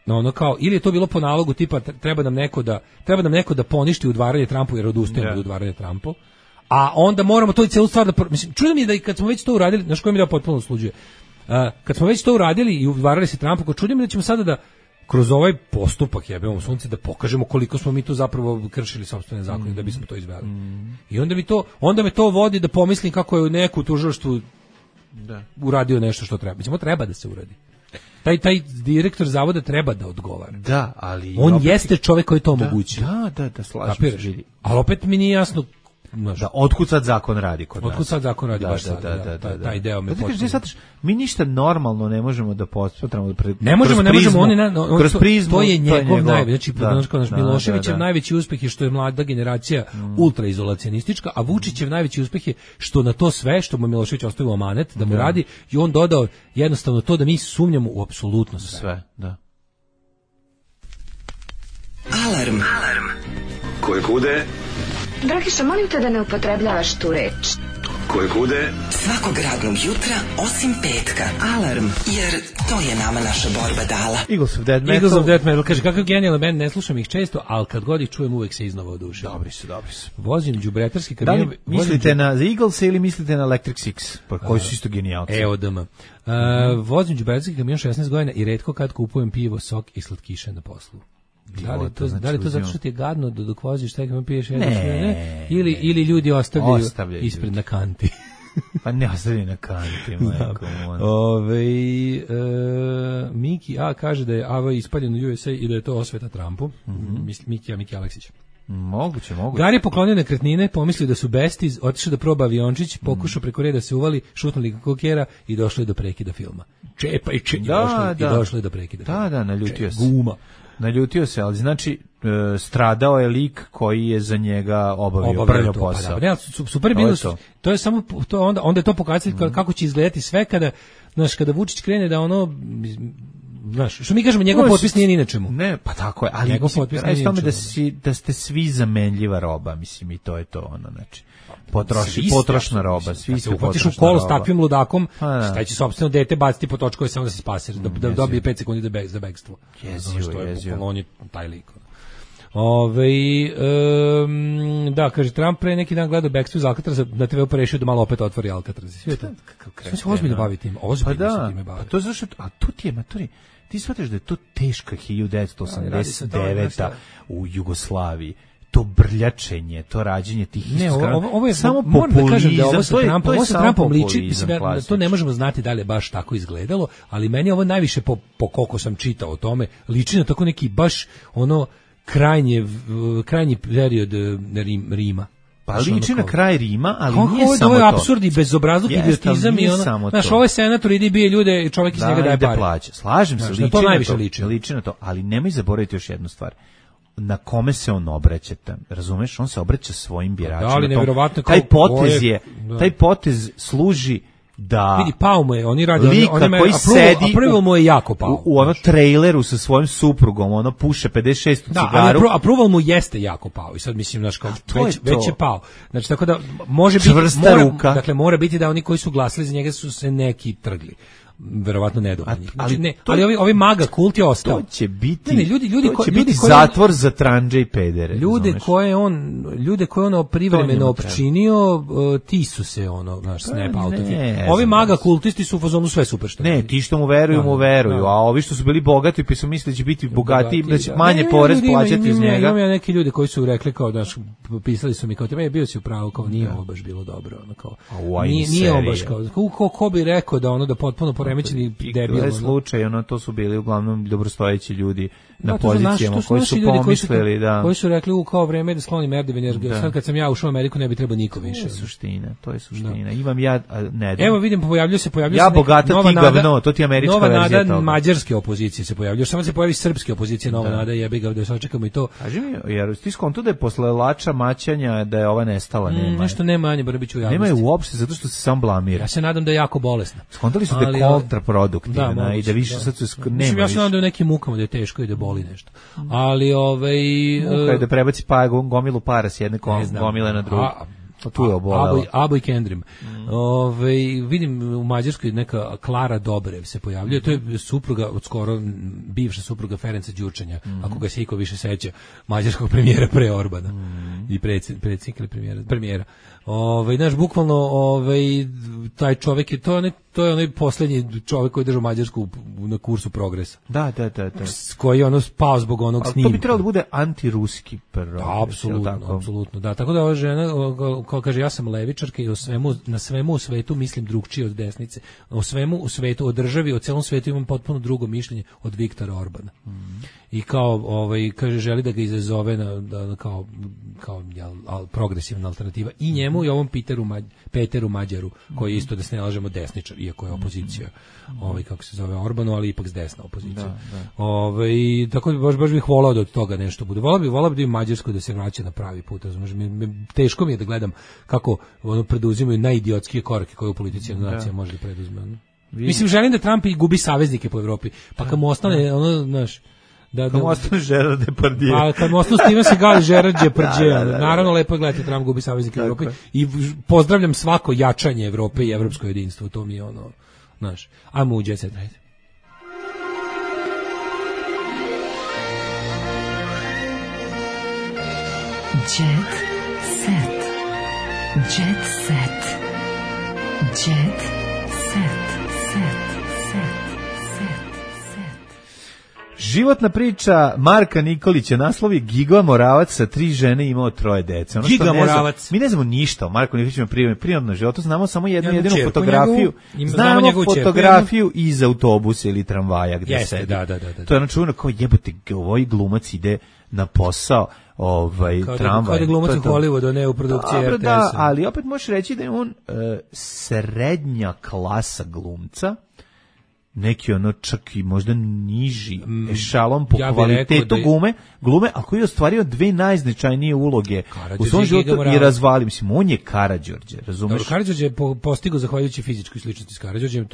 ono kao, ili je to bilo po nalogu tipa treba nam neko da poništi udvaranje Trumpu jer odustajemo od udvaranja Trumpu, a onda moramo to i celu stvar da, mislim, čudno mi je da i kad smo već to uradili, znaš, koji mi da potpuno sluđuje, kad smo već to uradili i udvarali se Trumpu, čudno mi da ćemo sada da kroz ovaj postupak jebemo sunce da pokažemo koliko smo mi tu zapravo kršili sopstvene zakone da bismo to izveli. I onda me to vodi da pomislim kako je u neku tužilaštvu uradio nešto što treba. Mislim, treba da se uradi. Taj direktor zavoda treba da odgovara. Da, ali on jeste čovjek koji to omogućuje. Da, slažem se. Ali opet mi nije jasno da otkud sad zakon radi kod nas. Otkud sad zakon radi baš sad. Taj deo me potpuno. Mi ništa normalno ne možemo da posmatramo. Ne možemo, kroz prizmu. To je njegov najveći, znači Miloševićev najveći uspeh je što je mlada generacija ultraizolacionistička, a Vučićev najveći uspeh je što na to sve što mu Milošević ostavio amanet da mu radi, i on dodao jednostavno to da mi sumnjamo u apsolutno sve. Da. Alarm. Koje kude? Dragiša, molim te da ne upotrebljavaš tu reč. Koje kude? Svakog radnog jutra, osim petka. Alarm, jer to je nama naša borba dala. Eagles of Death Metal. Kaže, kakav genijalan band, ne slušam ih često, ali kad god ih čujem uvek se iznova odušim. Dobri su. Vozim đubretarski kamion. Da li mislite na Eagles ili mislite na Electric Six, koji su isto genijalci? EODM. Vozim đubretarski kamion 16 godina i retko kad kupujem pivo, sok i slatkiše na poslu. Da li to zato što ti je gadno dok voziš taj kamion piješ ili ljudi ostavljaju ispred na kanti? Pa ne ostavljaju na kanti, majko. Miki A kaže da je AV ispaljen u USA i da je to osveta Trumpu. Miki Aleksić. Moguće. Gari je poklonio nekretnine, pomislio da su besti, otišao da proba aviončić, pokušao preko reda se uvali, šutnuli kokera i došlo je do prekida filma. Čepa i došlo je do prekida filma. Da, naljutio se, ali znači stradao je lik koji je za njega obavio posao. Super je bilo, to je samo onda je to pokazatelj kako će izgledati sve kada Vučić krene da ono, znaš, što mi kažemo, njegov potpis nije ni na čemu. Ne, pa tako je, ali da ste svi zamenljiva roba, mislim, i to je to ono, znači. Potrošna roba, svi ste upatiš u kolo s takvim ludakom, šta će sopstveno dete baciti po točkove samo da se spase, da dobije 5 sekundi za bekstvo. Jezio. On je taj lik. Da, kaže, Trump pre neki dan gledao bekstvo iz Alcatraza, na TV-u porešio da malo opet otvori Alcatraz. Sve to. Sve se ozbiljno bavi tim. Ozbiljno se time bavi. Pa to zašto, a tu ti je, matori, ti shvataš da je to teška 1989. u Jugoslaviji. to brljačenje, to rađenje tih ne, ovo je samo populizam, da kažem da ovo sa Trumpom liči, to ne možemo znati da li je baš tako izgledalo, ali meni ovo najviše po koliko sam čitao o tome, liči na tako neki baš ono krajnji period Rima. Pa liči na kraj Rima, ali nije samo to. Ovo je apsurd i bezobrazluk, idiotizam i ono. Znaš, ovo je senator, ide i bije ljude, čovjek iz njega daje pare. Slažem se, liči to najviše liči na to, ali nemoj zaboraviti još jednu stvar. Na kome se on obraća, razumeš? On se obraća svojim biračima. Da, ali neverovatno taj potez služi da vidi, pao mu je, oni radi lika koji sedi approval mu je jako pao. U ono traileru sa svojim suprugom, ono puše 56 cigaru. Da, approval mu jeste jako pao. I sad mislim, znaš, kao već je pao. Znači, tako da može biti ruka. Dakle, mora biti da oni koji su glasili za njega su se neki trgli. Verovatno nedovoljni. Znači, ali ovi maga kult je ostao. To će biti, ljudi zatvor za tranđe i pedere. Ljude koje on privremeno opčinio, ti su se snap outovi. Ovi maga kultisti su u fazonu sve super što. Ne, ti što mu veruju, a ovi što su bili bogati pa su mislili da će biti bogati, da će manje porez plaćati iz njega. Imam ja neki ljudi koji su rekli kao da pisali su mi kao te bio si u pravu, kao nije ovo baš bilo dobro, kao. Nije ovo baš kao ko bi rekao da ono da potpuno poremećeni debil. To je slučaj, to su bili uglavnom dobrostojeći ljudi na pozicijama koji su pomislili da... Koji su rekli kao vreme da sklonim Erdogan, jer sad kad sam ja ušao u Ameriku ne bi trebao niko više. To je suština. Imam ja, ne da. Evo vidim, pojavljuje se ja bogata ti gavno, to ti je američka verzija toga. Nova nada mađarske opozicije se pojavljuje, samo se pojavi srpske opozicije, nova nada, jebi ga, da sačekamo i to. Kaži mi, jer ti skonto da je posle lača maćanja da je ova nestala, nema. Nešto nema Anje Brbić u javnosti. Nema je uopšte, zato što se sam blamira. Ja se nadam da je jako bolesna. Skontali su da je kontraproduktivna i da više sad su nema. Ja se nadam da je nekim mukama da je teško i da boli nešto. Ali muka je da prebaci gomilu para s jedne gomile na drugu. Tu je obolelo. Abo i Kendrim. Vidim u Mađarskoj neka Klara Dobrev se pojavljuje. To je supruga od skoro bivša supruga Ferenca Đurčanja, ako ga se iko više seća, mađarskog premijera pre Orbana. I predsjednik ili premijera. Znaš, bukvalno taj čovjek je to je onaj posljednji čovjek koji je držao Mađarsku na kursu progresa. Da. Koji je spao zbog onog snimka. To bi trebalo da bude antiruski progres. Apsolutno. Da, tako da ova žena kao kaže, ja sam levičarka i na svemu u svetu mislim drugčije od desnice. O svemu u svetu, o državi, o celom svetu imam potpuno drugo mišljenje od Viktora Orbana. I kao kaže želi da ga izazove kao progresivna alternativa i njemu i ovom Peteru Mađaru, koji je isto, da se ne lažemo, desničar, iako je opozicija, kako se zove, Orbanu, ali ipak s desna opozicija. Tako da baš bih volao da od toga nešto bude. Volao bi da im Mađarsko da se vraća na pravi put, razumiješ? Teško mi je da gledam kako preduzimaju najidiotskije korake koje u politici nacija može da preduzme. Mislim, želim da Trump i gubi saveznike po Evropi, pa kad mu ostane, znaš, kad mu ostane Gerard Depardieu. Pa kad mu ostane Steven Seagal i Gerard Depardieu. Naravno, lepo je gledati, Trump gubi saveznike u Evropi i pozdravljam svako jačanje Evrope i evropsko jedinstvo. To mi je znaš, ajmo u Jet Set. Jet Set. Jet Set. Jet Set. Životna priča Marka Nikolića, naslov je Giga Moravac sa 3 žene imao 3 dece. Giga Moravac. Mi ne znamo ništa o Marku Nikoliću prirodnom životu, znamo samo jedinu fotografiju. Znamo fotografiju iz autobusa ili tramvaja gdje sedi. Da. To je čuveno kao jebote, ovaj glumac ide na posao, tramvaj. Kao da glumac u Hollywoodu, ne u produkciji RTS-a. Da, ali opet možeš reći da je on srednja klasa glumca, neki čak i možda niži ešalon po kvalitetu glume, a koji je ostvario 2 najznačajnije uloge u svom životu i razvali. Mislim, on je Karađorđe, razumeš? Karađorđe je postigao zahvaljujući fizičkoj sličnosti s Karađorđem,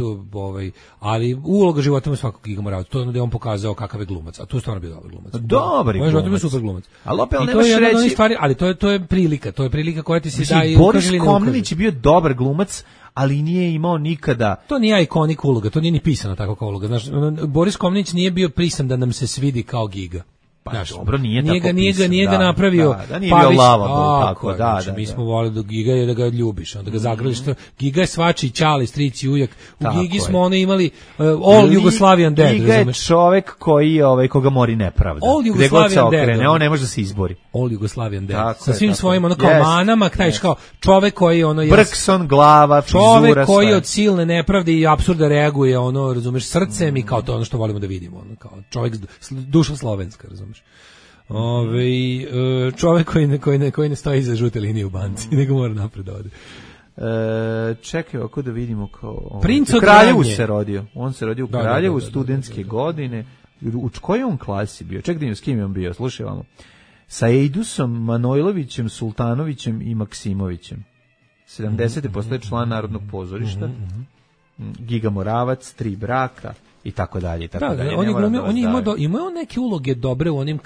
ali uloga života mu svakog Giga Moravca, to je da je on pokazao kakav je glumac, a to je stvarno bio dobar glumac. Dobri glumac. On je super glumac. Ali opet nemaš reći... Ali to je prilika koja ti se daje. Boris Komnenić je bio dobar glumac, ali nije imao nikada... To nije ikonik uloga, to nije ni pisano tako kao uloga. Znaš, Boris Komnenić nije bio pisan da nam se svidi kao Giga. Pa dobro, nije ga napravio. Da nije bio lavabo, tako, da. Mi smo voleli da Giga je da ga ljubiš, onda ga zagrliš. Giga je svačiji ćali, stric i ujak. U Gigi smo ono imali All Jugoslavian Dead, Giga je čovek koga mori nepravda. All Jugoslavian Dead. On ne može da se izbori. All Jugoslavian Dead. Sa svim svojim ono kao manama, znaš kao čovek koji ono Brkson, glava, frizura, čovek koji od silne nepravde i apsurda reaguje ono, razumeš, srcem i kao to ono što volimo da vidimo, ono kao čovek duša slovenska, razumeš. Čovek koji ne stoji iza žute linije u banci, nego mora napred da ode. Čekaj, ako da vidimo kao... Princ od Kraljevu se rodio. On se rodio u Kraljevu, studentske godine. U kojoj on klasi bio? Čekaj da im s kim je on bio, slušaj vamo. Sa Ejdusom, Manojlovićem, Sultanovićem i Maksimovićem. 70. postaje član Narodnog pozorišta. Giga Moravac, 3 braka i tako dalje i tako dalje. Imao neke uloge dobre u onim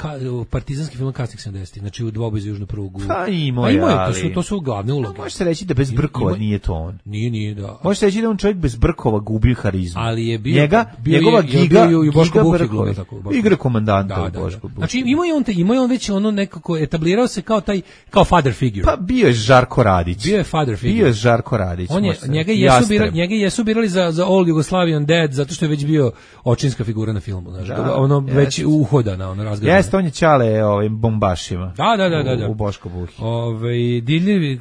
partizanskim filmima kasnih 70-ih, znači u Dvoboj za južnu prugu. Pa imao je, ali... To su glavne uloge. Može se reći da bez brkova nije to on. Nije, da. Može se reći da on čovjek bez brkova gubi harizmu. Ali je bio... Njegova Giga Brkovi. Igra komandanta u Boško Buhi. Znači imao je on već ono nekako, etablirao se kao father figure. Pa bio je Žarko Radić. Njega jesu birali za All Jugoslavian Dead, zato što je već bio očinska figura na filmu, znaš, već uhodana, ono razgledana. Jeste, on je čale ovim bombašima. Da. U Boško Buhi. Dirljivi,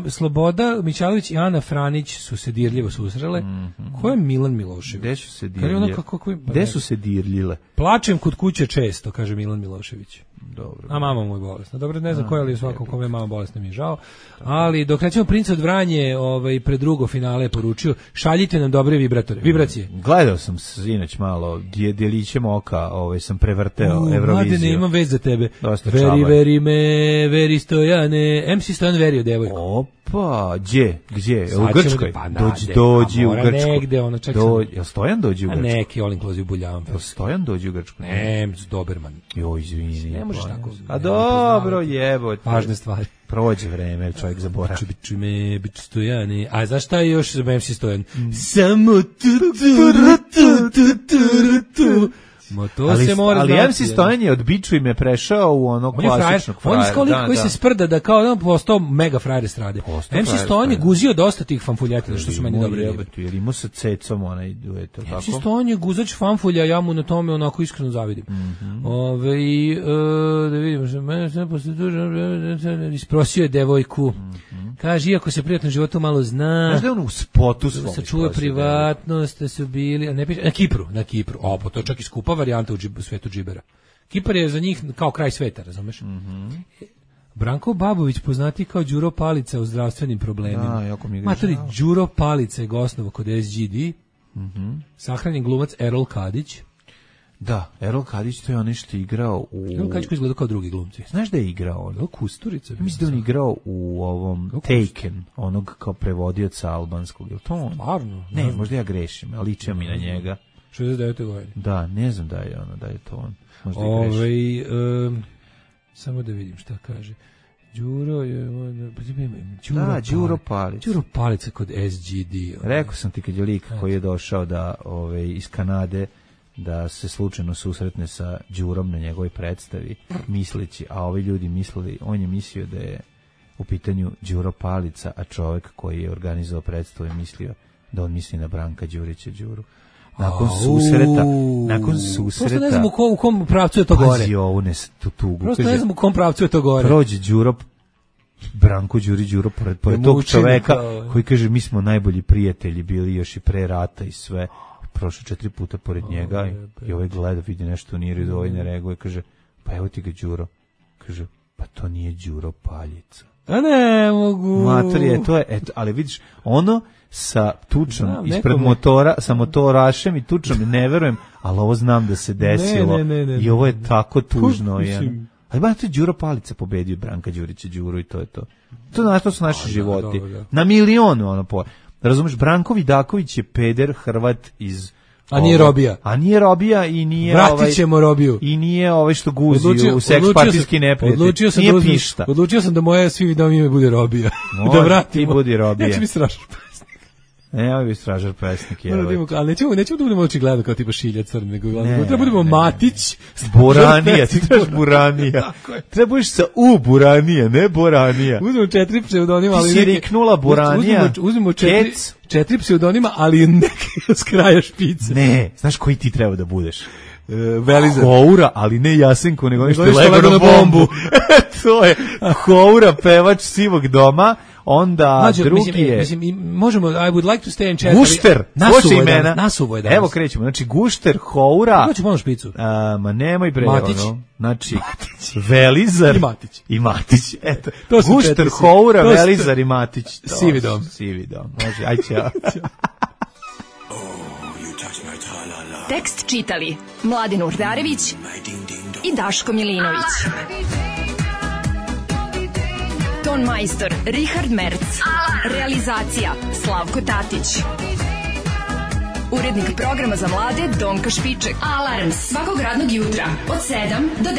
Sloboda Mićalović i Ana Franić su se dirljivo susrele. Ko je Milan Milošević? Gde su se dirljile? Plačem kod kuće često, kaže Milan Milošević. Dobro. A mama mu je bolesna. Dobro, ne znam koja, ali svakom kome je mama bolesna mi je žao. Ali dok recimo Princ od Vranje pred drugo finale poručio, šaljite nam dobre vibracije. Gledao sam sinoć malo, djelićem oka, sam prevrteo Euroviziju. Mladene, imam vez za tebe. Veri Stojane. MC Stojan verio devojku. Opa, gdje? U Grčkoj? Dođi u Grčku. Negde, ono, čak Jel Stojan dođi u Grčku? Neki all inclusive buljavam. Jel Stojan dođi u Grčku? Ne, Doberman. Joj, izvini. Ne možeš tako. A dobro, jebote. Važne stvari. Prođe vreme, čovjek zaboravi. Biću Stojane. A znaš šta je još MC Stojan? Samo tu. Ali MC Stojan je od Biču ime prešao u onog klasičnog frajera. On je kao lik koji se sprda da kao on postao mega frajer estrade. MC Stojan je guzio dosta tih fanfuljetina što su meni dobro ribe. Jer imao sa Cecom onaj duet. MC Stojan je guzač fanfulja, ja mu na tome onako iskreno zavidim. Da vidimo što mene sve posle isprosio je devojku. Kaže, iako se prijatno životu malo zna. Znaš da je on u spotu svom. Sačuva privatnost, da su bili... Na Kipru. Pa to je čak i skupa varijanta u svetu džibera. Kipar je za njih kao kraj sveta, razumeš? Branko Babović, poznati kao Đuro Palica u zdravstvenim problemima. Matori, Đuro Palica je osnovu kod SGD. Sahranjen glumac Erol Kadić. Da, Erol Kadić, to je onaj što je igrao u... Erol Kadić koji izgleda kao drugi glumci. Znaš da je igrao on? Kusturica. Mislim da on igrao u ovom Taken, onog kao prevodioca albanskog. Je li to on? Stvarno? Ne, možda ja grešim, ali ličio mi na njega. 69. godine. Da, ne znam da je to on. Možda je grešim. Samo da vidim šta kaže. Đuro Palica. Đuro Palica kod SGD. Rekao sam ti kad je lik koji je došao da iz Kanade da se slučajno susretne sa Đurom na njegovoj predstavi, misleći, a ovi ljudi mislili, on je mislio da je u pitanju Đuro Palica, a čovjek koji je organizovao predstavu je mislio da on misli na Branka Đurića Đuru. Nakon susreta... Prosto ne znam u kom pravcu je to gore. Pazi ovu tugu. Prosto ne znam u kom pravcu je to gore. Prođe Branko Đuro pored tog čoveka koji kaže mi smo najbolji prijatelji bili još i pre rata i sve. Prošao 4 puta pored njega i ovaj gleda, vidi nešto nije redu, ovaj ne reaguje, kaže, pa evo ti ga Đuro. Kaže, pa to nije Đuro Paljica. A ne mogu. Mater to je, ali vidiš, ono sa tučom ispred motora, sa motorašem i tučom, ne verujem, ali ovo znam da se desilo. I ovo je tako tužno. Ali ba, to je Đuro Palica pobedio Branka Đurića Đuru i to je to. To su naši životi. Na milionu, ono po... Razumeš, Branko Vidaković je peder Hrvat iz... A nije robija. I nije... Vratit ćemo robiju. I nije što guzi u seks partijski neprijatelj. Odlučio sam da moje svi videomi ime bude robija. Da vratimo. Ti budi robija. Ja ću mi strašno pesnik. Evo bi stražar pesnik. Ali nećemo da budemo očigledno kao tipa Šilja Crn, nego da budemo Matić. Buranija, ti trebaš Buranija. Trebaš sa Buranija, ne Boranija. Uzmemo 4 pseudonima, ali ti si riknula Buranija. Uzmemo 4 pseudonima, ali neki s kraja špice. Ne, znaš koji ti treba da budeš? Velizar. Houra, ali ne Jasenko, nego nešto lego na bombu. To je Houra, pevač Sivog doma. Onda drugi je... Mislim, možemo, I would like to stay in chat. Gušter, nasuvo je danas. Evo krećemo, znači Gušter, Houra... Kako ću malo špicu? Ma nemoj bre, Matić. Znači, Velizar i Matić. Eto, Gušter, Houra, Velizar i Matić. Sivi dom. Može, aj ćao. Tekst čitali Mladin Urdarević i Daško Milinović. Ton majstor Richard Merc. Realizacija Slavko Tatić. Urednik programa za mlade Donka Špiček. Alarms svakog radnog jutra od 7 do 10.